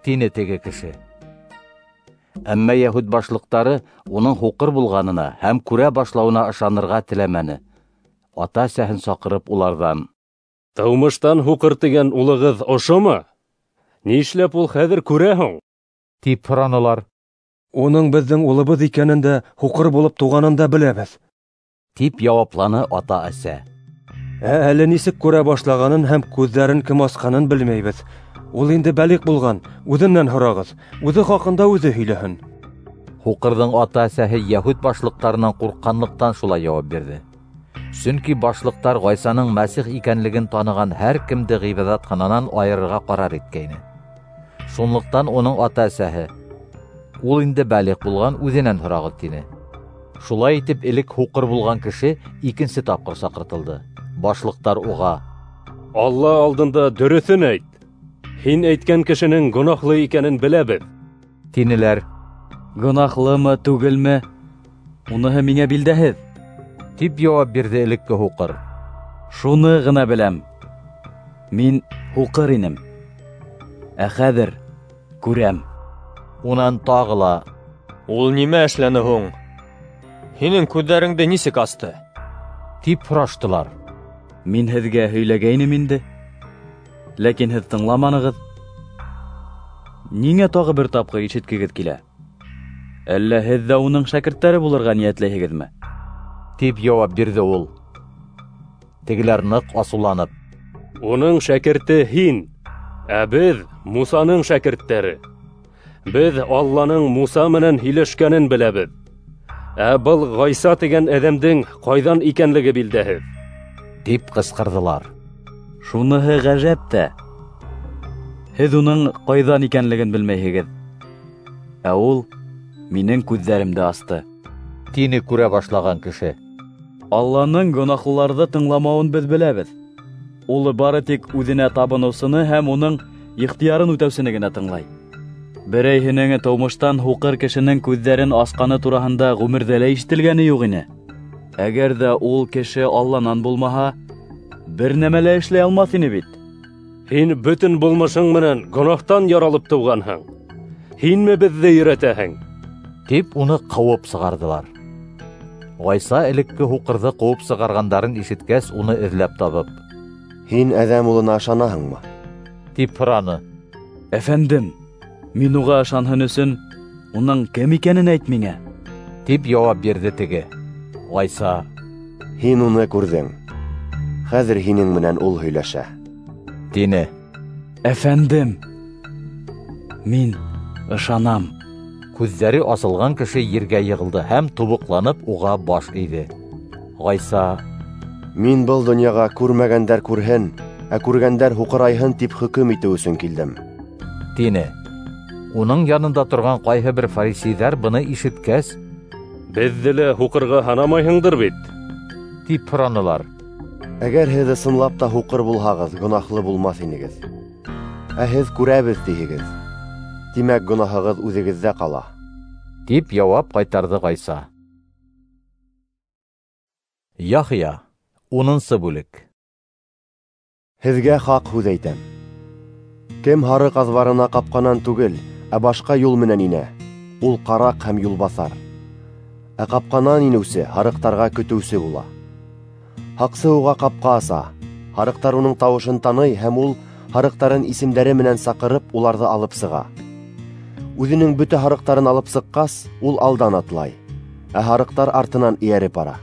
тине теге кеше. Әммә йәһүд башлыҡтары уның һуҡыр булғанына һәм күрә башлауына ышанырға теләмәне. Ата-әсәһен саҡырып уларҙан: Тыумыштан һуҡыр тигән улығыҙ ошомо? Ни эшләп ул хәҙер күрә һуң? Тип һоранылар. Уның беҙҙең улыбыҙ икәнен дә, һуҡыр булып тыуғанын да беләбеҙ, тип яуапланы ата-әсә. Ә әле нисек күрә башлағанын һәм күҙҙәрен кем асҡанын белмәйбеҙ. Ул инде бәлиғ булған, үҙенән һорағыҙ, үҙе хаҡында үҙе һөйләһен. Һуҡырҙың ата-әсәһе йәһүд башлыҡтарынан ҡурҡҡанлыҡтан шулай яуап бирҙе. Сөнки башлыҡтар Ғайсаның Мәсих икәнлеген таныған һәр кемде ғибәҙәтхананан айырырға ҡарар иткәйне. Шунлыҡтан уның ата-әсәһе: Ул инде бәлиғ булған, үҙенән һорағыҙ, тине. Шулай итеп, элек һуҡыр булған кеше икенсе тапҡыр саҡыртылды. Башлыҡтар уға: Алла алдында дөрөҫөн әйт. Һин әйткән кешенең гонаһлы икәнен беләбеҙ, Тинеләр. Гонаһлымы, түгелме, уныһы миңә билдәһеҙ, тип яуап бирҙе элекке һуҡыр. Шуны ғына беләм: мин һуҡыр инем, ә хәҙер күрәм. Унан тағы ла: Ул нимә эшләне һуң? Һинең күҙҙәреңде нисек асты? Тип һораштылар. Мин һеҙгә һөйләгәйнем инде, ләкин һеҙ тыңламанығыҙ. Ниңә тағы бер тапҡыр ишеткегеҙ килә? Әллә һеҙ ҙә уның шәкерттәре булырға ниәтләйһегеҙме? Тип яуап бирҙе ул. Тегеләр ныҡ асыуланып: Уның шәкерте һин, ә беҙ Мусаның шәкерттәре. Беҙ Алланың Муса менән һөйләшкәнен беләбеҙ. Ә был Ғайса тигән әҙәмдең ҡайҙан икәнлеге билдәһеҙ, тип ҡысҡырҙылар. Шуныһы ғәжәп тә, һеҙ уның ҡайҙан икәнлеген белмәйһегеҙ, ә ул минең күҙҙәремде асты, тине күрә башлаған кеше. Алланың гонаһлыларҙы тыңламауын беҙ беләбеҙ. Ул бары тик үҙенә табыныусыны һәм уның ихтыярын үтәүсене генә тыңлай. Берәйһенең тыумыштан һуҡыр кешенең күҙҙәрен асҡаны тураһында ғүмерҙә лә ишетелгәне юҡ ине. Әгәр ҙә ул кеше Алланан булмаһа, бер нәмә лә эшләй алмаҫ ине бит. Һин бөтөн булмышың менән гонаһтан яралып тыуғанһың. Һинме беҙҙе өйрәтәһең? Тип уны ҡыуып сығарҙылар. Ғайса элекке һуҡырҙы ҡыуып сығарғандарын ишеткәс, уны эҙләп табып: Һин Әҙәм улына ышанаһыңмы? Тип һораны. Әфәндем, мин уға ышанһын өсөн уның кем икәнен әйт миңә, тип яуап бирҙе теге. Ғайса: Һин уны күрҙең, хәҙер һинең менән ул һөйләшә, тине. Әфәндем, мин ышанам. Күҙҙәре асылған кеше ергә йығылды һәм тубыҡланып уға баш эйҙе. Ғайса: Мин был донъяға күрмәгәндәр күрһен, ә күргәндәр һуҡырайһын тип хөкөм итеү өсөн килдем, тине. Уның янында торған ҡайһы бер фарисейҙәр быны ишеткәс: Беҙҙе лә һуҡырға һанамайһыңдыр бит, тип һоранылар. Әгәр һеҙ ысынлап та һуҡыр булһағыҙ, гонаһлы булмаҫ инегеҙ. Ә һеҙ күрәбеҙ тиһегеҙ, тимәк гонаһығыҙ үҙегеҙҙә ҡала, тип яуап ҡайтарҙы Ғайса. Яхъя, унынсы бүлек. Һеҙгә хаҡ һүҙ әйтәм: кем һарыҡ аҙбарына ҡапҡанан түгел, ә башҡа юл менән инә, ул ҡараҡ һәм юлбаҫар. Ә ҡапҡанан инеүсе һарыҡтарға көтөүсе була. Һаҡсы уға ҡапҡа аса, һарыҡтар уның тауышын таный һәм ул һарыҡтарын исемдәре менән саҡырып уларҙы алып сыға. Үҙенең бөтә һарыҡтарын алып сыҡҡас, ул алдан атлай, ә һарыҡтар артынан эйәреп бара,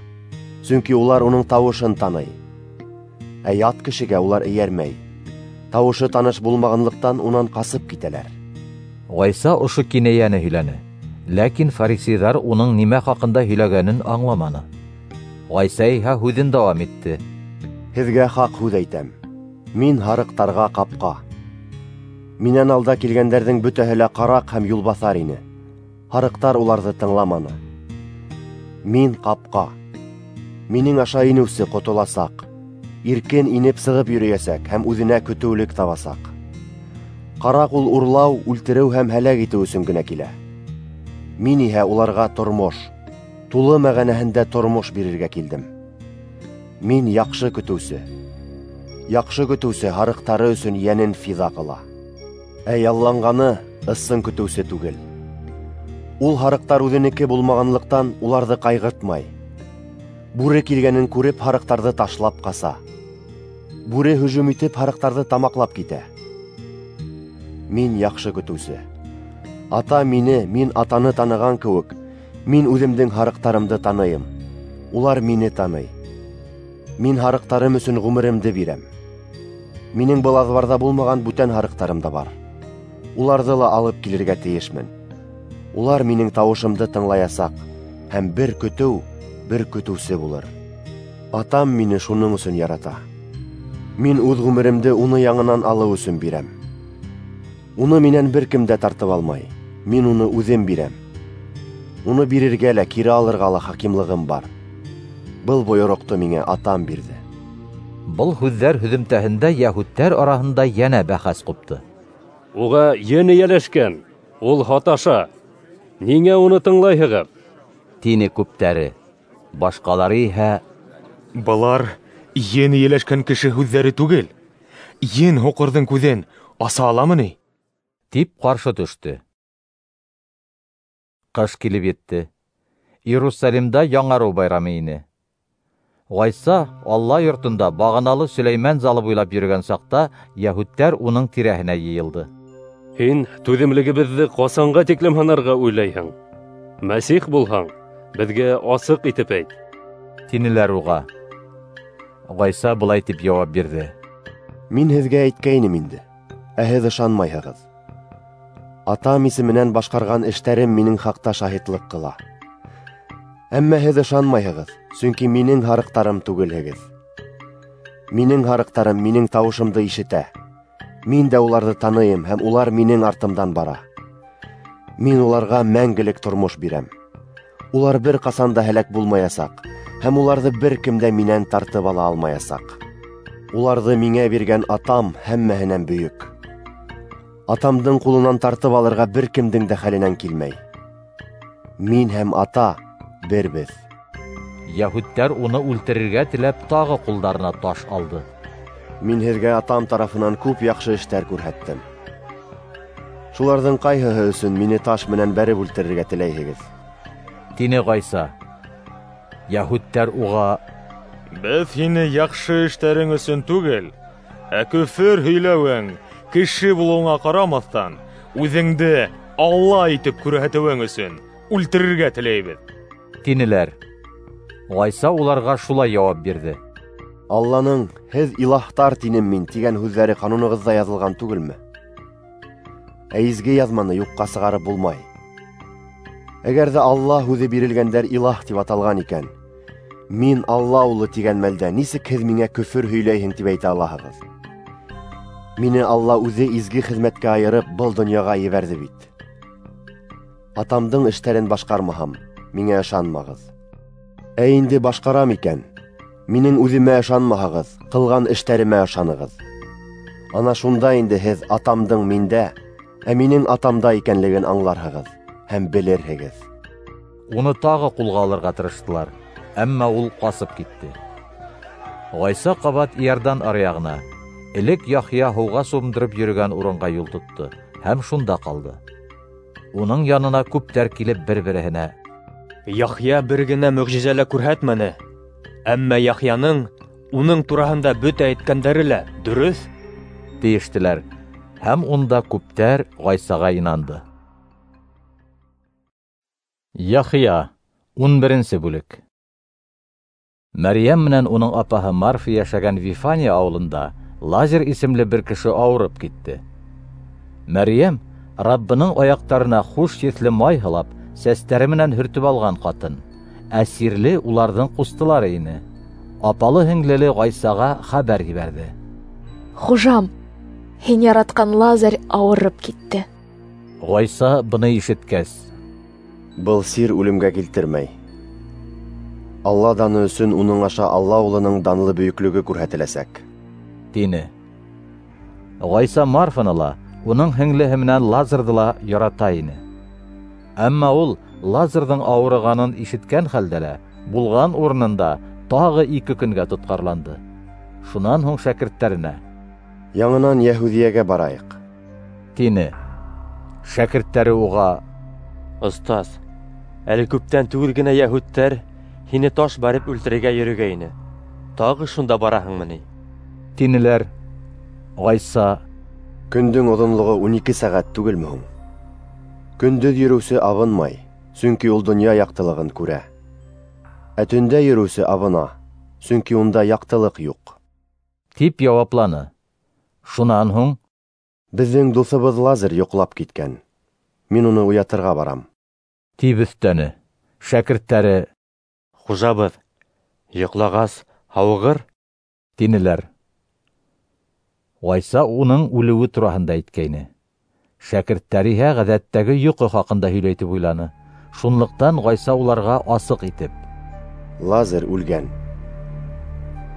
сөнки улар уның тауышын таный. Ә ят кешегә улар эйәрмәй, тауышы таныш булмағанлыҡтан унан ҡасып китәләр. Ғайса ошо кинәйәне һөйләне, ләкин фарисейҙар уның нимә хаҡында һөйләгәнен аңламаны. Ғайса иһә һүҙен дауам итте. Һеҙгә хаҡ һүҙ әйтәм: мин һарыҡтарға ҡапҡа. Минән алда килгәндәрҙең бөтәһе лә ҡараҡ һәм юлбаҫар ине. Һарыҡтар уларҙы тыңламаны. Мин ҡапҡа. Минең аша инеүсе ҡотоласаҡ, иркен инеп сығып йөрөйәсәк һәм үҙенә көтөүлек табасаҡ. Ҡараҡ ул урлау, үлтереү һәм һәләк итеү өсөн генә килә. Мин иһә уларға тормош, тулы мәғәнәһендә тормош бирергә килдем. Мин яҡшы көтөүсе. Яҡшы көтөүсе һарыҡтары өсөн йәнен фиҙа ҡыла. Ә ялланғаны ысын көтөүсе түгел. Ул һарыҡтар үҙенеке булмағанлыҡтан уларҙы ҡайғыртмай. Бүре килгәнен күреп һарыҡтарҙы ташлап ҡаса. Бүре һөжүм итеп һарыҡтарҙы тамаҡлап китә. Мин яҡшы көтөүсе. Ата мине, мин атаны таныған кеүек, мин үҙемдең һарыҡтарымды таныйым. Улар мине таный. Мин һарыҡтарым өсөн ғүмеремде бирәм. Минең был аҙбарҙа булмаған бүтән һарыҡтарым да бар. Уларҙы ла алып килергә тейешмен. Улар минең тауышымды тыңлаясаҡ, һәм бер көтөү, бер көтөүсе булыр. Атам мине шуның өсөн ярата. Мин үҙ ғүмеремде уны яңынан алыу өсөн бирәм. Уны минән бер кем дә тартып алмай. Мин уны үҙем бирәм. Уны бирергә лә, кире алырға ла хакимлығым бар. Был бойороҡто миңә атам бирҙе. Был һүҙҙәр һөҙөмтәһендә йәһүдтәр араһында йәнә бәхәс ҡупты. Уға ен эйәләшкән, Ул һаташа. Ниңә уны тыңлайһығыҙ? Тине күптәре. Башҡалары иһә: Былар ен эйәләшкән кеше һүҙҙәре түгел. Ен һуҡырҙың күҙен аса аламы ни? Тип ҡаршы төштө. Ҡыш килеп етте. Иерусалимда яңарыу байрамы ине. Ғайса Алла йортонда бағаналы Сөләймән залы буйлап йөрөгән саҡта йәһүдтәр уның тирәһенә йыйылды. Һин түҙемлегебеҙҙе ҡасанға тиклем һынарға уйлайһың? Мәсих булһаң, беҙгә асыҡ итеп әйт, тинеләр уға. Ғайса былай тип яуап бирҙе: Мин һеҙгә әйткәйнем инде, ә һеҙ ышанмайһығыҙ. Атам исеменән башҡарған эштәрем минең хаҡта шаһитлыҡ ҡыла. Әммә һеҙ ышанмайһығыҙ, сөнки минең һарыҡтарым түгелһегеҙ. Минең һарыҡтарым минең тауышымды ишетә. Мин дә уларҙы таныйым, һәм улар минең артымдан бара. Мин уларға мәңгелек тормош бирәм. Улар бер ҡасан да һәләк булмаясаҡ, һәм уларҙы бер кем дә минән тартып ала алмаясаҡ. Уларҙы миңә биргән Атам һәммәһенән бөйөк. Атамдың ҡулынан тартып алырға бер кемдең дә хәленән килмәй. Мин һәм Ата бербеҙ. Йәһүдтәр уны үлтерергә теләп тағы ҡулдарына таш алды. Мин һеҙгә Атам тарафынан күп яҡшы эштәр күрһәттем. Шуларҙың ҡайһыһы өсөн мине таш менән бәреп үлтерергә теләйһегеҙ? Тине Ғайса. Йәһүдтәр уға: Беҙ һине яҡшы эштәрең өсөн түгел, ә көфөр һөйләүең, кеше булыуыңа ҡарамаҫтан, үҙеңде Алла итеп күрһәтеүең өсөн үлтерергә теләйбеҙ, тинеләр. Ғайса уларға шулай яуап бирҙе: Алланың «Һеҙ илаһтар тинем мин» тигән һүҙҙәре ҡанунығыҙҙа яҙылған түгелме? Ә изге яҙманы юҡҡа сығарып булмай. Әгәр ҙә Алла һүҙе бирелгәндәр илаһ тип аталған икән, мин Алла улы тигән мәлдә нисек һеҙ миңә көфөр һөйләйһең тип әйтә алаһығыҙ? Мине Алла үҙе изге хеҙмәткә айырып был донъяға ебәрҙе бит. Атамдың эштәрен башҡармаһам, миңә ышанмағыҙ. Ә инде башҡарам икән, минең үҙемә ышанмаһағыҙ, ҡылған эштәремә ышанығыҙ. Ана шунда инде һеҙ Атамдың миндә, ә минең Атамда икәнлеген аңларһығыҙ һәм белерһегеҙ. Уны тағы ҡулға алырға тырыштылар, әммә ул ҡасып китте. Ғайса ҡабат Иордан аръяғына, элек Яхъя һыуға сумдырып йөрөгән урынға юл тотто һәм шунда ҡалды. Уның янына күптәр килеп бер-береһенә: Яхъя бер генә мөғжизә лә күрһәтмәне, әммә Яхъяның уның тураһында бөтә әйткәндәре лә дөрөҫ, тиештеләр. Һәм унда күптәр Ғайсаға инанды. Яхъя, ун беренсе бүлек. Мәрйәм менән уның апаһы Марфа йәшәгән Вифания ауылында Лазар исемле бер кеше ауырып китте. Мәрйәм Раббының аяҡтарына хуш еҫле май һалап, сәстәре менән һөртөп алған ҡатын, ә сирле уларҙың ҡустылары ине. Апалы һеңлеле Ғайсаға хәбәр ебәрҙе: Хужам, һин яратҡан Лазарь ауырып китте. Ғайса быны ишеткәс: Был сир үлемгә килтермәй. Алла даны өсөн уның аша Алла улының данлы бөйөклөгө күрһәтеләсәк, тине. Ғайса Марфаны ла, уның һеңлеһе менән Лазарҙы ла ярата ине. Әммә ул Лазарҙың ауырығанын ишеткән хәлдә лә булған урынында тағы ике көнгә тотҡарланды. Шунан һуң шәкерттәренә: Яңынан Йәһүҙиәгә барайыҡ, тине. Шәкерттәре уға: Остаз, әле күптән түгел генә йәһүдтәр һине таш бәреп үлтерергә йөрөгәйне. Тағы шунда бараһыңмы ни? Тинеләр. Ғайса: Көндөң оҙонлоғо ун ике сәғәт түгелме һуң? Көндөҙ йөрөүсе абынмай, сөнки ул донъя яҡтылығын күрә. Ә төндә йөрөүсе абына, сөнки унда яҡтылыҡ юҡ, тип яуапланы. Шунан һуң: Беҙҙең дуҫыбыҙ Лазарь йоҡлап киткән. Мин уны уятырға барам, тип өҫтәне. Шәкерттәре: Хужабыҙ, йоҡлағас һауығыр, тинеләр. Ғайса уның үлеүе тураһында әйткәйне. Шәкерттәр иһә ғәҙәттәге йоҡо хаҡында һөйләй тип уйланы. Шунлыҡтан Ғайса уларға асыҡ итеп: Лазарь үлгән.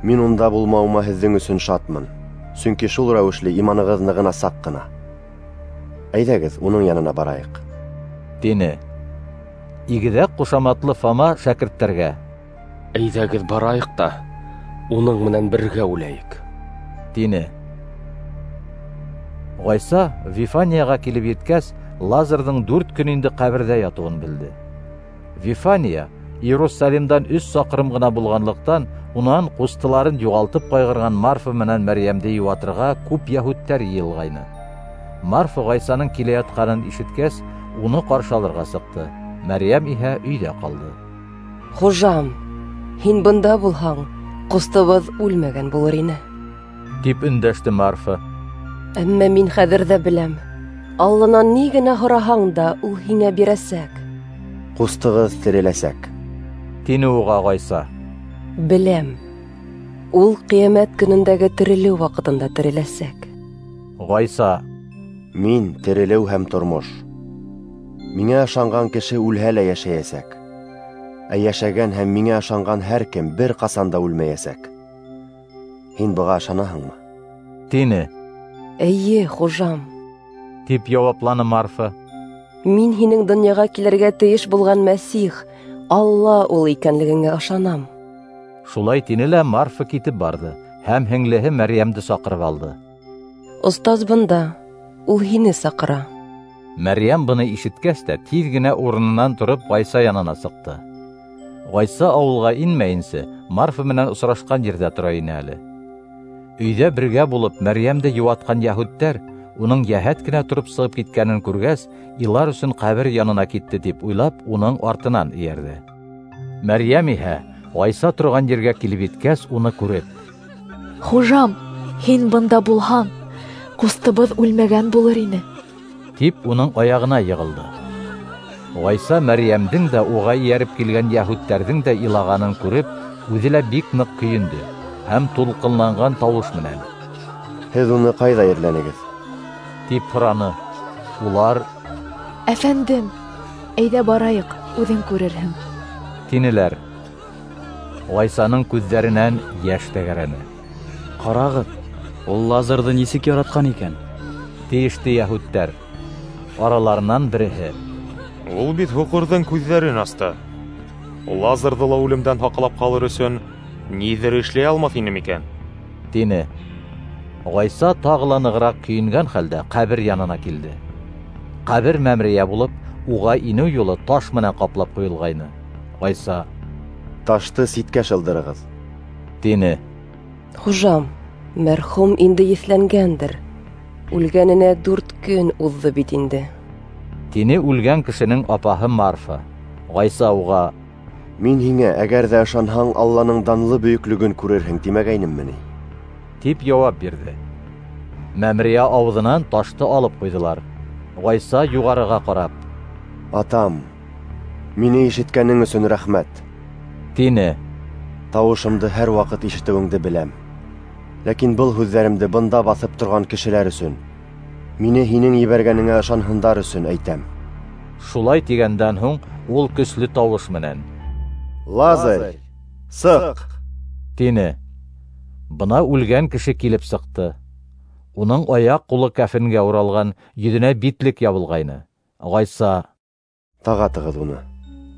Мин унда булмауыма һеҙҙең өсөн шатмын, сөнки шул рәүешле иманығыҙ нығынасаҡ ҡына. Әйҙәгеҙ, уның янына барайыҡ, тине. Игеҙәк ҡушаматлы Фома шәкерттәргә: Әйҙәгеҙ барайыҡ та уның менән бергә үләйек, тине. Ғайса Вифанияға килеп еткәс, Лазарҙың дүрт көн инде ҡәберҙә ятыуын белде. Вифания Иерусалимдан өс саҡрым ғына булғанлыҡтан, унан ҡустыларын юғалтып ҡайғырған Марфа менән Мәрйәмде йыуатырға күп йәһүдтәр йыйылғайны. Марфа Ғайсаның килә ятҡанын ишеткәс, уны ҡаршы алырға сыҡты. Мәрйәм иһә өйҙә ҡалды. Хужам, һин бында булһаң, ҡустыбыҙ үлмәгән булыр ине, тип өндәште Марфа. Әммә мин хәҙер ҙә беләм, Алланан ни генә һораһаң да, ул һиңә бирәсәк. Ҡустығыҙ тереләсәк, тине уға Ғайса. Беләм, ул ҡиәмәт көнөндәге терелеү ваҡытында тереләсәк. Ғайса: Мин терелеү һәм тормош. Миңә ышанған кеше үлһә лә йәшәйәсәк. Ә йәшәгән һәм миңә ышанған һәр кем бер ҡасан да үлмәйәсәк. Һин быға ышанаһыңмы? Тине. Эйе, хужам, тип яуапланы Марфа. Мин һинең донъяға килергә тейеш булған Мәсих, Алла ул икәнлегеңә ышанам. Шулай тине лә Марфа китеп барҙы һәм һеңлеһе Мәрйәмде саҡырып алды. Остаз бында, ул һине саҡыра. Мәрйәм быны ишеткәс тә тиҙ генә урынынан тороп Ғайса янына сыҡты. Ғайса ауылға инмәйенсә Марфа менән осрашҡан ерҙә тора ине әле. Өйҙә бергә булып Мәрйәмде йыуатҡан йәһүдтәр уның йәһәт кенә тороп сығып киткәнен күргәс, илар өсөн ҡәбер янына китте тип уйлап, уның артынан эйәрҙе. Мәрйәм иһә Ғайса торған ергә килеп еткәс, уны күреп: Хужам, һин бында булһаң, ҡустыбыҙ үлмәгән булыр ине, тип уның аяғына йығылды. Ғайса Мәрйәмдең дә уға эйәреп килгән йәһүдтәрҙең дә илағанын күреп, үҙе лә бик ныҡ көйөндө һәм тулҡынланған тауыш менән: Һеҙ уны ҡайҙа ерләнегеҙ? тип һораны. Улар: Әфәндем, әйҙә барайыҡ, үҙең күрерһең, тинеләр. Ғайсаның күҙҙәренән йәш тәгәрәне. Ҡарағыҙ, ул Лазарҙы нисек яратҡан икән, тейеште йәһүдтәр. Араларынан береһе: Ул бит һуҡырҙың күҙҙәрен асты. Лазарҙы ла үлемдән һаҡлап ҡалыр өсөн ниҙер эшләй алмаҫ ине микән? Тине. Ғайса тағы ла нығыраҡ көйөнгән хәлдә ҡәбер янына килде. Ҡәбер мәмерйә булып, уға инеү юлы таш менән ҡаплап ҡуйылғайны. Ғайса: Ташты ситкә шылдырығыҙ, тине. Хужам, мәрхүм инде еҫләнгәндер. Үлгәненә дүрт көн уҙҙы бит инде, тине үлгән кешенең апаһы Марфа. Ғайса уға: Мин һиңә, әгәр ҙә ышанһаң, Алланың данлы бөйөклөгөн күрерһең тимәгәйнемме ни? Тип яуап бирҙе. Мәмерйә ауыҙынан ташты алып ҡуйҙылар. Ғайса юғарыға ҡарап: Атам, мине ишеткәнең өсөн рәхмәт, тине. Тауышымды һәр ваҡыт ишетеүеңде беләм. Ләкин был һүҙҙәремде бында баҫып торған кешеләр өсөн, мине һинең ебәргәнеңә ышанһындар өсөн әйтәм. Шулай тигәндән һуң ул көслө тауыш менән: Лазарь, сыҡ! Тине. Бына үлгән кеше килеп сыҡты. Уның аяҡ ҡулы кәфенгә уралған, йөҙөнә битлек ябылғайны. Ғайса: Тағатығыҙ уны,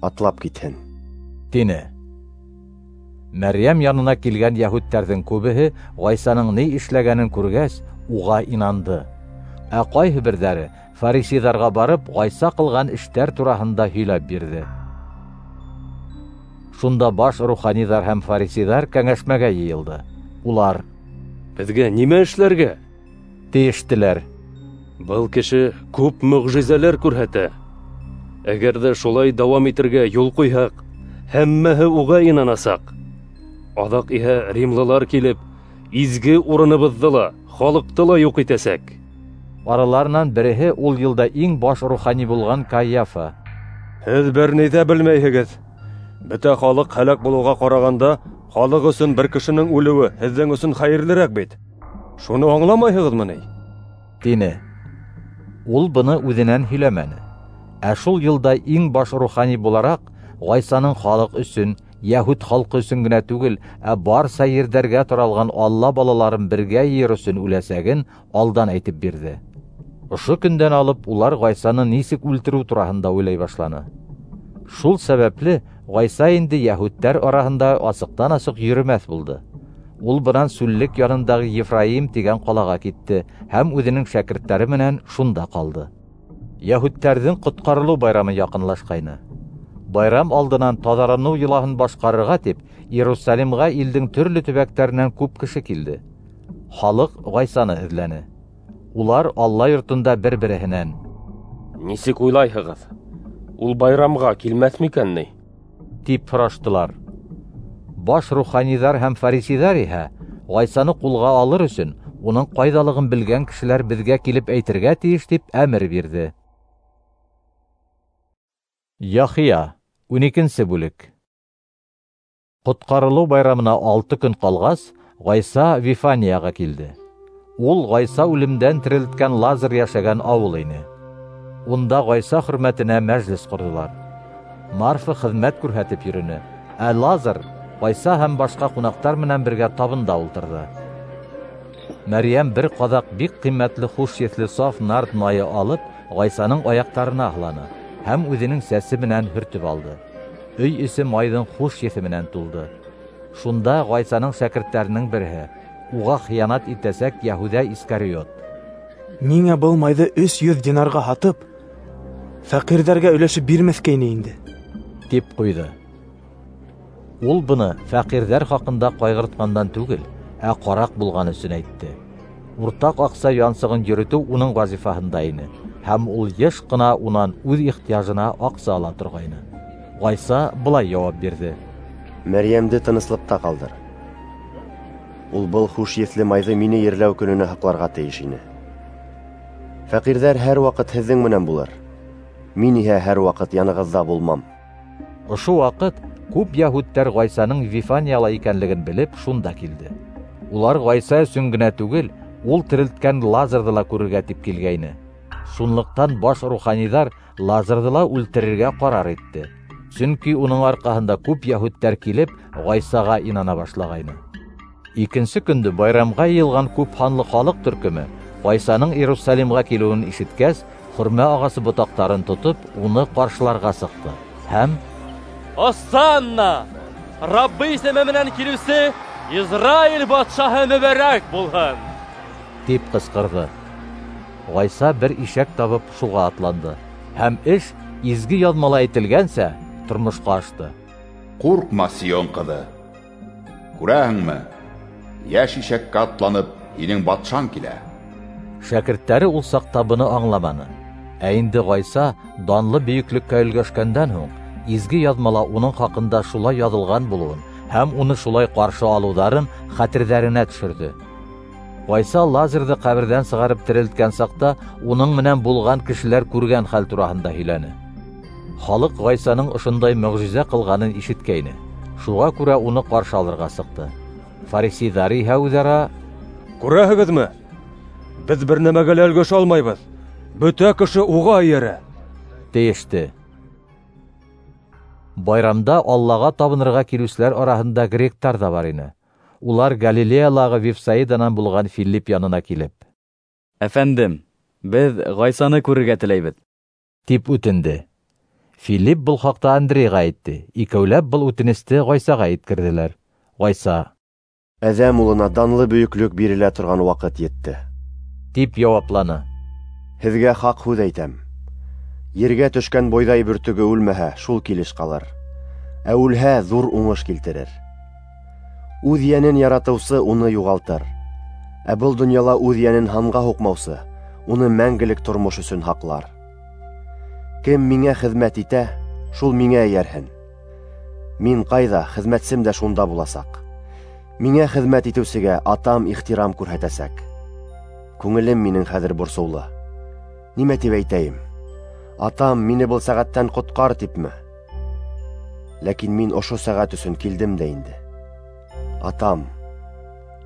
атлап китһен, тине. Мәрйәм янына килгән йәһүдтәрҙең күбеһе Ғайсаның ни эшләгәнен күргәс, уға инанды. Ә ҡайһы берҙәре фарисейҙарға барып, Ғайса ҡылған эштәр тураһында һөйләп бирҙе. Шунда баш руханиҙар һәм фарисейҙар кәңәшмәгә йыйылды. Улар: Беҙгә нимә эшләргә? Тейештеләр. Был кеше күп мөғжизәләр күрһәтә. Әгәр ҙә шулай дауам итергә юл ҡуйһаҡ, һәммәһе уға инанасаҡ. Аҙаҡ иһә римлылар килеп, изге урыныбыҙҙы ла, халыҡты ла юҡ итәсәк. Араларынан береһе ул йылда иң баш рухани булған Каяфа: Һеҙ бер ни ҙә белмәйһегеҙ. Бөтә халыҡ һәләк булыуға ҡарағанда, халыҡ өсөн бер кешенең үлеүе һеҙҙең өсөн хәйерлерәк бит. Шуны аңламайһығыҙмы ни? Тине. Ул быны үҙенән һөйләмәне. Ә шул йылда иң баш рухани булараҡ, Ғайсаның халыҡ өсөн, йәһүд халҡы өсөн генә түгел, ә барса ерҙәргә таралған Алла балаларын бергә йыйыр өсөн үләсәген алдан әйтеп бирҙе. Ошо көндән алып улар Ғайсаны нисек үлтереү тураһында уйлай башланы. Шул сәбәпле Ғайса инде йәһүдтәр араһында асыҡтан-асыҡ йөрөмәҫ булды. Ул бынан сүллек янындағы Ефраим тигән ҡалаға китте һәм үҙенең шәкерттәре менән шунда ҡалды. Йәһүдтәрҙең ҡотҡарылыу байрамы яҡынлашҡайны. Байрам алдынан таҙарыныу йолаһын башҡарырға тип Иерусалимға илдең төрлө төбәктәренән күп кеше килде. Халыҡ Ғайсаны эҙләне. Улар Алла йортонда бер-береһенән: "Нисек уйлайһығыҙ, ул байрамға килмәҫ микән ни?" тип һораштылар. Баш руханиҙар һәм фарисейҙар иһә Ғайсаны ҡулға алыр өсөн уның ҡайҙалығын белгән кешеләр беҙгә килеп әйтергә тейеш тип әмер бирҙе. Яхия, ун икенсе бүлек. Ҡотҡарылыу байрамына алты көн ҡалғас, Ғайса Вифанияға килде. Ул Ғайса үлемдән терелткән Лазар йәшәгән ауыл ине. Унда Ғайса хөрмәтенә мәжлес ҡорҙолар. Марфа хеҙмәт күрһәтеп йөрөнө, ә Лазар Ғайса һәм башҡа ҡунаҡтар менән бергә табында ултырҙы. Мәрйәм бер ҡаҙаҡ бик ҡиммәтле хуш еҫле саф нард майы алып, Ғайсаның аяҡтарына һыланы һәм үҙенең сәсе менән һөртөп алды. Өй эсе майҙың хуш еҫе менән тулды. Шунда Ғайсаның шәкерттәренең береһе, уға хыянат итәсәк Йәһүҙә Искариот: "Ниңә был майҙы өс йөҙ динарға һатып, фәҡирҙәргә өләшеп бирмәҫкә ине инде?" тип ҡуйҙы. Ул быны фәҡирҙәр хаҡында ҡайғыртҡандан түгел, ә ҡараҡ булған өсөн әйтте. Уртаҡ аҡса янсығын йөрөтөү уның вазифаһында ине, һәм ул йыш ҡына унан үҙ ихтыяжына аҡса ала торғайны. Ғайса былай яуап бирҙе: "Мәрйәмде тыныслыҡта ҡалдыр. Ул был хуш еҫле майҙы мине ерләү көнөнә һаҡларға тейеш ине. Фәҡирҙәр һәр ваҡыт һеҙҙең менән булыр. Мин иһә һәр ваҡыт янығыҙҙа булмам." Ошо ваҡыт күп йәһүдтәр Ғайсаның Вифанияла икәнлеген белеп шунда килде. Улар Ғайса өсөн генә түгел, ул терелткән Лазарҙы ла күрергә тип килгәйне. Шунлыҡтан баш руханиҙар Лазарҙы ла үлтерергә ҡарар итте. Сөнки уның арҡаһында күп йәһүдтәр килеп Ғайсаға инана башлағайны. Икенсе көндө байрамға йыйылған күп һанлы халыҡ төркөмө Ғайсаның Иерусалимға килеүен ишеткәс, хөрмә ағасы ботаҡтарын тотоп, уны ҡаршыларға сыҡты һәм: "Осанна! Раббы исеме менән килеүсе Израиль батшаһы мөбәрәк булһын!" тип ҡысҡырҙы. Ғайса бер ишәк табып шуға атланды, һәм эш изге яҙмала әйтелгәнсә тормошҡа ашты. "Ҡурҡма, Сион ҡыҙы, күрәһеңме, йәш ишәккә атланып һинең батшаң килә." Шәкерттәре ул саҡта быны аңламаны. Ә инде Ғайса данлы бөйөклөккә өлгәшкәндән һуң изге яҙмала уның хаҡында шулай яҙылған булыуын һәм уны шулай ҡаршы алыуҙарын хәтерҙәренә төшөрҙө. Ғайса Лазарҙы ҡәберҙән сығарып терелткән саҡта уның менән булған кешеләр күргән хәл тураһында һөйләне. Халыҡ Ғайсаның ошондай мөғжизә ҡылғанын ишеткәйне. Шуға күрә уны ҡаршы алырға сыҡты. Фарисейҙар иһә үҙ-ара: "Күрәһегеҙме? Беҙ бер нәмәгә лә өлгәшә алмайбыҙ. Бөтә кеше уға эйәрә", тейеште. Байрамда Аллаға табынырға килеүселәр араһында гректар ҙа бар ине. Улар Галилеялағы Вифсаиданан булған Филипп янына килеп: "Әфәндем, беҙ Ғайсаны күрергә теләйбеҙ", тип үтенде. Филипп был хаҡта Андрейға әйтте. Икәүләп был үтенесте Ғайсаға еткерҙеләр. Ғайса: "Әҙәм улына данлы бөйөклөк бирелә торған ваҡыт етте", тип яуапланы. "Һеҙгә хаҡ һүҙ әйтәм: ергә төшкән бойҙай бөртөгө үлмәһә, шул килеш ҡалыр, ә үлһә, ҙур уңыш килтерер. Үҙ йәнен яратыусы уны юғалтыр, ә был донъяла үҙ йәнен һанға һуҡмаусы уны мәңгелек тормош өсөн һаҡлар. Кем миңә хеҙмәт итә, шул миңә эйәрһен. Мин ҡайҙа, хеҙмәтсем дә шунда буласаҡ. Миңә хеҙмәт итеүсегә Атам ихтирам күрһәтәсәк. Күңелем минең хәҙер борсоулы. Нимә тип әйтәйем? Атам, мине был сәғәттән ҡотҡар типме? Ләкин мин ошо сәғәт өсөн килдем дә инде. Атам,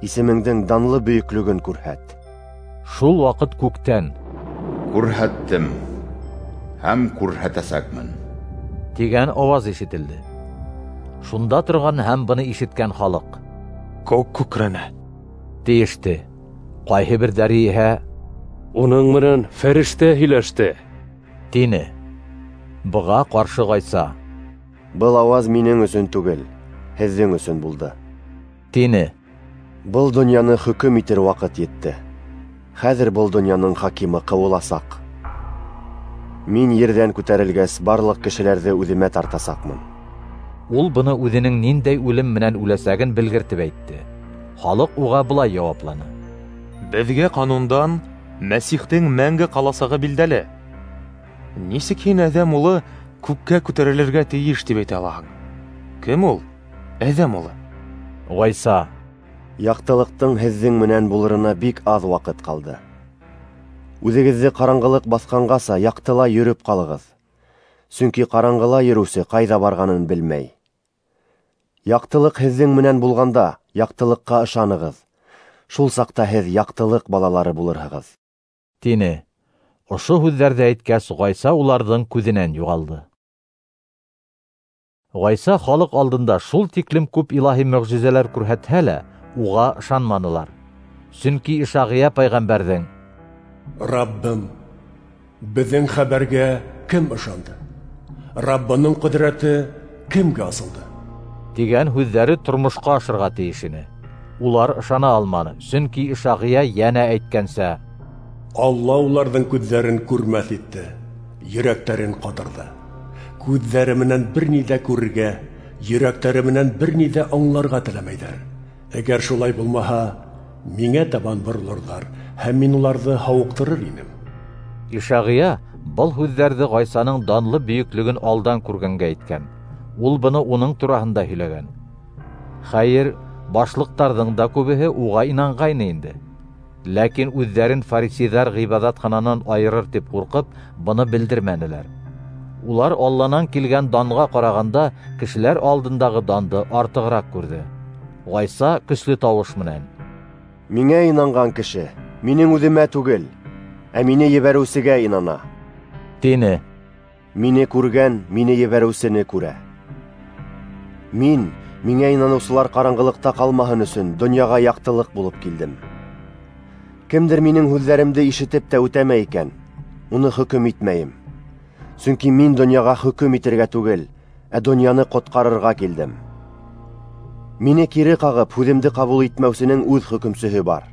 исемеңдең данлы бөйөклөгөн күрһәт." Шул ваҡыт күктән: "Күрһәттем һәм күрһәтәсәкмен", тигән ауаз ишетелде. Шунда торған һәм быны ишеткән халыҡ: "Күк күкрәнә", тейеште. Ҡайһы берҙәре иһә: Уның менән фәрештә һөйләште, тине. Быға ҡаршы Ғайса: Был ауаз минең өсөн түгел, һеҙҙең өсөн булды, тине. Был донъяны хөкөм итер ваҡыт етте. Хәҙер был донъяның хакимы ҡыуыласаҡ. Мин ерҙән күтәрелгәс, барлыҡ кешеләрҙе үҙемә тартасаҡмын. Ул быны үҙенең ниндәй үлем менән үләсәген белгертеп әйтте. Халыҡ уға былай яуапланы: Беҙгә ҡанундан Мәсихтең мәңге ҡаласағы билдәле. Нисек һин Әҙәм улы күккә күтәрелергә тейеш тип әйтә алаһың? Кем ул Әҙәм улы? Ғайса: Яҡтылыҡтың һеҙҙең менән булырына бик аҙ ваҡыт ҡалды. Үҙегеҙҙе ҡараңғылыҡ баҫҡанғаса яҡтыла йөрөп ҡалығыҙ. Сөнки ҡараңғыла йөрөүсе ҡайҙа барғанын белмәй. Яҡтылыҡ һеҙҙең менән булғанда, яҡтылыҡҡа ышанығыҙ. Шул саҡта һеҙ яҡтылыҡ балалары булырһығыҙ, тине. Ошо һүҙҙәрҙе әйткәс, Ғайса уларҙың күҙенән юғалды. Ғайса халыҡ алдында шул тиклем күп илаһи мөғжизәләр күрһәтһә лә, уға ышанманылар. Сөнки Ишағия пәйғәмбәрҙең: Раббым, беҙҙең хәбәргә кем ышанды? Раббының ҡөҙрәте кемгә асылды? тигән һүҙҙәре тормошҡа ашырға тейеш ине. Улар ышана алманы, сөнки Ишағия йәнә әйткәнсә: Алла уларҙың күҙҙәрен күрмәҫ итте, йөрәктәрен ҡатырҙы. Күҙҙәре менән бер ни ҙә күрергә, йөрәктәре менән бер ни ҙә аңларға теләмәйҙәр. Әгәр шулай булмаһа, миңә табан боролорҙар, һәм мин уларҙы һауыҡтырыр инем. Ишағия был һүҙҙәрҙе Ғайсаның данлы бөйөклөгөн алдан күргәнгә әйткән. Ул быны уның тураһында һөйләгән. Хәйер, башлыҡтарҙың да күбеһе уға инанғайны инде. Ләкин үҙҙәрен фарисейҙар ғибәҙәтхананан айырыр тип ҡурҡып, быны белдермәнеләр. Улар Алланан килгән данға ҡарағанда кешеләр алдындағы данды артығыраҡ күрҙе. Ғайса көслө тауыш менән: Миңә инанған кеше минең үҙемә түгел, ә мине ебәреүсегә инана, тине. Мине күргән мине ебәреүсене күрә. Мин, миңә инаныусылар ҡараңғылыҡта ҡалмаһын өсөн, донъяға яҡтылыҡ булып килдем. Кемдер минең һүҙҙәремде ишетеп тә үтәмәй икән, уны хөкөм итмәйем. Сөнки мин донъяға хөкөм итергә түгел, ә донъяны ҡотҡарырға килдем. Мине кире ҡағып, һүҙемде ҡабул итмәүсенең үҙ хөкөмсөһө бар.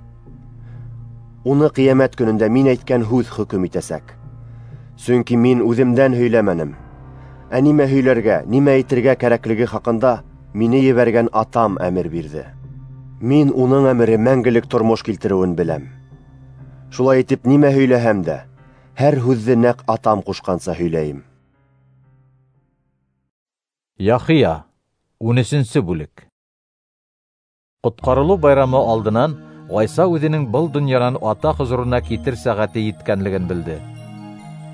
Уны ҡиәмәт көнөндә мин әйткән һүҙ хөкөм итәсәк. Сөнки мин үҙемдән һөйләмәнем. Ә нимә һөйләргә, нимә әйтергә кәрәклеге хаҡында мине ебәргән Атам әмер бирҙе. Мин уның әмере мәңгелек тормош килтереүен беләм. Шулай итеп, нимә һөйләһәм дә, һәр һүҙҙе нәҡ Атам ҡушҡанса һөйләйем. Яхия, ун өсөнсө бүлек. Ҡотҡарылыу байрамы алдынан Ғайса үҙенең был донъянан Ата хозурына китер сәғәте еткәнлеген белде.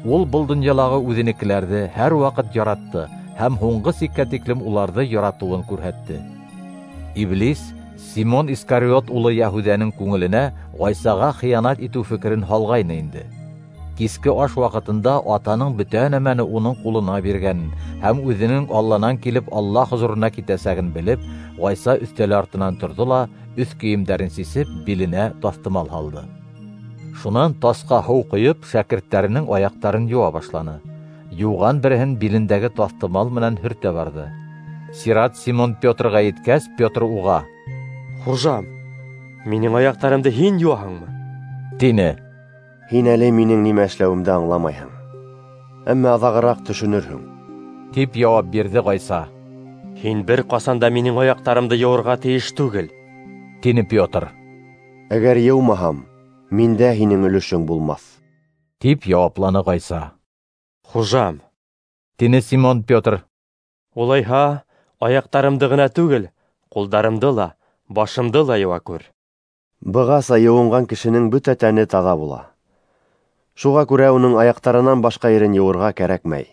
Ул был донъялағы үҙенекеләрҙе һәр ваҡыт яратты һәм һуңғы сиккә тиклем уларҙы яратыуын күрһәтте. Иблис Симон Искариот улы Яһүҙәнең күңеленә Ғайсаға хыянат итеү фекерен һалғайны инде. Киске аш ваҡытында Атаның бөтә нәмәне уның ҡулына биргәнен һәм үҙенең Алланан килеп Алла хозурына китәсәген белеп, Ғайса өҫтәл артынан торҙо ла, өҫ кейемдәрен сисеп, биленә таҫтымал һалды. Шунан тасҡа һыу ҡойоп, шәкерттәренең аяҡтарын йыуа башланы. Йыуған береһен билендәге таҫтымал менән һөртә барҙы. Сират Симон Петрға еткәс, Петр уға: Хужам, минең аяҡтарымды һин йыуаһыңмы? Тине. Һин әле минең нимә эшләүемде аңламайһың, әммә аҙағыраҡ төшөнөрһөң, тип яуап бирҙе Ғайса. Һин бер ҡасан да минең аяҡтарымды йыуырға тейеш түгел, тине Петр. Әгәр йыумаһам, миндә һинең өлөшөң булмаҫ, тип яуапланы Ғайса. Хужам, тине Симон Петр. Улайһа, аяҡтарымды ғына түгел, ҡулдарымды ла, башымды ла йыуа күр. Бығаса йыуынған кешенең бөтә тәне таҙа була. Шуға күрә уның аяҡтарынан башҡа ерен йыуырға кәрәкмәй.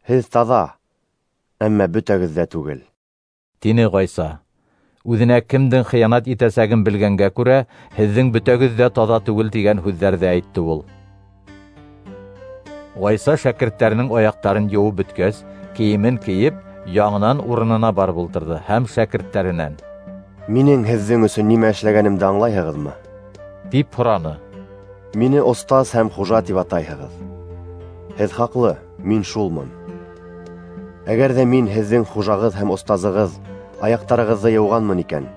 Һеҙ таҙа, әммә бөтәгеҙ ҙә түгел, тине Ғайса. Үҙенә кемдең хыянат итәсәген белгәнгә күрә, һеҙҙең бөтәгеҙ ҙә таҙа түгел тигән һүҙҙәрҙе әйтте ул. Ғайса шәкерттәренең аяҡтарын йыуып бөткәс, кейемен кейеп, яңынан урынына барып ултырҙы һәм шәкерттәренән: Минең һеҙҙең өсөн нимә эшләгәнемде аңлайһығыҙмы? Тип һораны. Мине остаз һәм хужа тип атайһығыҙ. Һеҙ хаҡлы, мин шулмын. Әгәр ҙә мин һеҙҙең хужағыҙ һәм остазығыҙ аяҡтарығыҙҙы йыуғанмын икән,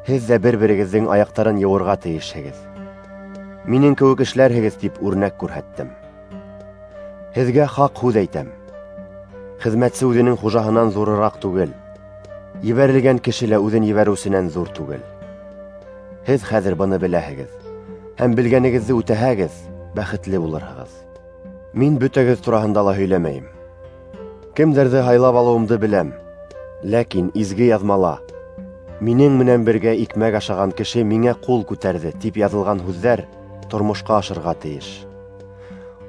һеҙ ҙә бер-берегеҙҙең аяҡтарын йыуырға тейешһегеҙ. Минең кеүек эшләрһегеҙ тип үрнәк күрһәттем. Һеҙгә хаҡ һүҙ әйтәм. Хеҙмәтсе үҙенең хужаһынан ҙурыраҡ түгел, ебәрелгән кеше лә үҙен ебәреүсенән ҙур түгел. Һеҙ хәҙер быны беләһегеҙ, һәм белгәнегеҙҙе үтәһәгеҙ, бәхетле булырһығыҙ. Мин бөтәгеҙ тураһында ла һөйләмәйем. Кемдәрҙе һайлап алыуымды беләм, ләкин изге яҙмала «Минең менән бергә икмәк ашаған кеше миңә ҡул күтәрҙе» тип яҙылған һүҙҙәр тормошҡа ашырға тейеш.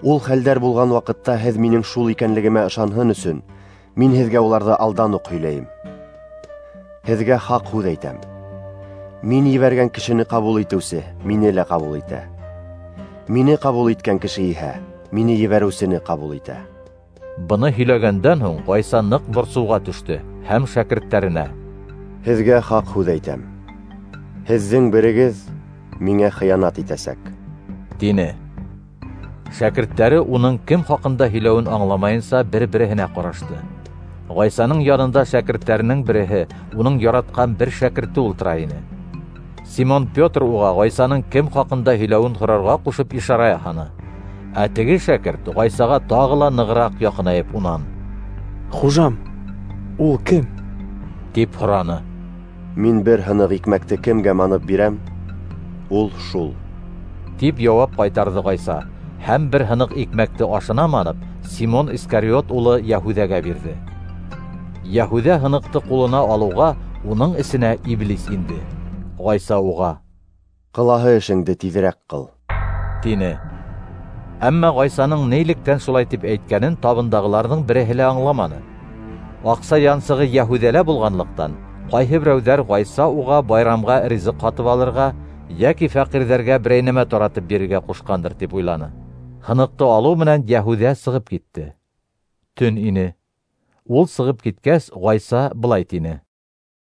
Ул хәлдәр булған ваҡытта һеҙ минең шул икәнлегемә ышанһын өсөн, мин һеҙгә уларҙы алдан уҡ һөйләйем. Һеҙгә хаҡ һүҙ әйтәм. Мин ебәргән кешене ҡабул итеүсе мине лә ҡабул итә. Мине ҡабул иткән кеше иһә мине ебәреүсене ҡабул итә. Быны һөйләгәндән һуң Ғайса ныҡ борсоуға төштө һәм шәкерттәренә: Һеҙгә хаҡ һүҙ әйтәм. Һеҙҙең берегеҙ миңә хыянат итәсәк, тине. Шәкерттәре уның кем хаҡында һөйләүен аңламайынса бер-береһенә ҡарашты. Ғайсаның янында шәкерттәренең береһе, уның яратҡан бер шәкерте ултыра ине. Симон Петр уға Ғайсаның кем хаҡында һөйләүен һорарға ҡушып ишара яһаны. Ә теге шәкерт Ғайсаға тағы ла нығыраҡ яҡынайып унан: Хужам, ул кем? тип һораны. Мин бер һыныҡ икмәкте кемгә манып бирәм, ул шул, тип яуап ҡайтарҙы Ғайса, һәм бер һыныҡ икмәкте ашына манып, Симон Искариот улы Йәһүҙәгә бирҙе. Йәһүҙә һыныҡты ҡулына алыуға, уның эсенә иблис инде. Ғайса уға: Ҡылаһы эшеңде тиҙерәк ҡыл, тине. Әммә Ғайсаның нилектән шулай тип әйткәнен табындағыларҙың береһе лә аңламаны. Аҡса янсығы Йәһүҙәлә булғанлыҡтан, ҡайһы берәүҙәр Ғайса уға байрамға ризыҡ һатып алырға йәки фәҡирҙәргә берәй нәмә таратып бирергә ҡушҡандыр тип уйланы. Һыныҡты алыу менән Йәһүҙә сығып китте. Төн ине. Ул сығып киткәс, Ғайса былай тине: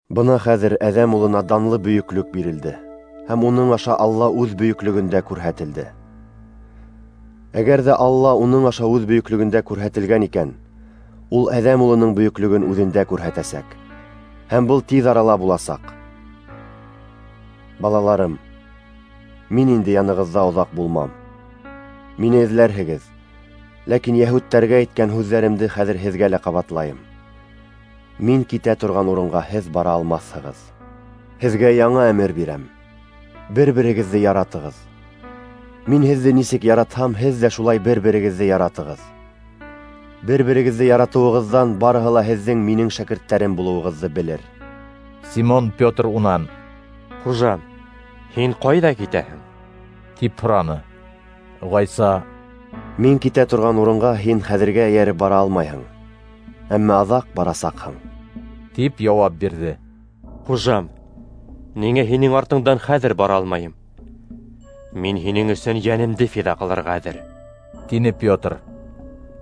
Бына хәҙер Әҙәм улына данлы бөйөклөк бирелде, һәм уның аша Алла үҙ бөйөклөгөндә күрһәтелде. Әгәр ҙә Алла уның аша үҙ бөйөклөгөндә күрһәтелгән икән, ул Әҙәм улының бөйөклөгөн үҙендә күрһәтәсәк, һәм был тиҙ арала буласаҡ. Балаларым, мин инде янығыҙҙа оҙаҡ булмам. Мине эҙләрһегеҙ, ләкин йәһүдтәргә әйткән һүҙҙәремде хәҙер һеҙгә лә ҡабатлайым. Мин китә торған урынға һеҙ бара алмаҫһығыҙ. Һеҙгә яңы әмер бирәм: бер-берегеҙҙе яратығыҙ. Мин һеҙҙе нисек яратһам, һеҙ ҙә шулай бер-берегеҙҙе яратығыҙ. Бер-берегеҙҙе яратыуығыҙҙан барыһы ла һеҙҙең минең шәкерттәрем булыуығыҙҙы белер. Симон Петр унан: Хужам, һин ҡайҙа китәһең? тип һораны. Ғайса: Мин китә торған урынға һин хәҙергә эйәреп бара алмайһың, әммә аҙаҡ барасаҡһың, тип яуап бирҙе. Хужам, ниңә һинең артыңдан хәҙер бара алмайым? Мин һинең өсөн йәнемде фиҙа ҡылырға әҙер, тине Петр.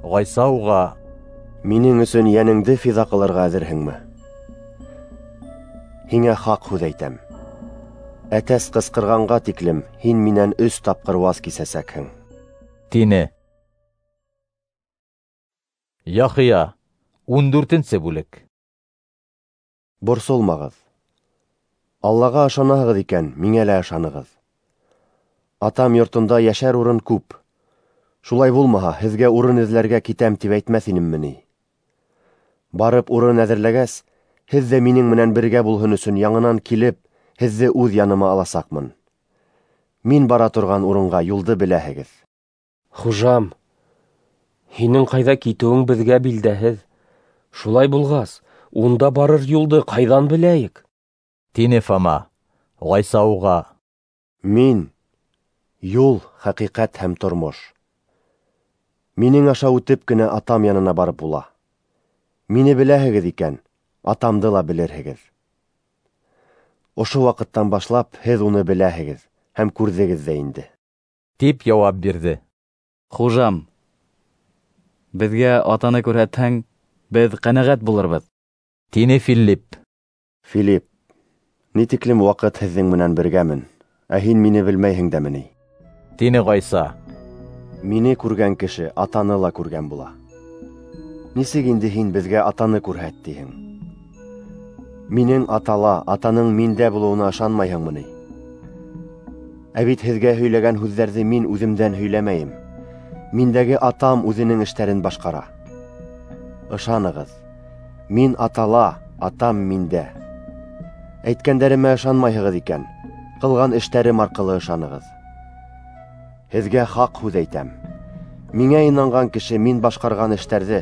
Ғайса уға: Минең өсөн йәнеңде фиҙа ҡылырға әҙерһеңме? Һиңә хаҡ һүҙ әйтәм: әтәс ҡысҡырғанға тиклем һин минән өс тапҡыр ваз кисәсәкһең, тине. Яхия, ун дүртенсе бүлек. Борсолмағыҙ. Аллаға ышанаһығыҙ икән, миңә лә ышанығыҙ. Атам йортонда йәшәр урын күп. Шулай булмаһа, һеҙгә урын эҙләргә китәм тип әйтмәҫ инемме ни? Барып урын әҙерләгәс, һеҙ ҙә минең менән бергә булһын өсөн яңынан килеп, һеҙҙе үҙ яныма аласаҡмын. Мин бара торған урынға юлды беләһегеҙ. Хужам, һинең ҡайҙа китеүең беҙгә билдәһеҙ. Шулай булғас, унда барыр юлды ҡайҙан беләйек? Тине Фома. Ғайса уға: Мин юл, хәҡиҡәт һәм тормош. Минең аша үтеп кенә атам янына барып була. Мине беләһегеҙ икән, атамды ла белерһегеҙ. Ошо ваҡыттан башлап һеҙ уны беләһегеҙ һәм күрҙегеҙ ҙә инде, тип яуап бирҙе. Хужам, беҙгә атаны күрһәтһәң, беҙ ҡәнәғәт булырбыҙ, тине Филипп. Филипп, ни тиклем ваҡыт һеҙҙең менән бергәмен, ә һин мине белмәйһең дәме ни? Тине Ғайса. Мине күргән кеше Атаны ла күргән була. Нисек инде һин беҙгә Атаны күрһәт тиһең? Минең Атала, Атаның миндә булыуына ышанмайһыңмы ни? Ә бит һеҙгә һөйләгән һүҙҙәрҙе мин үҙемдән һөйләмәйем. Миндәге Атам үҙенең эштәрен башҡара. Ышанығыҙ, мин Атала, Атам миндә. Әйткәндәремә ышанмайһығыҙ икән, ҡылған эштәрем арҡылы ышанығыҙ. Һеҙгә хаҡ һүҙ әйтәм. Миңә инанған кеше мин башҡарған эштәрҙе,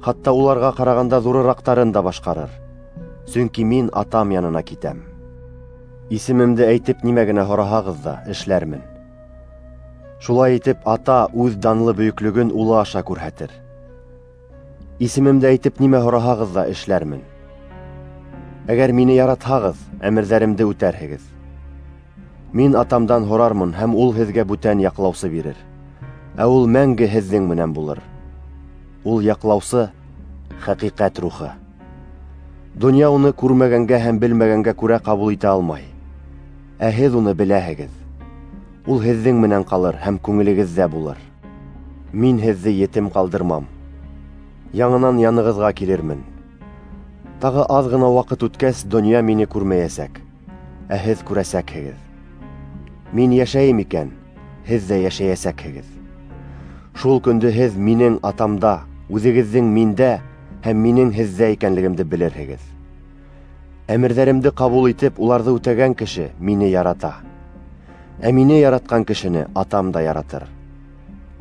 хатта уларға ҡарағанда ҙурыраҡтарын да башҡарыр. Сөнки мин Атам янына китәм. Исемемде әйтеп нимә генә һораһағыҙ ҙа, эшләрмен. Шулай итеп, Ата үҙ данлы бөйөклөгөн Улы аша күрһәтер. Исемемде әйтеп нимә һораһағыҙ ҙа, эшләрмен. Әгәр мине яратһағыҙ, әмерҙәремде үтәрһегеҙ. Мин Атамдан һорармын, һәм ул һеҙгә бүтән яҡлаусы бирер. Ә ул мәңге һеҙҙең менән булыр. Ул яҡлаусы — хәҡиҡәт рухы. Донъя уны күрмәгәнгә һәм белмәгәнгә күрә ҡабул итә алмай. Ә һеҙ уны беләһегеҙ. Ул һеҙҙең менән ҡалыр һәм күңелегеҙҙә булыр. Мин һеҙҙе етем ҡалдырмам. Яңынан янығыҙға килермен. Тағы аҙ ғына ваҡыт үткәс, донъя мине күрмәйәсәк, ә һеҙ күрәсәкһегеҙ. Мин йәшәйем икән, һеҙ ҙә йәшәйәсәкһегеҙ. Шул көндө һеҙ минең Атамда, үҙегеҙҙең миндә һәм минең һеҙҙә икәнлегемде белерһегеҙ. Әмерҙәремде ҡабул итеп, уларҙы үтәгән кеше мине ярата. Ә мине яратҡан кешене Атам да яратыр.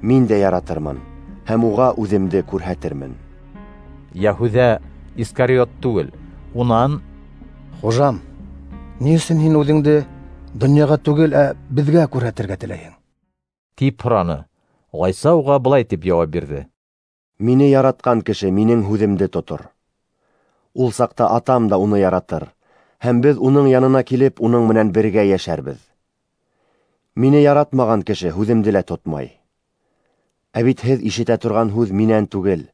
Мин дә яратырмын һәм уға үҙемде күрһәтермен. Йәһүҙә Искариот түгел, унан: Хужам, ни өсөн һин үҙеңде донъяға түгел, ә беҙгә күрһәтергә теләйһең? Тип һораны. Ғайса уға былай тип яуап бирҙе: Мине яратҡан кеше минең һүҙемде тотор. Ул саҡта Атам да уны яратыр, һәм беҙ уның янына килеп, уның менән бергә йәшәрбеҙ. Мине яратмаған кеше һүҙемде лә тотмай. Ә бит һеҙ ишетә торған һүҙ минән түгел,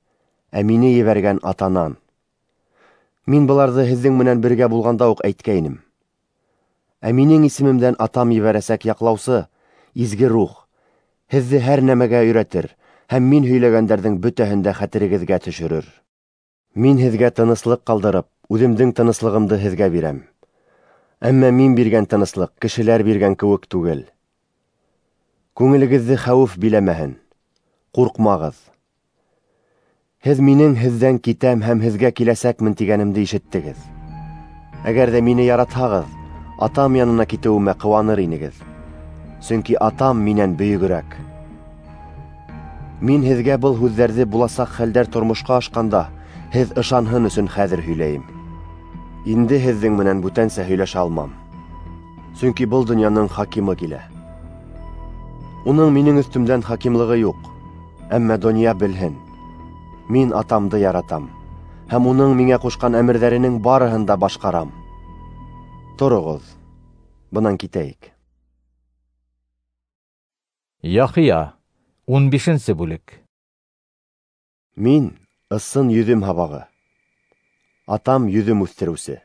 ә мине ебәргән Атанан. Мин быларҙы һеҙҙең менән бергә булғанда уҡ әйткәйнем. Ә минең исемемдән Атам ебәрәсәк яҡлаусы, Изге Рух, һеҙҙе һәр нәмәгә өйрәтер һәм мин һөйләгәндәрҙең бөтәһен дә хәтерегеҙгә төшөрөр. Мин һеҙгә тыныслыҡ ҡалдырып, үҙемдең тыныслығымды һеҙгә бирәм. Әммә мин биргән тыныслыҡ кешеләр биргән кеүек түгел. Күңелегеҙҙе хәүеф биләмәһен, ҡурҡмағыҙ. Һеҙ минең һеҙҙән китәм һәм һеҙгә киләсәкмен тигәнемде ишеттегеҙ. Әгәр ҙә мине яратһағыҙ, Атам янына китеүемә ҡыуаныр инегеҙ. Сөнки Атам минән бөйөгөрәк. Мин һеҙгә был һүҙҙәрҙе буласаҡ хәлдәр тормошҡа ашҡанда һеҙ ышанһын өсөн хәҙер һөйләйем. Инде һеҙҙең менән бүтәнсә һөйләшә алмам. Сөнки был донъяның хакимы килә. Уның минең өҫтөмдән хакимлығы юҡ, әммә донъя белһен. Мин Атамды яратам һәм уның миңә ҡушҡан әмерҙәренең барыһын да башҡарам. Тороғоҙ, бынан китәйек. Яхия, ун бишенсе бүлек. Мин ысын йөҙөм һабағы, Атам йөҙөм үҫтереүсе.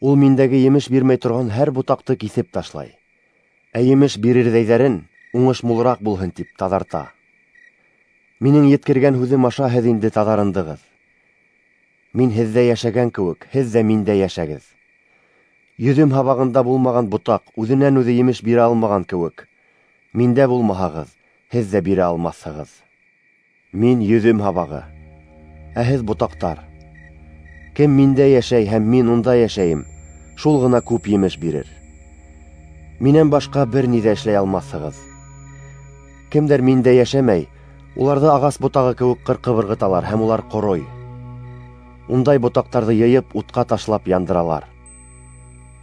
Ул миндәге емеш бирмәй торған һәр ботаҡты киҫеп ташлай, ә емеш бирерҙәйҙәрен уңыш мулыраҡ булһын тип таҙарта. Минең еткергән һүҙем аша һеҙ инде таҙарындығыҙ. Мин һеҙҙә йәшәгән кеүек, һеҙ ҙә миндә йәшәгеҙ. Йөҙөм һабағында булмаған ботаҡ үҙенән үҙе емеш бирә алмаған кеүек, миндә булмаһағыҙ, һеҙ ҙә бирә алмаҫһығыҙ. Мин йөҙөм һабағы, ә һеҙ ботаҡтар. Кем миндә йәшәй һәм мин унда йәшәйем, шул ғына күп емеш бирер. Минән башҡа бер ни ҙә эшләй алмаҫһығыҙ. Кемдәр миндә йәшәмәй, уларҙы ағас ботағы кеүек ҡырҡып ырғыталар һәм улар ҡорой. Ундай ботаҡтарҙы йыйып, утҡа ташлап яндыралар.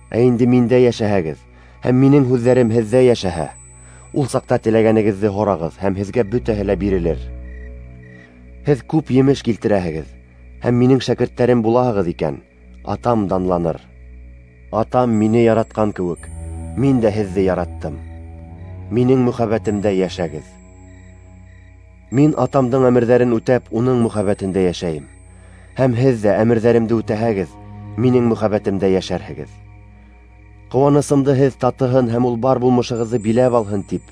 Ә инде миндә йәшәһәгеҙ, һәм минең һүҙҙәрем һеҙҙә йәшәһә, ул саҡта теләгәнегеҙҙе һорағыҙ һәм һеҙгә бөтәһе лә бирелер. Һеҙ күп емеш килтерәһегеҙ, һәм минең шәкерттәрем булаһығыҙ икән, Атам данланыр. Атам мине яратҡан кеүек, мин дә һеҙҙе яраттым. Минең мөхәббәтемдә йәшәгеҙ. Мин Атамдың әмерҙәрен үтәп, уның мөхәббәтендә йәшәйем. Һәм һеҙ ҙә әмерҙәремде үтәһәгеҙ, минең мөхәббәтемдә йәшәрһегеҙ. Ҡыуанысымды һеҙ татыһын һәм ул бар булмышығыҙҙы биләп алһын тип,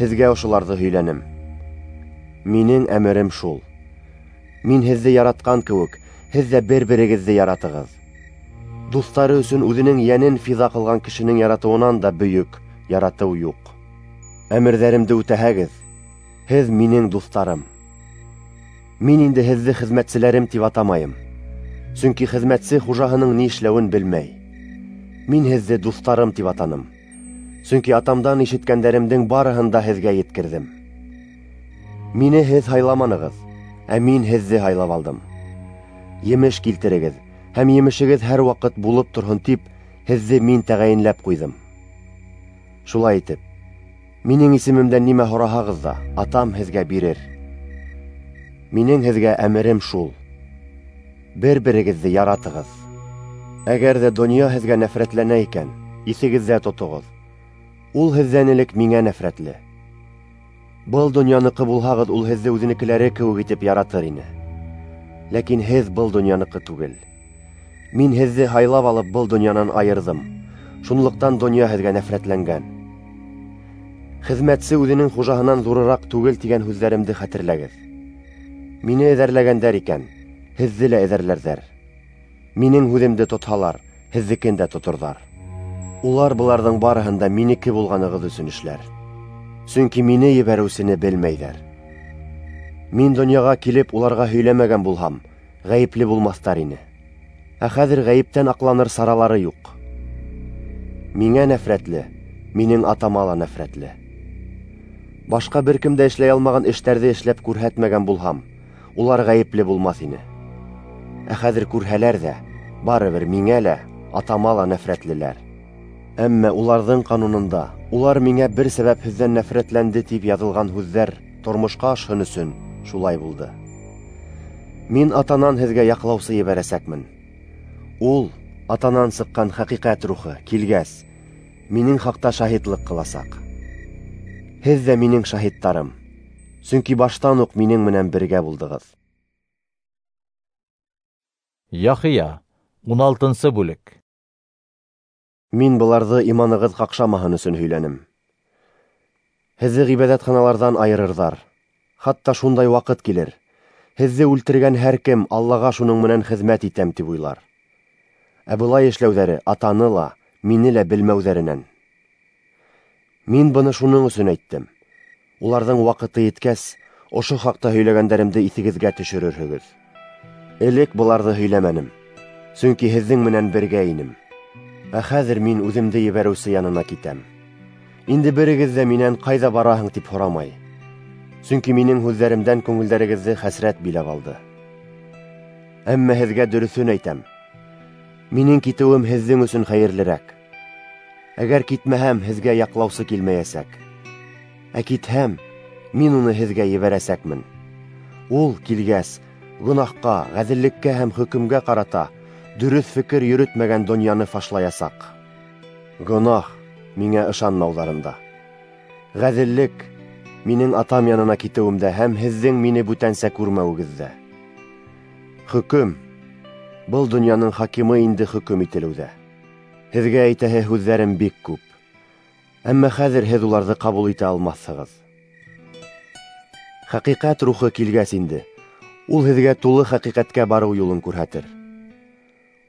һеҙгә ошоларҙы һөйләнем. Минең әмерем шул: мин һеҙҙе яратҡан кеүек, һеҙ ҙә бер-берегеҙҙе яратығыҙ. Дуҫтары өсөн үҙенең йәнен фиҙа ҡылған кешенең яратыуынан да бөйөк яратыу юҡ. Әмерҙәремде үтәһәгеҙ, һеҙ минең дуҫтарым. Мин инде һеҙҙе хеҙмәтселәрем тип атамайым, сөнки хеҙмәтсе хужаһының ни эшләүен белмәй. Мин һеҙҙе дуҫтарым тип атаным, сөнки атамдан ишеткәндәремдең барыһын да һеҙгә еткерҙем. Мине һеҙ һайламанығыҙ, ә мин һеҙҙе һайлап алдым. Емеш килтерегеҙ, һәм емешегеҙ һәр ваҡыт булып торһон тип, һеҙҙе мин тәғәйенләп ҡуйҙым. Шулай итеп, минең исемемдән нимә һораһағыҙ ҙа, атам һеҙгә бирер. Минең һеҙгә әмерем шул: бер-берегеҙҙе яратығыҙ. Әгәр ҙә донъя һеҙгә нәфрәтләнә икән, иҫегеҙҙә тотоғоҙ: ул һеҙҙән элек миңә нәфрәтле. Был донъяныҡы булһағыҙ, ул һеҙҙе үҙенекеләре кеүек итеп яратыр ине. Ләкин һеҙ был донъяныҡы түгел. Мин һеҙҙе һайлап алып был донъянан айырҙым. Шунлыҡтан донъя һеҙгә нәфрәтләнгән. Хеҙмәтсе үҙенең хужаһынан ҙурыраҡ түгел тигән һүҙҙәремде хәтерләгеҙ. Мине эҙәрләгәндәр икән, һеҙҙе лә эҙәрләрҙәр. Минең һүҙемде тотһалар, һеҙҙекен дә тоторҙар. Улар быларҙың барыһын да минеке булғанығыҙ өсөн эшләр, сөнки мине ебәреүсене белмәйҙәр. Мин донъяға килеп уларға һөйләмәгән булһам, ғәйепле булмаҫтар ине. Ә хәҙер ғәйептән аҡланыр саралары юҡ. Миңә нәфрәтле, минең атама ла нәфрәтле. Башҡа бер кем дә эшләй алмаған эштәрҙе эшләп күрһәтмәгән булһам, улар ғәйепле булмаҫ ине. Ә хәҙер күрһәләр ҙә, барыбер миңә лә, атама ла нәфрәтлеләр. Әммә уларҙың ҡанунында улар миңә бер сәбәпһеҙҙән нәфрәтләнде тип яҙылған һүҙҙәр тормошҡа ашһын өсөн шулай булды. Мин атанан һеҙгә яҡлаусы ебәрәсәкмен. Ул, атанан сыҡҡан хәҡиҡәт рухы, килгәс, минең хаҡта шаһитлыҡ ҡыласаҡ. Һеҙ ҙә минең шаһиттарым, сөнки баштан уҡ минең менән бергә булдығыҙ. Яхия, ун алтынсы бүлек. Мин быларҙы иманығыҙ ҡаҡшамаһын өсөн һөйләнем. Һеҙҙе ғибәҙәтханаларҙан айырырҙар. Хатта шундай ваҡыт килер, һеҙҙе үлтергән һәр кем Аллаға шуның менән хеҙмәт итәм тип уйлар. Ә былай эшләүҙәре атаны ла, мине лә белмәүҙәренән. Мин быны шуның өсөн әйттем. Уларҙың ваҡыты еткәс, ошо хаҡта һөйләгәндәремде иҫегеҙгә төшөрөрһөгөҙ. Элек быларҙы һөйләмәнем, сөнки һеҙҙең менән бергә инем. Ә хәҙер мин үҙемде ебәреүсе янына китәм. Инде берегеҙ ҙә минән ҡайҙа бараһың тип һорамай, сөнки минең һүҙҙәремдән күңелдәрегеҙҙе хәсрәт биләп алды. Әммә һеҙгә дөрөҫөн әйтәм: минең китеүем һеҙҙең өсөн хәйерлерәк. Әгәр китмәһәм, һеҙгә яҡлаусы килмәйәсәк. Ә китһәм, мин уны һеҙгә ебәрәсәкмен. Ул килгәс, гонаһҡа, ғәҙеллеккә һәм хөкөмгә ҡарата дөрөҫ фекер йөрөтмәгән донъяны фашлаясаҡ. Гонаһ миңә ышанмауҙарында. Ғәҙеллек минең атам янына китеүемдә һәм һеҙҙең мине бүтәнсә күрмәүегеҙҙә. Хөкөм был донъяның хакимы инде хөкөм ителеүҙә. Һеҙгә әйтәһе һүҙҙәрем бик күп, әммә хәҙер һеҙ уларҙы ҡабул итә алмаҫһығыҙ. Хәҡиҡәт рухы килгәс инде, ул һеҙгә тулы хәҡиҡәткә барыу юлын күрһәтер.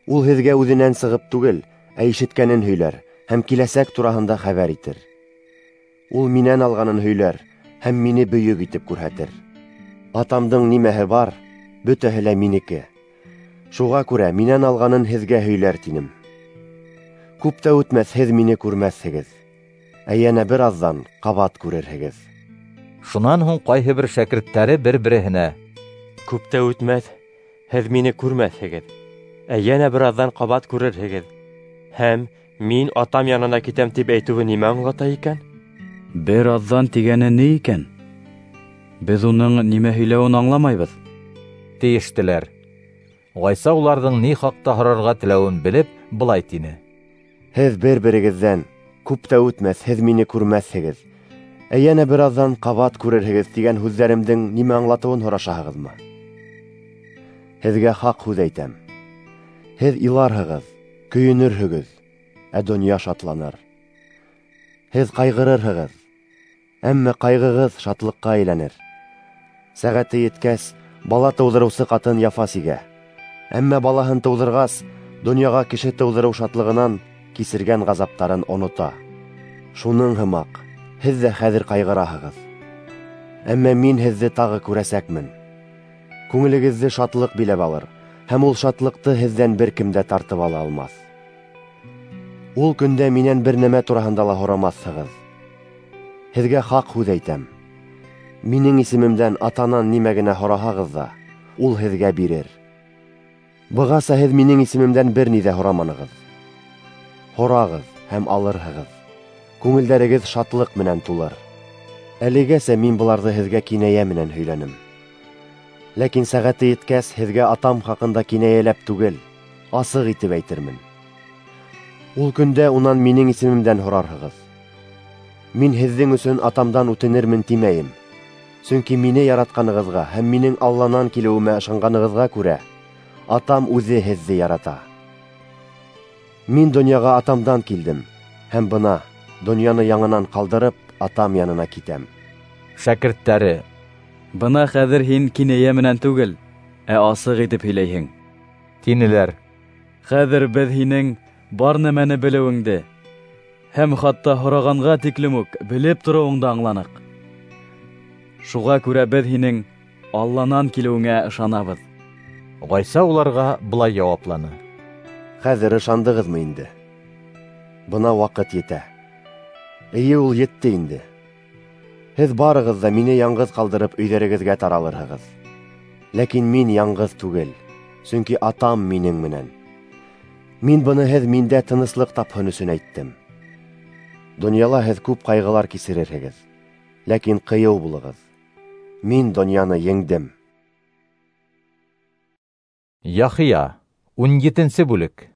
Ул һеҙгә үҙенән сығып түгел, ә ишеткәнен һөйләр һәм киләсәк тураһында хәбәр итер. Ул минән алғанын һөйләр һәм мине бөйөк итеп күрһәтер. Атамдың нимәһе бар, бөтәһе лә минеке. Шуға күрә минән алғанын һеҙгә һөйләр тинем. Күп тә үтмәҫ, һеҙ мине күрмәҫһегеҙ, ә йәнә бер аҙҙан ҡабат күрерһегеҙ. Шунан һуң ҡайһы бер шәкерттәре бер-береһенә: Күп тә үтмәҫ, һеҙ мине күрмәҫһегеҙ, ә йәнә бер аҙҙан ҡабат күрерһегеҙ, һәм мин атам янына китәм тип әйтеүе нимә аңлата икән? Бер аҙҙан тигәне ни икән? Беҙ уның нимә һөйләүен аңламайбыҙ, тейештеләр. Ғайса уларҙың ни хаҡта һорарға теләүен белеп, былай тине: Һеҙ бер-берегеҙҙән күп тә үтмәҫ, һеҙ мине күрмәҫһегеҙ, ә йәнә бер аҙҙан ҡабат күрерһегеҙ тигән һүҙҙәремдең нимә аңлатыуын һорашаһығыҙмы? Һеҙгә хаҡ һүҙ әйтәм: һеҙ иларһығыҙ, көйөнөрһөгөҙ, ә донъя шатланыр. Һеҙ ҡайғырырһығыҙ, Әммә ҡайғығыҙ шатлыҡҡа әйләнер. Сәғәте еткәс, бала тыуҙырыусы ҡатын яфа сигә. Әммә балаһын тыуҙырғас, донъяға кеше тыуҙырыу шатлығынан кисергән ғазаптарын онота. Шуның һымаҡ, һеҙ ҙә хәҙер ҡайғыраһығыҙ. Әммә мин һеҙҙе тағы күрәсәкмен. Күңелегеҙҙе шатлыҡ биләп алыр, һәм ул шатлыҡты һеҙҙән бер кем дә тартып ала алмаҫ. Ул көндә минән бер нәмә тураһында ла һорамаҫһығыҙ. Һеҙгә хаҡ һүҙ әйтәм. Минең исемемдән атанан нимә генә һораһағыҙ ҙа, ул һеҙгә бирер. Бығаса һеҙ минең исемемдән бер ни ҙә һораманығыҙ. Һорағыҙ һәм алырһығыҙ. Күңелдәрегеҙ шатлыҡ менән тулыр. Әлегәсә мин быларҙы һеҙгә кинәйә менән һөйләнем. Ләкин сәғәте еткәс, һеҙгә атам хаҡында кинәйәләп түгел, асыҡ итеп әйтермен. Ул көндә унан минең исемемдән һорарһығыҙ. Мин һеҙҙең өсөн атамдан үтенермен тимәйем. Сөнки мине яратҡанығыҙға һәм минең Алланан килеүемә ышанғанығыҙға күрә, атам үҙе һеҙҙе ярата. Мин донъяға атамдан килдем, һәм бына донъяны яңынан ҡалдырып, атам янына китәм. Шәкерттәре: Бына хәҙер һин кинәйә менән түгел, ә асыҡ итеп һөйләйһең, тинеләр. Хәҙер беҙ һинең бар нәмәне белеүеңде һәм хатта һорағанға тиклем үк белеп тороуыңды аңланыҡ. Шуға күрә беҙ һинең Алланан килеүеңә ышанабыҙ. Ғайса уларға былай яуапланы: Хәҙер ышандығыҙмы инде? Бына ваҡыт етә. Эйе, ул етте инде. Һеҙ барығыҙ ҙа мине яңғыҙ ҡалдырып өйҙәрегеҙгә таралырһығыҙ. Ләкин мин яңғыҙ түгел, сөнки атам минең менән. Мин быны һеҙ миндә тыныслыҡ тапһын өсөн әйттем. Донъяла һеҙ күп ҡайғылар кисерерһегеҙ, ләкин ҡыйыу булығыҙ. Мин донъяны еңдем. Яхия, ун етенсе бүлек.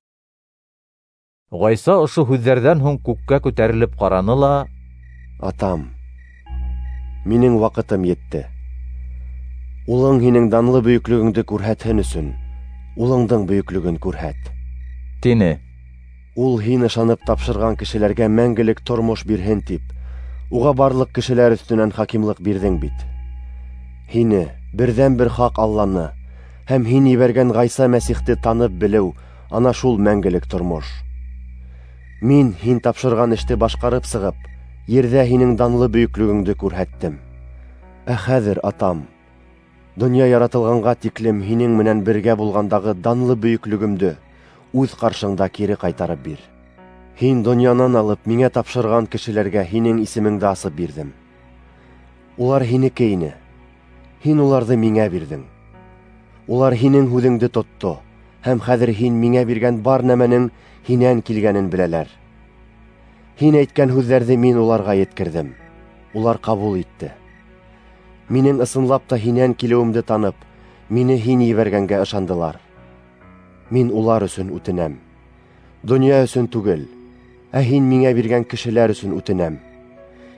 Ғайса ошо һүҙҙәрҙән һуң күккә күтәрелеп ҡараны ла: Атам, минең ваҡытым етте. Улың һинең данлы бөйөклөгөңдө күрһәтһен өсөн, улыңдың бөйөклөгөн күрһәт, тине. Ул һин ышанып тапшырған кешеләргә мәңгелек тормош бирһен тип, уға барлыҡ кешеләр өҫтөнән хакимлыҡ бирҙең бит. Һине, берҙән-бер хаҡ Алланы, һәм һин ебәргән Ғайса Мәсихте танып белеү, ана шул мәңгелек тормош. Мин һин тапшырған эште башҡарып сығып, ерҙә һинең данлы бөйөклөгөңдө күрһәттем. Ә хәҙер, атам, донъя яратылғанға тиклем һинең менән бергә булғандағы данлы бөйөклөгөмдө үҙ ҡаршыңда кире ҡайтарып бир. Һин донъянан алып миңә тапшырған кешеләргә һинең исемеңде асып бирҙем. Улар һинеке ине. Һин уларҙы миңә бирҙең. Улар һинең һүҙеңде тотто, һәм хәҙер һин миңә биргән бар нәмәнең һинән килгәнен беләләр. Һин әйткән һүҙҙәрҙе мин уларға еткерҙем. Улар ҡабул итте. Минең ысынлап та һинән килеүемде танып, мине һин ебәргәнгә ышандылар. Мин улар өсөн үтенәм. Донъя өсөн түгел, ә һин миңә биргән кешеләр өсөн үтенәм.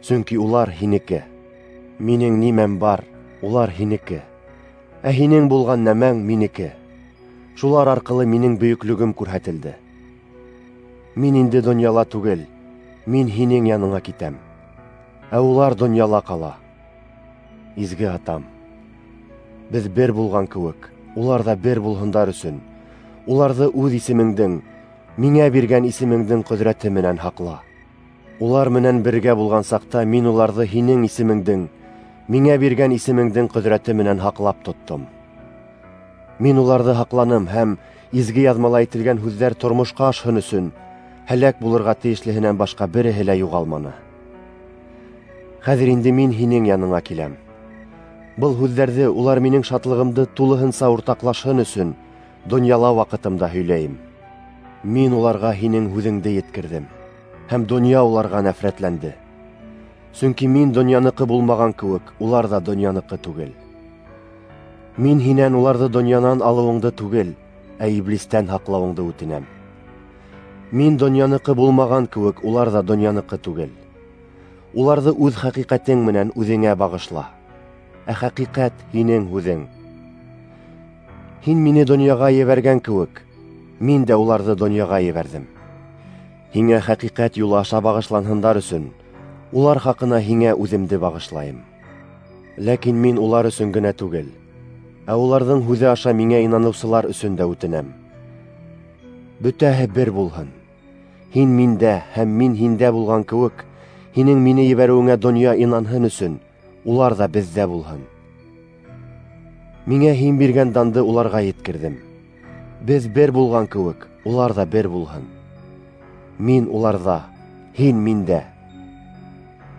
Сөнки улар һинеке. Минең нимәм бар, улар һинеке. Ә һинең булған нәмәң минеке. Шулар арҡылы минең бөйөклөгөм күрһәтелде. Мин инде донъяла түгел, мин һинең яныңа китәм. Ә улар донъяла ҡала. Изге атам, беҙ бер булған кеүек, улар ҙа бер булһындар өсөн, уларҙы үҙ исемеңдең, миңә биргән исемеңдең ҡөҙрәте менән һаҡла. Улар менән бергә булған саҡта мин уларҙы һинең исемеңдең, миңә биргән исемеңдең ҡөҙрәте менән һаҡлап тоттом. Мин уларҙы һаҡланым һәм изге яҙмала әйтелгән һүҙҙәр тормошҡа ашһын өсөн һәләк булырға тейешлеһенән башҡа береһе лә юғалманы. Хәҙер инде мин һинең яныңа киләм. Был һүҙҙәрҙе улар минең шатлығымды тулыһынса уртаҡлашһын өсөн донъяла ваҡытымда һөйләйем. Мин уларға һинең һүҙеңде еткерҙем, һәм донъя уларға нәфрәтләнде. Сөнки мин донъяныҡы булмаған кеүек, улар ҙа донъяныҡы түгел. Мин һинән уларҙы донъянан алыуыңды түгел, ә иблистән һаҡлауыңды үтенәм. Мин донъяныҡы булмаған кеүек, улар ҙа донъяныҡы түгел. Уларҙы үҙ хәҡиҡәтең менән үҙеңә бағышла. Ә хәҡиҡәт һинең һүҙең. Һин мине донъяға ебәргән кеүек, мин дә уларҙы донъяға ебәрҙем. Һиңә хәҡиҡәт юлы аша бағышланһындар өсөн, Улар хаҡына һиңә үҙемде бағышлайым. Ләкин мин улар өсөн генә түгел, ә уларҙың һүҙе аша миңә инаныусылар өсөн дә үтенәм. Бөтәһе бер булһын. Һин миндә һәм мин һиндә булған кеүек, һинең мине ебәреүеңә донъя инанһын өсөн, улар ҙа беҙҙә булһын. Миңә һин биргән данды уларға еткерҙем. Беҙ бер булған кеүек, улар ҙа бер булһын. Мин уларҙа, һин миндә.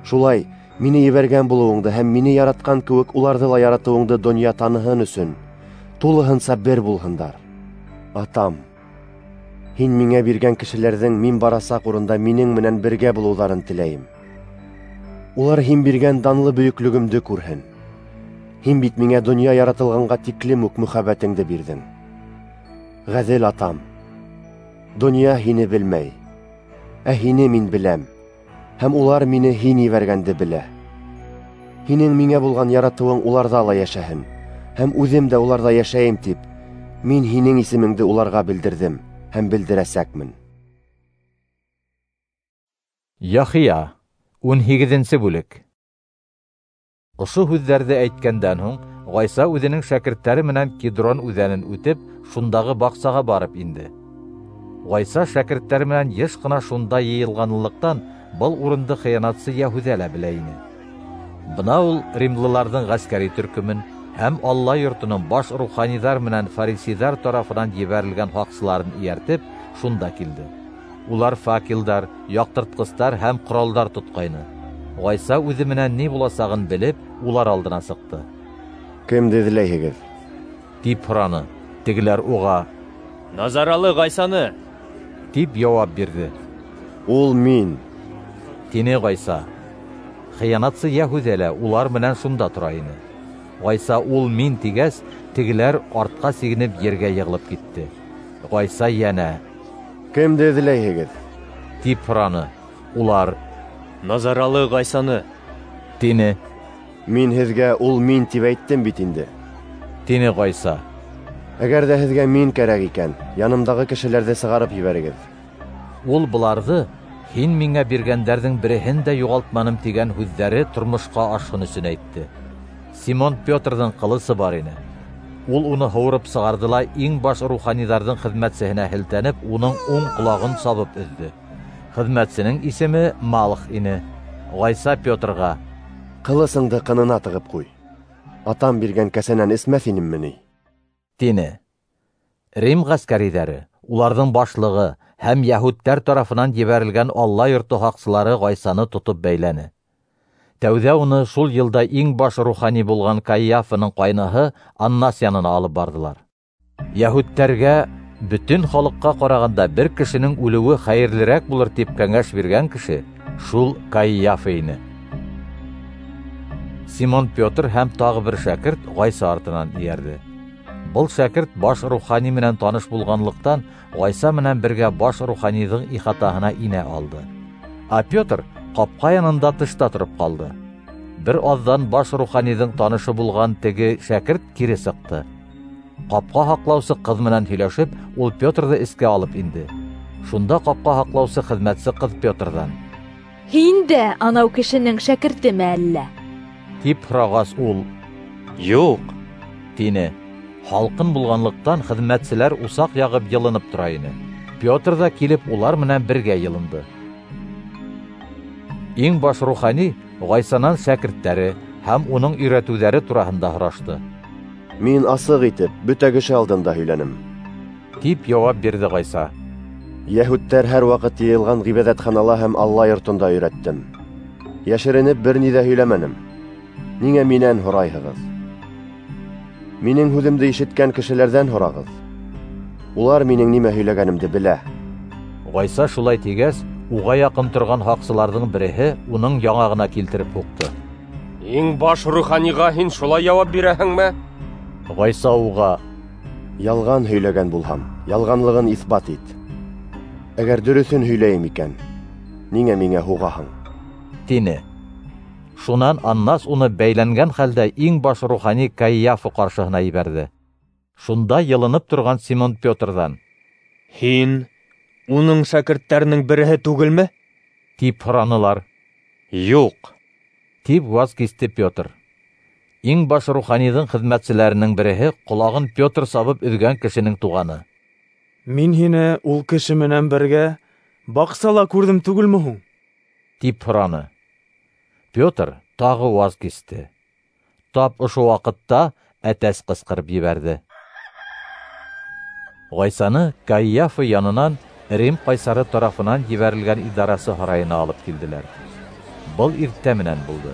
Шулай, мине ебәргән булыуыңды һәм мине яратҡан кеүек уларҙы ла яратыуыңды донъя таныһын өсөн, тулыһынса бер булһындар. Атам, һин миңә биргән кешеләрҙең мин барасаҡ урында минең менән бергә булыуҙарын теләйем. Улар һин биргән данлы бөйөклөгөмдө күрһен. Һин бит миңә донъя яратылғанға тиклем үк мөхәббәтеңде бирҙең. Ғәҙел Атам, донъя һине белмәй, ә һине мин беләм, һәм улар мине һин ебәргәнде белә. Һинең миңә булған яратыуың уларҙа ла йәшәһен, һәм үҙем дә уларҙа йәшәйем тип, мин һинең исемеңде уларға белдерҙем һәм белдерәсәкмен. Яхия, ун һигеҙенсе бүлек. Ошо һүҙҙәрҙе әйткәндән һуң, Ғайса үҙенең шәкерттәре менән Кидрон үҙәнен үтеп, шундағы баҡсаға барып инде. Ғайса шәкерттәре менән йыш ҡына шунда йыйылғанлыҡтан, был урынды хыянатсы Йәһүҙә лә белә ине. Бына ул римлыларҙың ғәскәри төркөмөн һәм Алла йортоноң баш руханиҙар менән фарисейҙар тарафынан ебәрелгән һаҡсыларын эйәртеп, шунда килде. Улар факелдар, яҡтыртҡыстар һәм ҡоралдар тотҡайны. Ғайса үҙе менән ни буласағын белеп, улар алдына сыҡты. Кемде эҙләйһегеҙ? Тип һораны. Тегеләр уға: Назаралы Ғайсаны, тип яуап бирҙе. Ул мин, тине Ғайса. Хыянатсы Йәһүҙә лә улар менән шунда тора ине. Ғайса ул мин тигәс, тегеләр артҡа сигенеп ергә йығылып китте. Ғайса йәнә: Кемде эҙләйһегеҙ? Тип һораны. Улар: Назаралы Ғайсаны, тине. Мин һеҙгә ул мин тип әйттем бит инде, тине Ғайса. Әгәр ҙә һеҙгә мин кәрәк икән, янымдағы кешеләрҙе сығарып ебәрегеҙ. Ул быларҙы һин миңә биргәндәрҙең береһен дә юғалтманым тигән һүҙҙәре тормошҡа ашһын өсөн әйтте. Симон Петрҙың ҡылысы бар ине. Ул уны һурып сығарҙы ла иң баш руханиҙарҙың хеҙмәтсеһенә һелтәнеп, уның уң ҡолағын сабып өҙҙө. Хеҙмәтсенең исеме Малх ине. Ғайса Петрға: Ҡылысыңды ҡынына тығып ҡуй. Атам биргән кәсәнән эсмәҫ инемме ни? Тине. Рим ғәскәриҙәре, уларҙың башлығы һәм йәһүдтәр тарафынан ебәрелгән Алла йорто һаҡсылары Ғайсаны тотоп бәйләне. Тәүҙә уны шул йылда иң баш рухани булған Каиафаның ҡайныһы Аннас янына алып барҙылар. Йәһүдтәргә бөтөн халыҡҡа ҡарағанда бер кешенең үлеүе хәйерлерәк булыр тип кәңәш биргән кеше шул Каиафа ине. Симон Петр һәм тағы бер шәкерт Ғайса артынан эйәрҙе. Был шәкерт баш рухани менән таныш булғанлыҡтан Ғайса менән бергә баш руханиҙың ихатаһына инә алды. Ә Петр ҡапҡа янында тышта тороп ҡалды. Бер аҙҙан баш руханиҙың танышы булған теге шәкерт кире сыҡты. Ҡапҡа һаҡлаусы ҡыҙ менән һөйләшеп, ул Петрҙы эскә алып инде. Шунда ҡапҡа һаҡлаусы хеҙмәтсе ҡыҙ Петрҙан: Һин дә анау кешенең шәкертеме әллә? Тип һорағас, ул: Юҡ, тине. Һалҡын булғанлыҡтан хеҙмәтселәр усаҡ яғып йылынып тора ине. Петр ҙа килеп улар менән бергә йылынды. Иң баш рухани Ғайсанан шәкерттәре һәм уның өйрәтеүҙәре тураһында һорашты. Мин асыҡ итеп бөтә кеше алдында һөйләнем, тип яуап бирҙе Ғайса. Йәһүдтәр һәр ваҡыт йыйылған ғибәҙәтханала һәм Алла йортонда өйрәттем. Йәшеренеп бер ни ҙә һөйләмәнем. Ниңә минән һорайһығыҙ? Минең һүҙемде ишеткән кешеләрҙән һорағыҙ. Улар минең нимә һөйләгәнемде белә. Ғайса шулай тигәс, уға яҡын торған һаҡсыларҙың береһе уның яңағына килтереп һуҡты. Иң баш руханиға һин шулай яуап бирәһеңме? Ғайса уға: Ялған һөйләгән булһам, ялғанлығын иҫбат ит. Әгәр дөрөҫөн һөйләйем икән, ниңә миңә һуғаһың? Тине. Шунан Аннас уны бәйләнгән хәлдә иң баш рухани Каиафа ҡаршыһына ебәрҙе. Шунда йылынып торған Симон Петрҙан: Һин уның шәкерттәренең береһе түгелме? Тип һоранылар. Юҡ, тип ваз кисте Петр. Иң баш руханиҙың хеҙмәтселәренең береһе ҡолағын Петр сабып өҙгән кешенең туғаны. Мин һине ул кеше менән бергә баҡсала күрҙем түгелме һуң? Тип һораны. Петр тағы ваз кисте. Тап ошо ваҡытта әтәс ҡысҡырып ебәрҙе. Ғайсаны Каиафа янынан Рим ҡайсары тарафынан ебәрелгән идарасы һарайына алып килделәр. Был иртә менән булды.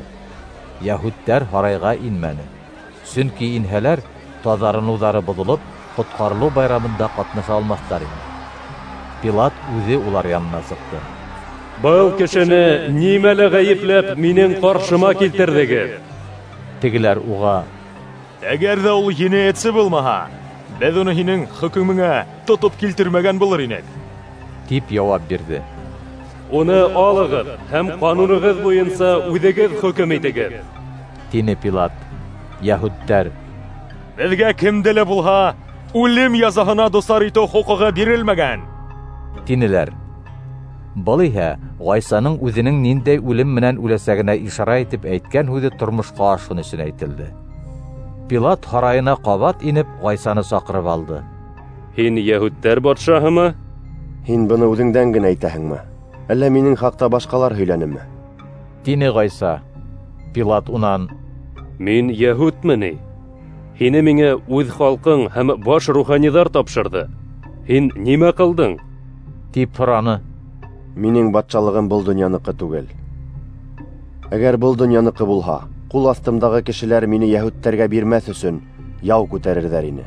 Йәһүдтәр һарайға инмәне. Сөнки инһәләр, таҙарыныуҙары боҙолоп, ҡотҡарылыу байрамында ҡатнаша алмаҫтар ине. Пилат үҙе улар янына сыҡты. Был кешене нимәлә ғәйепләп минең ҡаршыма килтерҙегеҙ? Тегеләр уға: Әгәр ҙә ул енәйәтсе булмаһа, беҙ уны һинең хөкөмөңә тотоп килтермәгән булыр инек, тип яуап бирҙе. Уны алығыҙ һәм ҡанунығыҙ буйынса үҙегеҙ хөкөм итегеҙ, тине Пилат. Йәһүдтәр: Беҙгә кемде лә булһа үлем язаһына дусар итеү хоҡуғы бирелмәгән, тинеләр. Был иһә Ғайсаның үҙенең ниндәй үлем менән үләсәгенә ишара итеп әйткән һүҙе тормошҡа ашһын өсөн әйтелде. Пилат һарайына ҡабат инеп Ғайсаны саҡырып алды. Һин йәһүдтәр батшаһымы? Һин быны үҙеңдән генә әйтәһеңме? Әллә минең хаҡта башҡалар һөйләнеме? Тине Ғайса. Пилат унан: Мин йәһүдме ни? Һине миңә үҙ халҡың һәм баш руханиҙар тапшырҙы. Һин нимә ҡылдың? Тип һораны. Минең батшалығым был донъяныҡы түгел. Әгәр был донъяныҡы булһа, ҡул аҫтымдағы кешеләр мине йәһүдтәргә бирмәҫ өсөн яу күтәрерҙәр ине.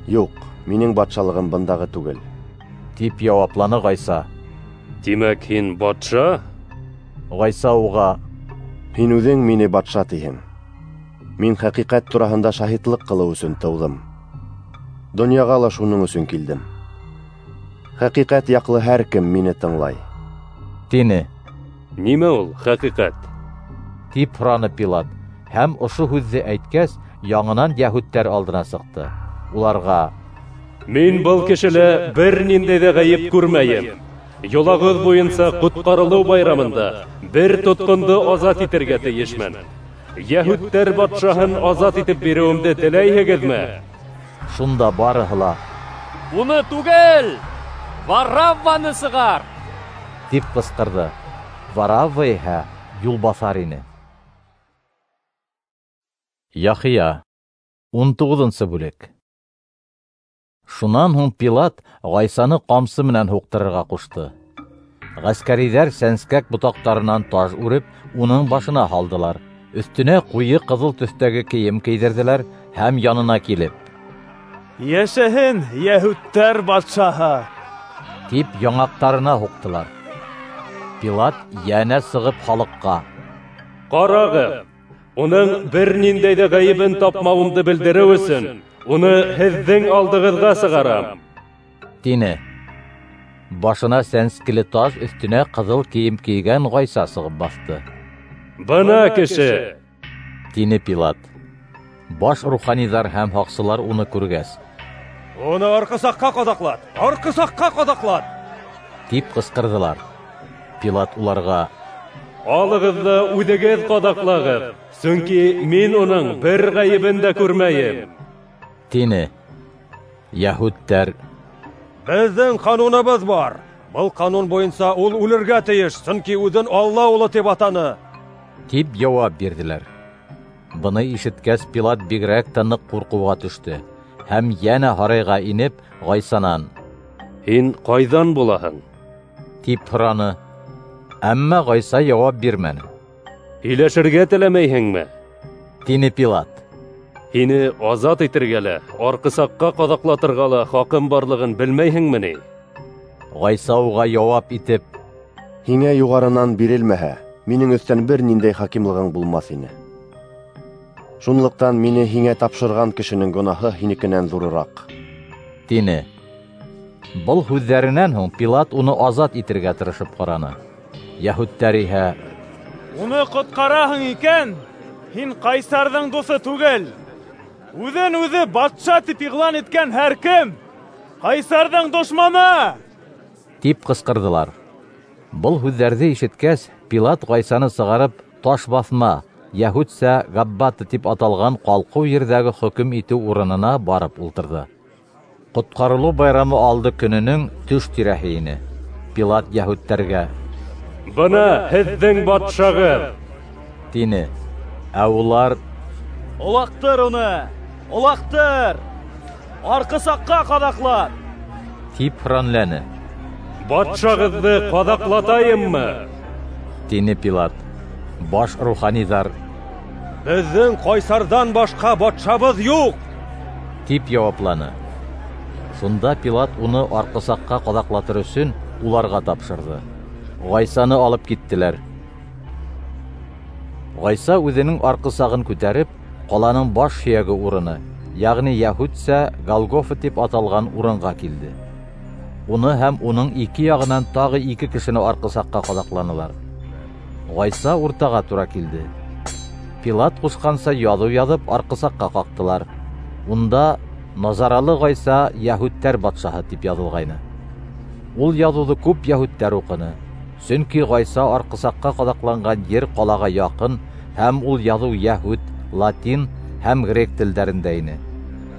Юҡ, минең батшалығым бындағы түгел, тип яуапланы Ғайса. Тимәк, һин батша? Ғайса уға: Һин үҙең мине батша тиһең. Мин хәҡиҡәт тураһында шаһитлыҡ ҡылыу өсөн тыуҙым. Донъяға ла шуның өсөн килдем. Хәҡиҡәт яҡлы һәр кем мине тыңлай, тине. Нимә ул хәҡиҡәт? Тип һораны Пилат. Һәм ошо һүҙҙе әйткәс, яңынан йәһүдтәр алдына сыҡты. Уларға: Мин был кешелә бер ниндәй ҙә ғәйеп күрмәйем. Йолағыҙ буйынса ҡотҡарылыу байрамында бер тотҡондо азат итергә тейешмен. Йәһүдтәр батшаһын азат итеп биреүемде теләйһегеҙме? Шунда барыһы ла: Уны түгел, Варавваны сығар! Тип ҡысҡырҙы. Варавва иһә юлбаҫар ине. Яхия, ун туғыҙынсы бүлек. Шунан һуң Пилат Ғайсаны ҡамсы менән һуҡтырырға ҡушты. Ғәскәриҙәр сәнскәк ботаҡтарынан таж үреп, уның башына һалдылар. Өҫтөнә ҡуйы ҡыҙыл төҫтәге кейем кейҙерҙеләр һәм янына килеп: Йәшәһен йәһүдтәр батшаһы! Тип яңаҡтарына һуҡтылар. Пилат йәнә сығып халыҡҡа: Ҡарағыҙ, уның бер ниндәй ҙә ғәйебен тапмауымды белдереү өсөн уны һеҙҙең алдығыҙға сығарам, тине. Башына сәнскеле таж, өҫтөнә ҡыҙыл кейем кейгән Ғайса сығып баҫты. Бына кеше! Тине Пилат. Баш руханиҙар һәм һаҡсылар уны күргәс: Уны арҡысаҡҡа ҡаҙаҡлат! Арҡысаҡҡа ҡаҙаҡлат! Тип ҡысҡырҙылар. Пилат уларға: Алығыҙ ҙа үҙегеҙ ҡаҙаҡлағыҙ, сөнки мин уның бер ғәйебен дә күрмәйем, тине. Йәһүдтәр: Беҙҙең ҡануныбыҙ бар. Был ҡанун буйынса ул үлергә тейеш, сөнки үҙен Алла улы тип атаны, тип яуап бирҙеләр. Быны ишеткәс, Пилат бигерәк тә ныҡ ҡурҡыуға төштө һәм йәнә һарайға инеп, Ғайсанан: Һин ҡайҙан булаһың? Тип һораны. Әммә Ғайса яуап бирмәне. Һөйләшергә теләмәйһеңме? Тине Пилат. Һине азат итергә лә, арҡысаҡҡа ҡаҙаҡлатырға ла хаҡым барлығын белмәйһеңме ни? Ғайса уға яуап итеп: Һиңә юғарынан бирелмәһә, минең өҫтән бер ниндәй хакимлығың булмаҫ ине. Шунлыҡтан мине һиңә тапшырған кешенең гонаһы һинекенән ҙурыраҡ, тине. Был һүҙҙәренән һуң Пилат уны азат итергә тырышып ҡараны. Йәһүдтәр иһә: Уны ҡотҡараһың икән, һин ҡайсарҙың дуҫы түгел. Үҙен үҙе батша тип иғлан иткән һәр кем ҡайсарҙың дошманы! Тип ҡысҡырҙылар. Был һүҙҙәрҙе ишеткәс, Пилат Ғайсаны сығарып, таш баҫма, йәһүдсә Габбата тип аталған ҡалҡыу ерҙәге хөкөм итеү урынына барып ултырҙы. Ҡотҡарылыу байрамы алды көнөнөң төш тирәһе ине. Пилат йәһүдтәргә: "Бына һеҙҙең батшағыҙ!" тине. Ә улар: "Олаҡтыр уны! Олаҡтыр! Арҡысаҡҡа ҡаҙаҡлат!" тип һөранләне. "Батшағыҙҙы ҡаҙаҡлатайыммы?" тине Пилат. Баш руханиҙар: "Беҙҙең ҡайсарҙан башҡа батшабыҙ юҡ!" тип яуапланы. Шунда Пилат уны арҡысаҡҡа ҡаҙаҡлатыр өсөн уларға тапшырҙы. Ғайсаны алып киттеләр. Ғайса үҙенең арҡысағын күтәреп, ҡаланың баш һөйәге урыны, йәғни йәһүдсә Голгофа тип аталған урынға килде. Уны һәм уның ике яғынан тағы ике кешене арҡысаҡҡа ҡаҙаҡланылар. Ғайса уртаға тура килде. Пилат ҡушҡанса яҙыу яҙып арҡысаҡҡа ҡаҡтылар. Унда "Назаралы Ғайса йәһүдтәр батшаһы" тип яҙылғайны. Ул яҙыуҙы күп йәһүдтәр уҡыны, сөнки Ғайса арҡысаҡҡа ҡаҙаҡланған ер ҡалаға яҡын, һәм ул яҙыу йәһүд, латин һәм грек телдәрендә ине.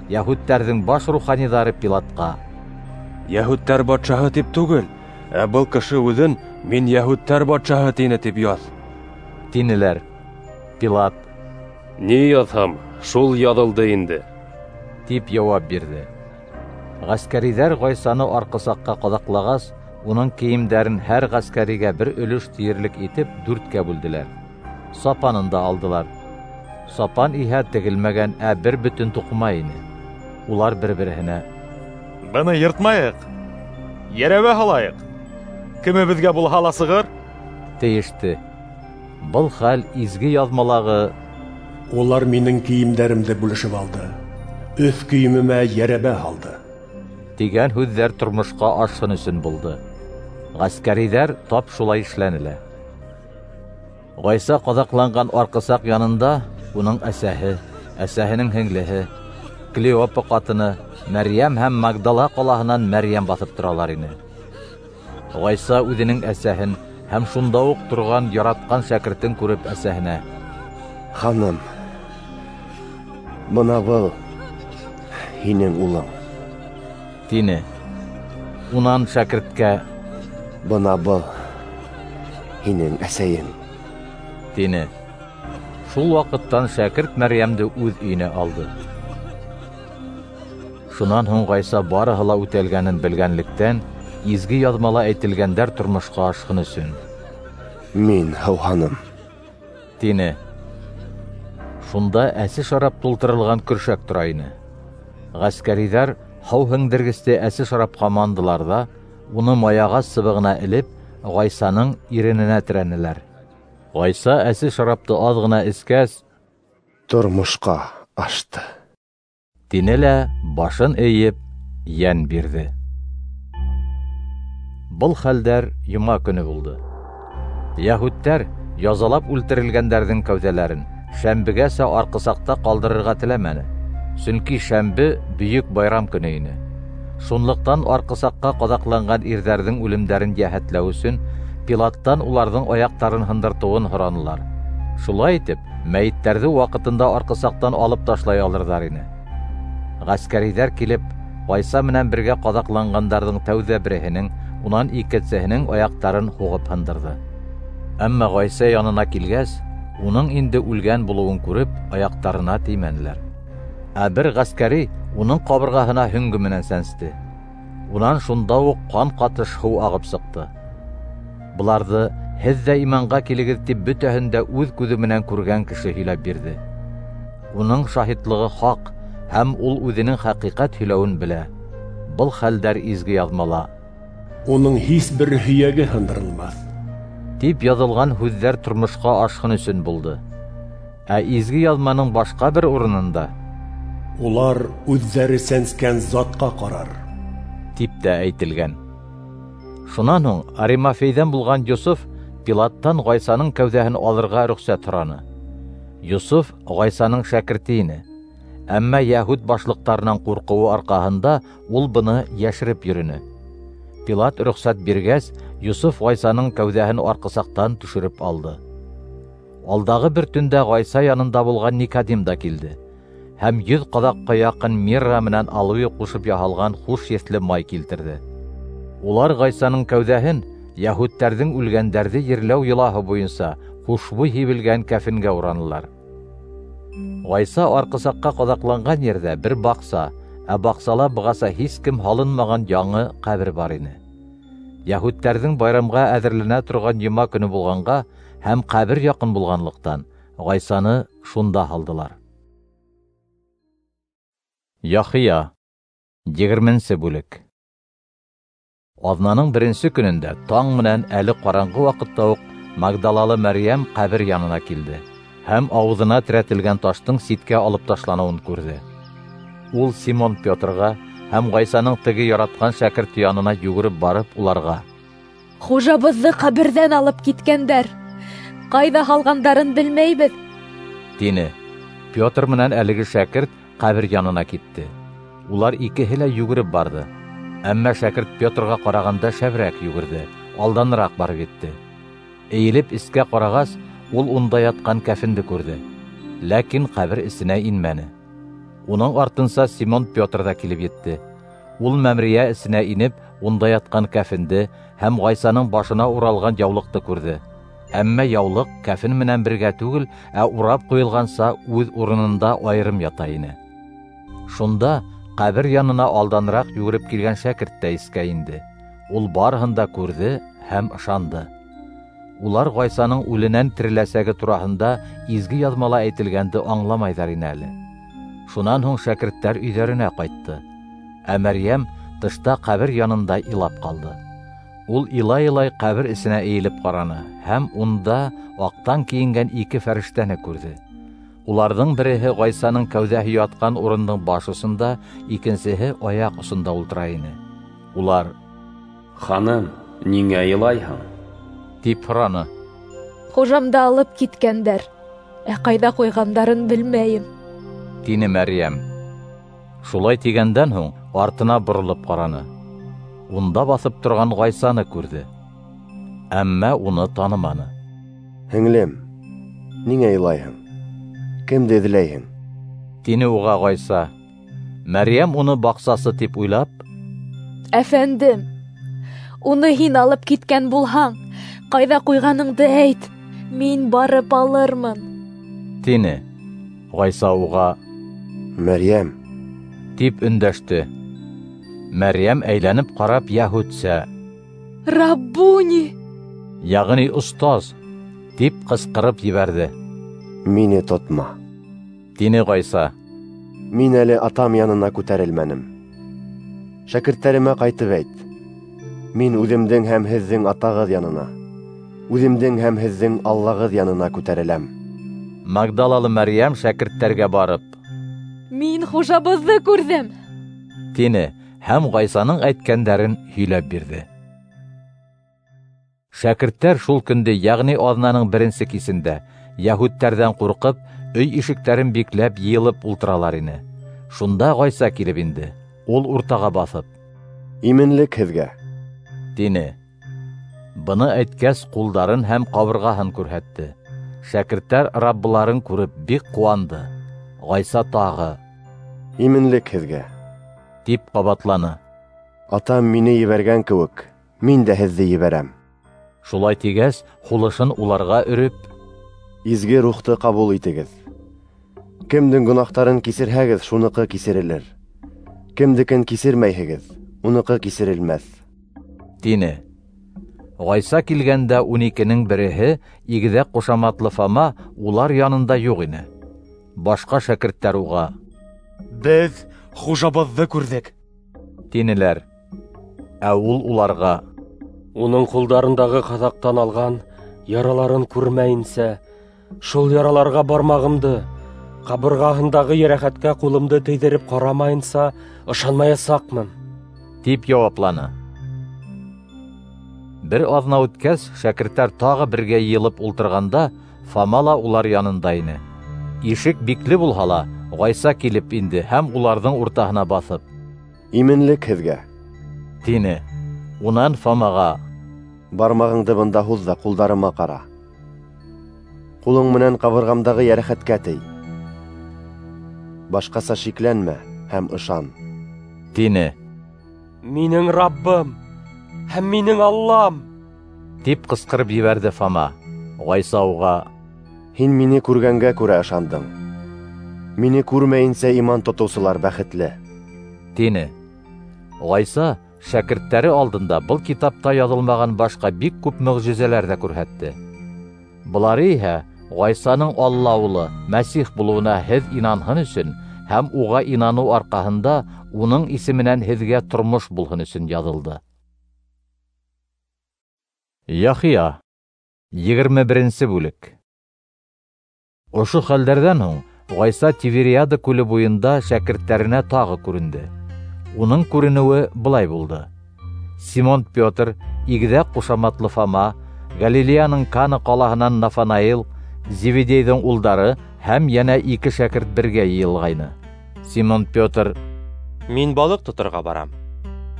Йәһүдтәрҙең баш руханиҙары Пилатҡа: "Йәһүдтәр батшаһы тип түгел, ә был кеше үҙен мин йәһүдтәр батшаһы тине тип яҙ", тинеләр. Пилат: "Ни яҙһам, шул яҙылды инде", тип яуап бирҙе. Ғәскәриҙәр Ғайсаны арҡысаҡҡа ҡаҙаҡлағас, уның кейемдәрен һәр ғәскәригә бер өлөш тиерлек итеп дүрткә бүлделәр. Сапанын да алдылар. Сапан иһә тегелмәгән, ә бер бөтөн туҡыма ине. Улар бер-береһенә: "Быны йыртмайыҡ, йәрәбә һалайыҡ, кемебеҙгә булһа ла сығыр", тейеште. Был хәл изге яҙмалағы "Улар минең кейемдәремде бүлешеп алды, өҫ кейемемә йәрәбә һалды" тигән һүҙҙәр тормошҡа ашһын өсөн булды. Ғәскәриҙәр тап шулай эшләне лә. Ғайса ҡаҙаҡланған арҡысаҡ янында уның әсәһе, әсәһенең һеңлеһе, Клеопа ҡатыны Мәрйәм һәм Магдала ҡалаһынан Мәрйәм баҫып торалар ине. Ғайса үҙенең әсәһен һәм шунда уҡ торған яратҡан шәкертен күреп әсәһенә: "Ханым, бына был һинең улың", тине. Унан шәкерткә: "Бына был һинең әсәйең", тине. Шул ваҡыттан шәкерт Мәрйәмде үҙ өйөнә алды. Шунан һуң Ғайса барыһы ла үтәлгәнен белгәнлектән, изге яҙмала әйтелгәндәр тормошҡа ашһын өсөн: "Мин һыуһаным", тине. Шунда әсе шарап тултырылған көршәк тора ине. Ғәскәриҙәр һыу һеңдергесте әсе шарапҡа мандылар ҙа, уны маяғас сыбығына элеп, Ғайсаның ирененә терәнеләр. Ғайса әсе шарапты аҙ ғына эскәс: "Тормошҡа ашты", тине лә башын эйеп йән бирҙе. Был хәлдәр йома көнө булды. Йәһүдтәр язалап үлтерелгәндәрҙең кәүҙәләрен шәмбегәсә арҡысаҡта ҡалдырырға теләмәне, сөнки шәмбе бөйөк байрам көнө ине. Шунлыҡтан арҡысаҡҡа ҡаҙаҡланған ирҙәрҙең үлемдәрен йәһәтләү өсөн Пилаттан уларҙың аяҡтарын һындыртыуын һоранылар. Шулай итеп, мәйеттәрҙе ваҡытында арҡысаҡтан алып ташлай алырҙар ине. Ғәскәриҙәр килеп, Ғайса менән бергә ҡаҙаҡланғандарҙың тәүҙә береһенең, унан икенсеһенең аяҡтарын һуғып һындырҙы. Әммә Ғайса янына килгәс, уның инде үлгән булыуын күреп, аяҡтарына теймәнеләр. Ә бер ғәскәри уның ҡабырғаһына һөңгө менән сәнсте. Унан шунда уҡ ҡан ҡатыш һыу ағып сыҡты. Быларҙы һеҙ ҙә иманға килегеҙ тип бөтәһен дә үҙ күҙе менән күргән кеше һөйләп бирҙе. Уның шаһитлығы хаҡ, һәм ул үҙенең хәҡиҡәт һөйләүен белә. Был хәлдәр изге яҙмала "Уның һис бер һөйәге һындырылмаҫ" тип яҙылған һүҙҙәр тормошҡа ашһын өсөн булды. Ә изге яҙманың башҡа бер урынында "Улар үҙҙәре сәнскән затҡа ҡарар" тип тә әйтелгән. Шунан һуң Аримафейҙән булған Йософ Пилаттан Ғайсаның кәүҙәһен алырға рөхсәт һораны. Йософ Ғайсаның шәкерте ине. Әммә йәһүд башлыҡтарынан ҡурҡыуы арҡаһында ул быны йәшереп йөрөнө. Пилат рөхсәт биргәс, Йософ Ғайсаның кәүҙәһен арҡысаҡтан төшөрөп алды. Алдағы бер төндә Ғайса янында булған Никодим да килде һәм йөҙ ҡаҙаҡҡа яҡын мирра менән алоэ ҡушып яһалған хуш еҫле май килтерҙе. Улар Ғайсаның кәүҙәһен йәһүдтәрҙең үлгәндәрҙе ерләү йолаһы буйынса хушбуй һибелгән кәфенгә уранылар. Ғайса арҡысаҡҡа ҡаҙаҡланған ерҙә бер баҡса, ә баҡсала бығаса һис кем һалынмаған яңы ҡәбер бар ине. Йәһүдтәрҙең байрамға әҙерләнә торған йома көнө булғанға һәм ҡәбер яҡын булғанлыҡтан Ғайсаны шунда һалдылар. Яхия, егерменсе бүлек. Аҙнаның беренсе көнөндә таң менән әле ҡараңғы ваҡытта уҡ Магдалалы Мәрйәм ҡәбер янына килде һәм ауыҙына терәтелгән таштың ситкә алып ташланыуын күрҙе. Ул Симон Петрға һәм Ғайсаның теге яратҡан шәкерте янына йүгереп барып, уларға: "Хужабыҙҙы ҡәберҙән алып киткәндәр, ҡайҙа һалғандарын белмәйбеҙ", тине. Петр менән әлеге шәкерт ҡәбер янына китте. Улар икеһе лә йүгереп барҙы. Әммә шәкерт Петрға ҡарағанда шәберәк йүгерҙе, алданыраҡ барып етте. Эйелеп эскә ҡарағас, ул унда ятҡан кәфенде күрҙе, ләкин ҡәбер эсенә инмәне. Уның артынса Симон Петр ҙа килеп етте. Ул мәмерйә эсенә инеп, унда ятҡан кәфенде һәм Ғайсаның башына уралған яулыҡты күрҙе. Әммә яулыҡ кәфен менән бергә түгел, ә урап ҡуйылғанса үҙ урынында айырым ята ине. Шунда ҡәбер янына алданыраҡ йүгереп килгән шәкерт тә эскә инде. Ул барыһын да күрҙе һәм ышанды. Улар Ғайсаның үленән тереләсәге тураһында изге яҙмала әйтелгәнде аңламайҙар ине әле. Шунан һуң шәкерттәр өйҙәренә ҡайтты. Ә Мәрйәм тышта ҡәбер янында илап ҡалды. Ул илай-илай ҡәбер эсенә эйелеп ҡараны һәм унда аҡтан кейенгән ике фәрештәне күрҙе. Уларҙың береһе Ғайсаның кәүҙәһе ятҡан урындың баш осонда, икенсеһе аяҡ осонда ултыра ине. Улар: "Ханым, ниңә илайһың?" тип һораны. "Хужамды алып киткәндәр, ә ҡайҙа ҡуйғандарын белмәйем", тине Мәрйәм. Шулай тигәндән һуң артына боролоп ҡараны. Унда баҫып торған Ғайсаны күрҙе, әммә уны таныманы. "Һеңлем, ниңә илайһың? Кемде эҙләйһең?" тине уға Ғайса. Мәрйәм уны баҡсасы тип уйлап: "Әфәндем, уны һин алып киткән булһаң, ҡайҙа ҡуйғаныңды әйт, мин барып алырмын", тине. Ғайса уға: "Мәрйәм", тип өндәште. Мәрйәм әйләнеп ҡарап йәһүдсә: "Раббуни", йәғни остаз, тип ҡысҡырып ебәрҙе. "Мине тотма", тине Ғайса. "Мин әле атам янына күтәрелмәнем. Шәкерттәремә ҡайтып әйт: мин үҙемдең һәм һеҙҙең атағыҙ янына, үҙемдең һәм һеҙҙең Аллағыҙ янына күтәреләм." Магдалалы Мәрйәм шәкерттәргә барып: "Мин хужабыҙҙы күрҙем", тине һәм Ғайсаның әйткәндәрен һөйләп бирҙе. Шәкерттәр шул көндө, йәғни аҙнаның беренсе кисендә, йәһүдтәрҙән ҡурҡып, өй ишектәрен бикләп йыйылып ултыралар ине. Шунда Ғайса килеп инде. Ул уртаға баҫып: "Именлек һеҙгә", тине. Быны әйткәс, ҡулдарын һәм ҡабырғаһын күрһәтте. Шәкерттәр Раббыларын күреп бик ҡыуанды. Ғайса тағы: "Именлек һеҙгә", тип ҡабатланы. "Атам мине ебәргән кеүек, мин дә һеҙҙе ебәрәм." Шулай тигәс, һулышын уларға өрөп: "Изге рухты ҡабул итегеҙ. Кемдең гонаһтарын кисерһәгеҙ, шуныҡы кисерелер. Кемдекен кисермәйһегеҙ, уныҡы кисерелмәҫ", тине. Ғайса килгәндә ун икенең береһе, игеҙәк ҡушаматлы Фома, улар янында юҡ ине. Башҡа шәкерттәр уға: "Беҙ хужабыҙҙы күрҙек", тинеләр. Ә ул уларға: "Уның ҡулдарындағы ҡаҙаҡтан алған яраларын күрмәйенсә, шул яраларға бармағымды, ҡабырғаһындағы йәрәхәткә ҡулымды тейҙереп ҡарамайынса ышанмаясаҡмын", тип яуапланы. Бер аҙна үткәс, шәкерттәр тағы бергә йыйылып ултырғанда, Фома ла улар янында ине. Ишек бикле булһа ла, Ғайса килеп инде һәм уларҙың уртаһына баҫып: "Именлек һеҙгә", тине. Унан Фомаға: Бармағыңды бында һуҙ ҙа ҡулдарыма ҡара. Ҡулың менән ҡабырғамдағы йәрәхәткә тей. Башҡаса шикләнмә һәм ышан, тине. Минең Раббым һәм минең Аллам! Тип ҡысҡырып ебәрҙе Фома. Ғайса уға: Һин мине күргәнгә күрә ышандың. Мине күрмәйенсә иман тотоусылар бәхетле, тине. Ғайса шәкерттәре алдында был китапта яҙылмаған башҡа бик күп мөғжизәләр ҙә күрһәтте. Былары иһә Ғайсаның Алла улы Мәсих булыуына һеҙ инанһын өсөн һәм уға инаныу арҡаһында уның исеменән һеҙгә тормош булһын өсөн яҙылды. Яхия, егерме беренсе бүлек. Ошо хәлдәрҙән һуң Ғайса Тивериада күле буйында шәкерттәренә тағы күренде. Уның күренеүе былай булды. Симон Петр, игеҙәк ҡушаматлы Фома, Галилеяның Кана ҡалаһынан Нафанаил, Зеведейҙең улдары һәм йәнә ике шәкерт бергә йыйылғайны. Симон Петр: Мин балыҡ тоторға барам,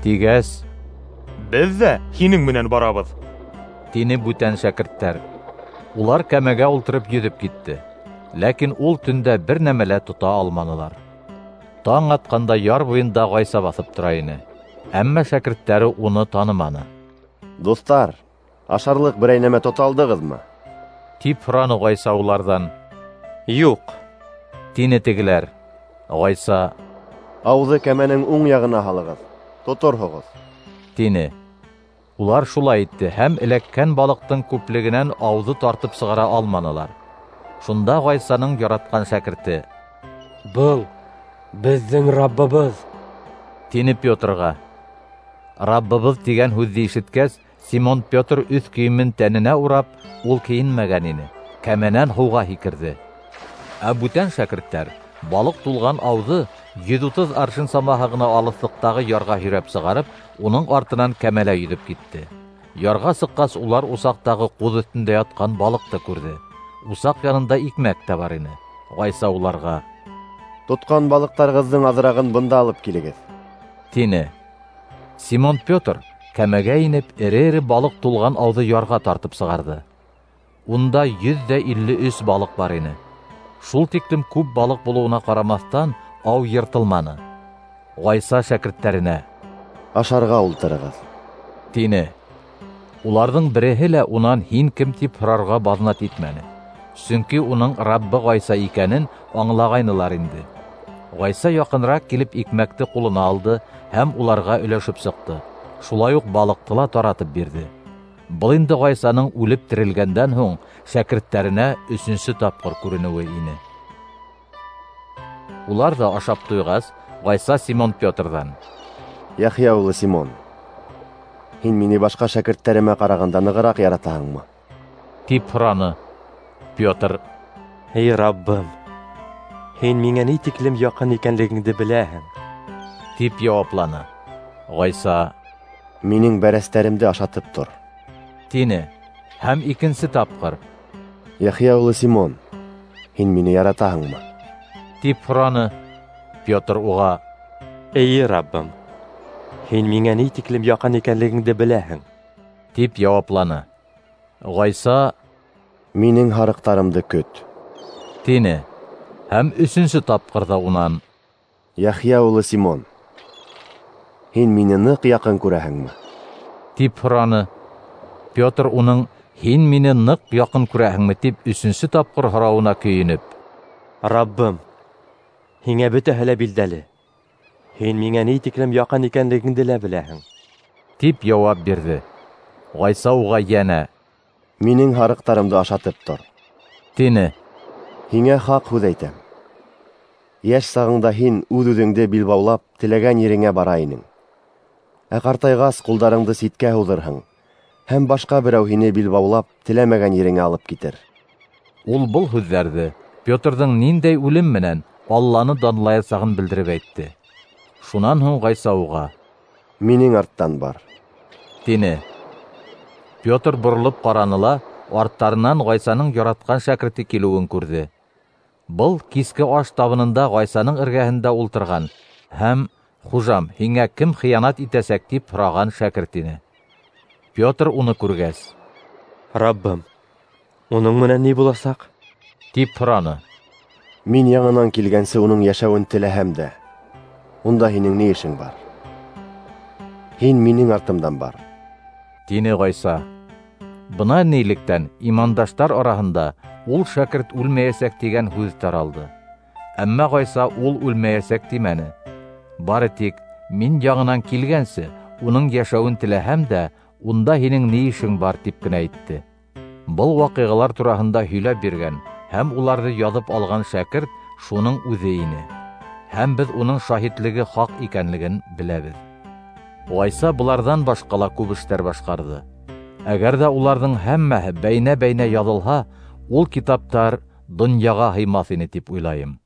тигәс, Беҙ ҙә һинең менән барабыҙ, тине бүтән шәкерттәр. Улар кәмәгә ултырып йөҙөп китте. Ләкин ул төндә бер нәмә лә тота алманылар. Таң атҡанда яр буйында Ғайса баҫып тора ине. Әммә шәкерттәре уны таныманы. Дуҫтар, ашарлыҡ берәй нәмә тота алдығыҙмы? Тип һораны Ғайса уларҙан. Юҡ, тине тегеләр. Ғайса: Ауҙы кәмәнең уң яғына һалығыҙ, тоторһоғоҙ, тине. Улар шулай итте һәм эләккән балыҡтың күплегенән ауҙы тартып сығара алманылар. Шунда Ғайсаның яратҡан шәкерте: Был беҙҙең Раббыбыҙ, тине Петрға. Раббыбыҙ тигән һүҙҙе ишеткәс, Симон Петр өҫ кейемен тәненә урап, ул кейенмәгән ине, кәмәнән һыуға һикерҙе. Ә бүтән шәкерттәр балыҡ тулған ауҙы йөҙ утыҙ аршин самаһы ғына алыҫлыҡтағы ярға һөйрәп сығарып, уның артынан кәмәлә йөҙөп китте. Ярға сыҡҡас, улар усаҡтағы ҡуҙ өҫтөндә ятҡан балыҡты күрҙе. Усаҡ янында икмәк тә бар ине. Ғайса уларға: Тотҡан балыҡтарығыҙҙың аҙырағын бында алып килегеҙ, тине. Симон Петр кәмәгә инеп, эре-эре балыҡ тулған ауҙы ярға тартып сығарҙы. Унда йөҙ ҙә илле өс балыҡ бар ине. Шул тиклем күп балыҡ булыуына ҡарамаҫтан, ау йыртылманы. Ғайса шәкерттәренә: Ашарға ултырығыҙ, тине. Уларҙың береһе лә унан һин кем тип һорарға баҙнат итмәне. Сөнки уның Раббы Ғайса икәнен аңлағайнылар инде. Ғайса яҡыныраҡ килеп икмәкте ҡулына алды һәм уларға өләшеп сыҡты. Шулай уҡ балыҡты ла таратып бирҙе. Был инде Ғайсаның үлеп терелгәндән һуң шәкерттәренә өсөнсө тапҡыр күренеүе ине. Улар ҙа ашап туйғас, Ғайса Симон Петрҙан: Яхия улы Симон, һин мине башҡа шәкерттәремә ҡарағанда нығыраҡ яратаһыңмы? Тип һораны. Петр: Эй, Раббым, һин миңә ни тиклем яҡын икәнлегеңде беләһең, тип яуапланы. Ғайса: Минең бәрәстәремде ашатып тор, тине. Һәм икенсе тапҡыр: Яхия улы Симон, һин мине яратаһыңмы? Тип һораны. Петр уға: Эйе, Раббым, һин миңә ни тиклем яҡын икәнлегеңде беләһең, тип яуапланы. Ғайса: Минең һарыҡтарымды көт, тине. Һәм өсөнсө тапҡыр ҙа унан: Яхия улы Симон, һин мине ныҡ яҡын күрәһеңме? Тип һораны. Петр уның һин мине ныҡ яҡын күрәһеңме тип өсөнсө тапҡыр һорауына көйөнөп: Раббым, һиңә бөтәһе лә билдәле. Һин миңә ни тиклем яҡын икәнлегеңде лә беләһең, тип яуап бирҙе. Ғайса уға йәнә: Минең һарыҡтарымды ашатып тор, тине. Һиңә хаҡ һүҙ әйтәм: йәш сағыңда һин үҙ-үҙеңде билбаулап теләгән ереңә бара инең. Ә ҡартайғас ҡулдарыңды ситкә һуҙырһың, һәм башҡа берәү һине билбаулап теләмәгән ереңә алып китер. Ул был һүҙҙәрҙе Петрҙың ниндәй үлем менән Алланы данлаясағын белдереп әйтте. Шунан һуң Ғайса уға: Минең арттан бар, тине. Петр боролоп ҡараны ла арттарынан Ғайсаның яратҡан шәкерте килеүен күрҙе. Был киске аш табынында Ғайсаның эргәһендә ултырған һәм: Хужам, һиңә кем хыянат итәсәк, тип һораған шәкерт ине. Петр уны күргәс: "Раббым, уның менән ни буласаҡ?" тип һораны. Мин яңынан килгәнсе уның йәшәүен теләһәм дә, унда һинең ни эшең бар? Һин минең артымдан бар, тине Ғайса. Бына нилектән имандаштар араһында ул шәкерт үлмәйәсәк тигән һүҙ таралды. Әммә Ғайса ул үлмәйәсәк тимәне. Бары тик мин яңынан килгәнсе уның йәшәүен теләһәм дә, унда һинең ни эшең бар, тип кенә әйтте. Был ваҡиғалар тураһында һөйләп биргән һәм уларҙы яҙып алған шәкерт шуның үҙе ине. Һәм беҙ уның шаһитлеге хаҡ икәнлеген беләбеҙ. Ғайса быларҙан башҡа ла күп эштәр башҡарҙы. Әгәр ҙә уларҙың һәммәһе бәйнә-бәйнә яҙылһа, ул китаптар донъяға һыймаҫ ине тип уйлайым.